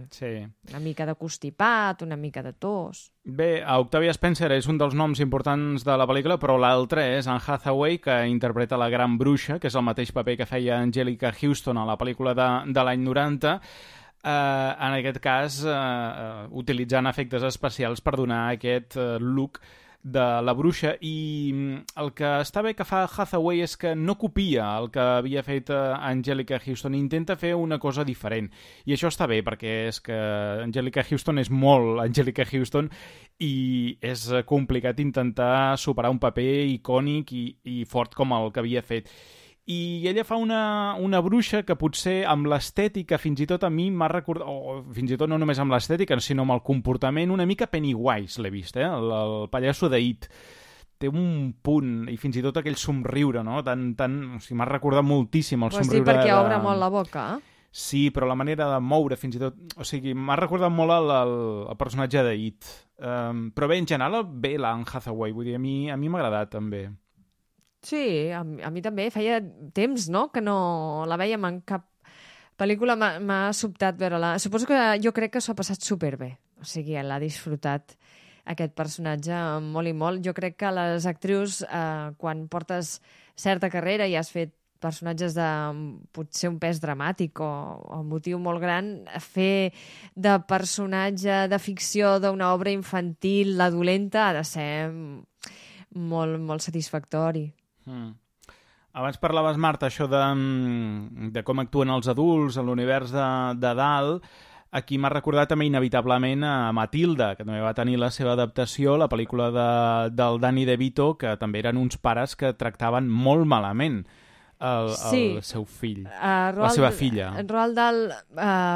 una mica de constipat, una mica de tos... Bé, Octavia Spencer és un dels noms importants de la pel·lícula, però l'altre és Anne Hathaway, que interpreta la gran bruixa, que és el mateix paper que feia Angelica Houston a la pel·lícula de l'any 90, en aquest cas utilitzant efectes especials per donar aquest look de la bruixa, i el que està bé que fa Hathaway és que no copia el que havia fet Angelica Houston, intenta fer una cosa diferent, i això està bé perquè és que Angelica Houston és molt Angelica Houston i és complicat intentar superar un paper icònic i fort com el que havia fet. I ella fa una bruixa que potser amb l'estètica fins i tot a mi m'ha recordat, o fins i tot no només amb l'estètica, sinó amb el comportament, una mica Pennywise l'he vist, el pallasso de It. Té un punt, i fins i tot aquell somriure, no? O sigui, m'ha recordat moltíssim el somriure. Vols dir perquè obre molt la boca? Sí, però la manera de moure fins i tot... O sigui, m'ha recordat molt el personatge de It. Però bé, en general, bé l'Anne Hathaway, vull dir, a mi m'ha agradat també. Sí, a mi també. Feia temps, no?, que no la vèiem en cap pel·lícula. M'ha sobtat veure-la. Suposo que jo crec que s'ho ha passat superbé. O sigui, l'ha disfrutat aquest personatge molt i molt. Jo crec que les actrius, quan portes certa carrera i has fet personatges de potser un pes dramàtic o un motiu molt gran, fer de personatge de ficció d'una obra infantil, la dolenta, ha de ser molt, molt satisfactori. Abans parlaves, Marta, això de com actuen els adults en l'univers de dalt. Aquí m'ha recordat també inevitablement a Matilda, que també va tenir la seva adaptació, la pel·lícula del Danny DeVito, que també eren uns pares que tractaven molt malament el seu fill, la seva filla. Roald Dahl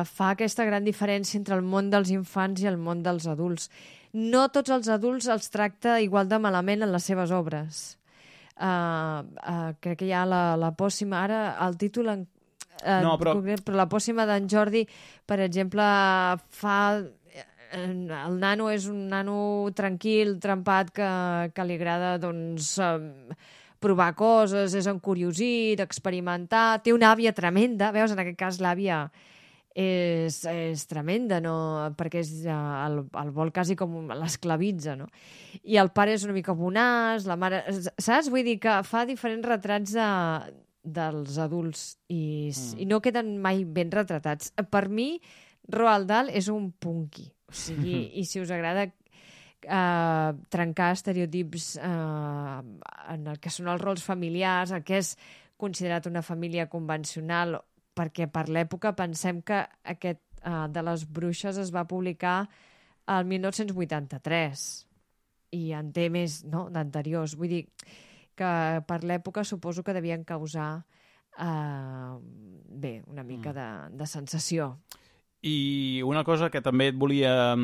fa aquesta gran diferència entre el món dels infants i el món dels adults. No tots els adults els tracta igual de malament en les seves obres. Crec que hi ha la pòssima, ara el títol però la pòssima d'en Jordi, per exemple, el nano és un nano tranquil, trempat, que li agrada, doncs, provar coses, és encuriosit, experimentar, té una àvia tremenda, veus, en aquest cas l'àvia és tremenda, no? Perquè el vol quasi com l'esclavitza, no? I el pare és una mica bonaç, la mare... Saps? Vull dir que fa diferents retrats dels adults i no queden mai ben retratats. Per mi, Roald Dahl és un punky. O sigui, i si us agrada trencar estereotips en el que són els rols familiars, el que és considerat una família convencional, perquè per l'època pensem que aquest de les bruixes es va publicar el 1983 i en té més, no?, d'anteriors. Vull dir que per l'època suposo que devien causar una mica de sensació. I una cosa que també et volia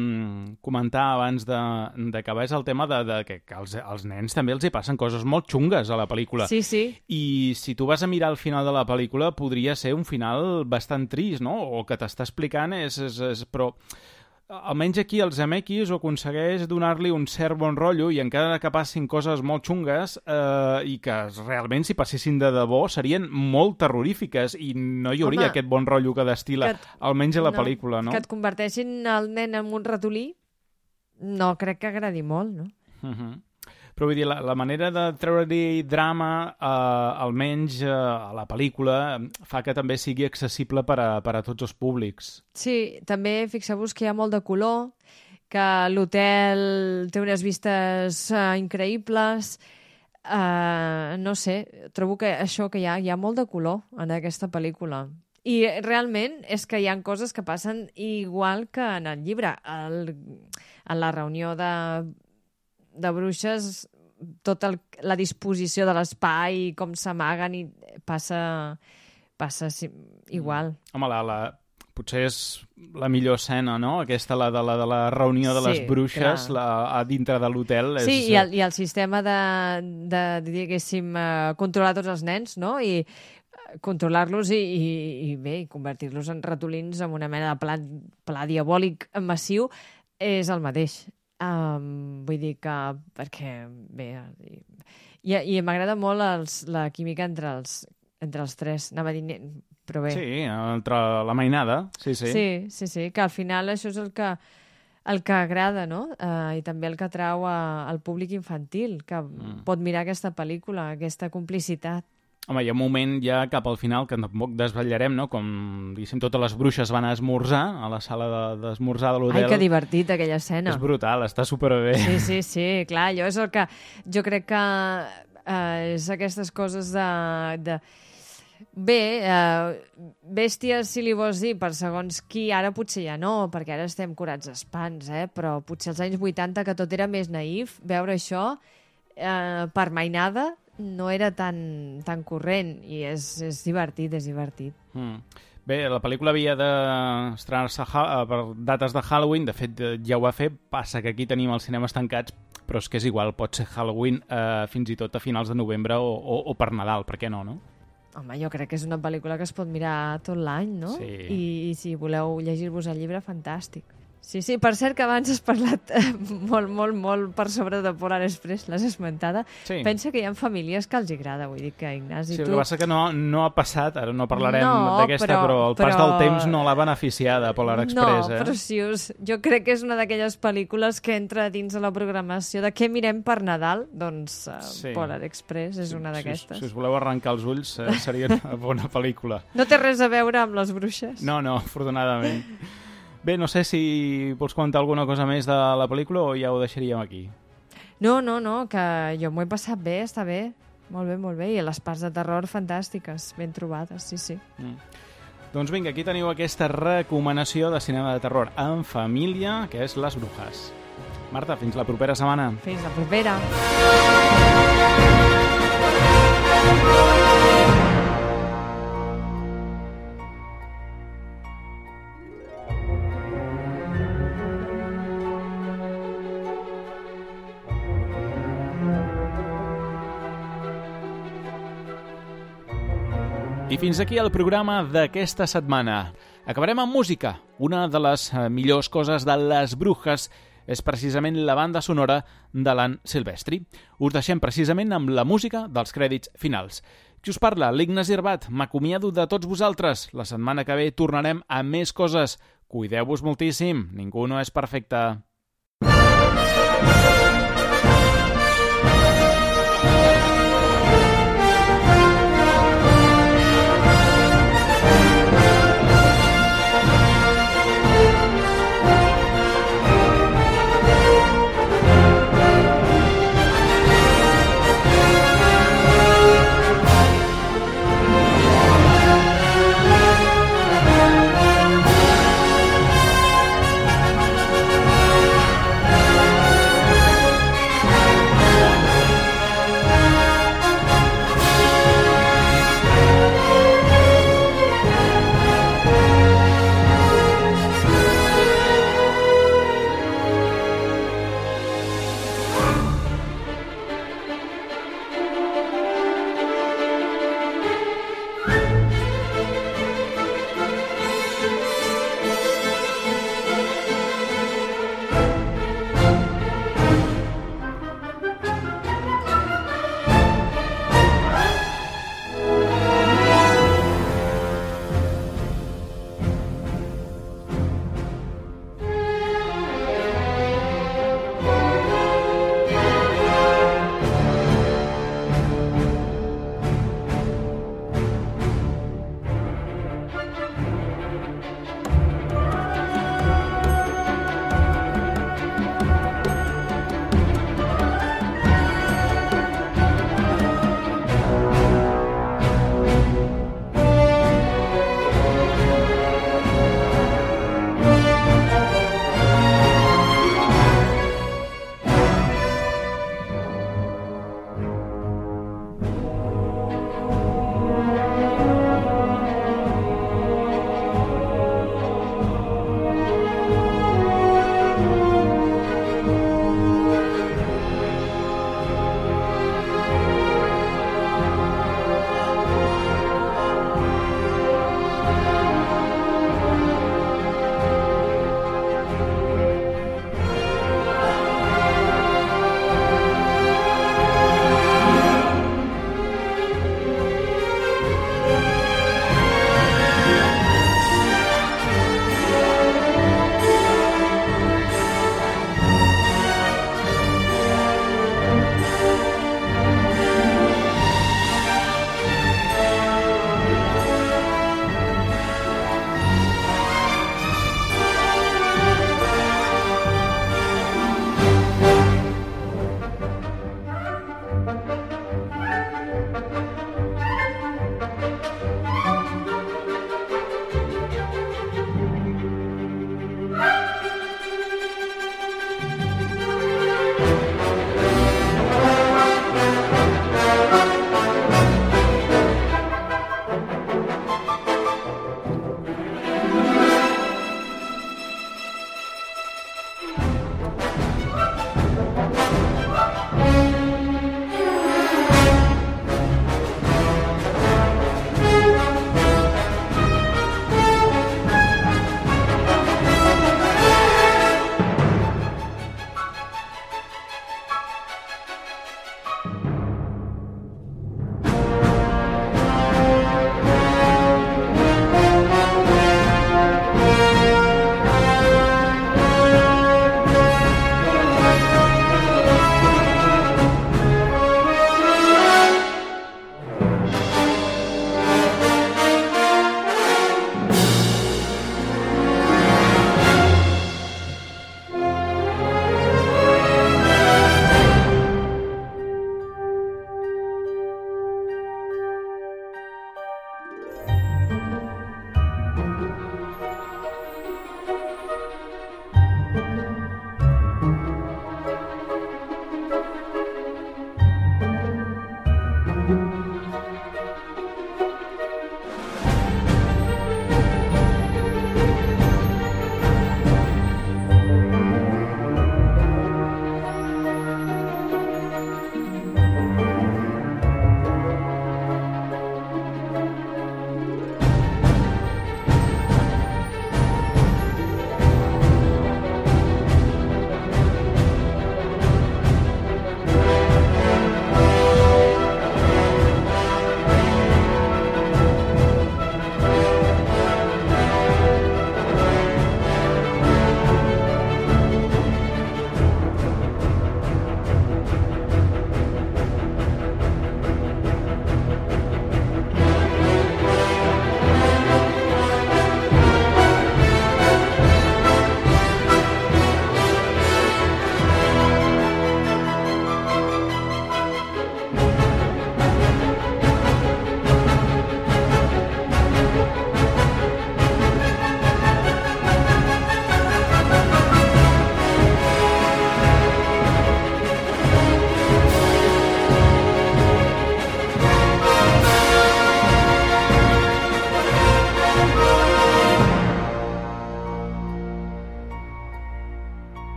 comentar abans d'acabar és el tema de que als nens també els hi passen coses molt xungues a la pel·lícula. Sí, sí. I si tu vas a mirar el final de la pel·lícula podria ser un final bastant trist, no? O que t'està explicant però almenys aquí el Zemeckis ho aconsegueix donar-li un cert bon rotllo i encara que passin coses molt xungues i que realment si passessin de debò serien molt terrorífiques i no hi hauria aquest bon rotllo que destila almenys a la pel·lícula, no? Que et converteixin el nen en un ratolí no crec que agradi molt, no? Però vull dir, la manera de treure-hi drama, almenys a la pel·lícula, fa que també sigui accessible per a tots els públics. Sí, també fixeu-vos que hi ha molt de color, que l'hotel té unes vistes increïbles. No sé, trobo que això que hi ha molt de color en aquesta pel·lícula. I realment és que hi ha coses que passen igual que en el llibre. En la reunió de bruixes, tota la disposició de l'espai, com s'amaguen, i passa igual. Home, potser és la millor escena, no? Aquesta, la de la reunió de les bruixes a dintre de l'hotel. Sí, i el sistema de diguéssim, controlar tots els nens, no? I controlar-los i convertir-los en ratolins amb una mena de pla diabòlic massiu és el mateix. Vull dir que... Perquè, bé... I m'agrada molt la química entre els tres. Anava a dir... Però bé. Sí, entre la mainada. Sí. Sí, que al final això és el que agrada, no? I també el que atrau al públic infantil, que pot mirar aquesta pel·lícula, aquesta complicitat. Home, hi ha un moment ja cap al final que tampoc desvetllarem, no? Com, diguéssim, totes les bruixes van a esmorzar a la sala d'esmorzar de l'hotel. Ai, que divertit, aquella escena. És brutal, està superbé. Sí, clar, allò és el que... Jo crec que és aquestes coses de... Bé, bèsties, si li vols dir, per segons qui, ara potser ja no, perquè ara estem curats d'espants, però potser als anys 80, que tot era més naïf, veure això per mainada no era tan corrent, i és divertit, és divertit. Bé, la pel·lícula havia d'estrenar-se per dates de Halloween, de fet ja ho va fer, passa que aquí tenim els cinemes tancats, però és que és igual, pot ser Halloween fins i tot a finals de novembre o per Nadal, per què no? Home, jo crec que és una pel·lícula que es pot mirar tot l'any, no? Sí. I si voleu llegir-vos el llibre, fantàstic. Sí, per cert que abans has parlat molt per sobre de Polar Express, l'has esmentada. Sí. Pensa que hi ha famílies que els agrada, vull dir que Ignasi... Sí, el que passa que no ha passat, ara no parlarem d'aquesta, però el pas del temps no l'ha beneficiada, Polar Express. No, preciós. Jo crec que és una d'aquelles pel·lícules que entra dins de la programació de què mirem per Nadal, doncs Polar Express és una d'aquestes. Si us voleu arrencar els ulls, seria una bona pel·lícula. No té res a veure amb les bruixes. No, afortunadament. Bé, no sé si vols comentar alguna cosa més de la pel·lícula o ja ho deixaríem aquí. No, que jo m'ho he passat bé, està bé. Molt bé. I les parts de terror fantàstiques, ben trobades, sí. Doncs vinga, aquí teniu aquesta recomanació de cinema de terror en família, que és Les Brujas. Marta, fins la propera setmana. Fins la propera. I fins aquí el programa d'aquesta setmana. Acabarem amb música. Una de les millors coses de Les Brujas és precisament la banda sonora de l'Ann Silvestri. Us deixem precisament amb la música dels crèdits finals. Qui us parla? L'Ignasi Herbat. M'acomiado de tots vosaltres. La setmana que ve tornarem a més coses. Cuideu-vos moltíssim. Ningú no és perfecte.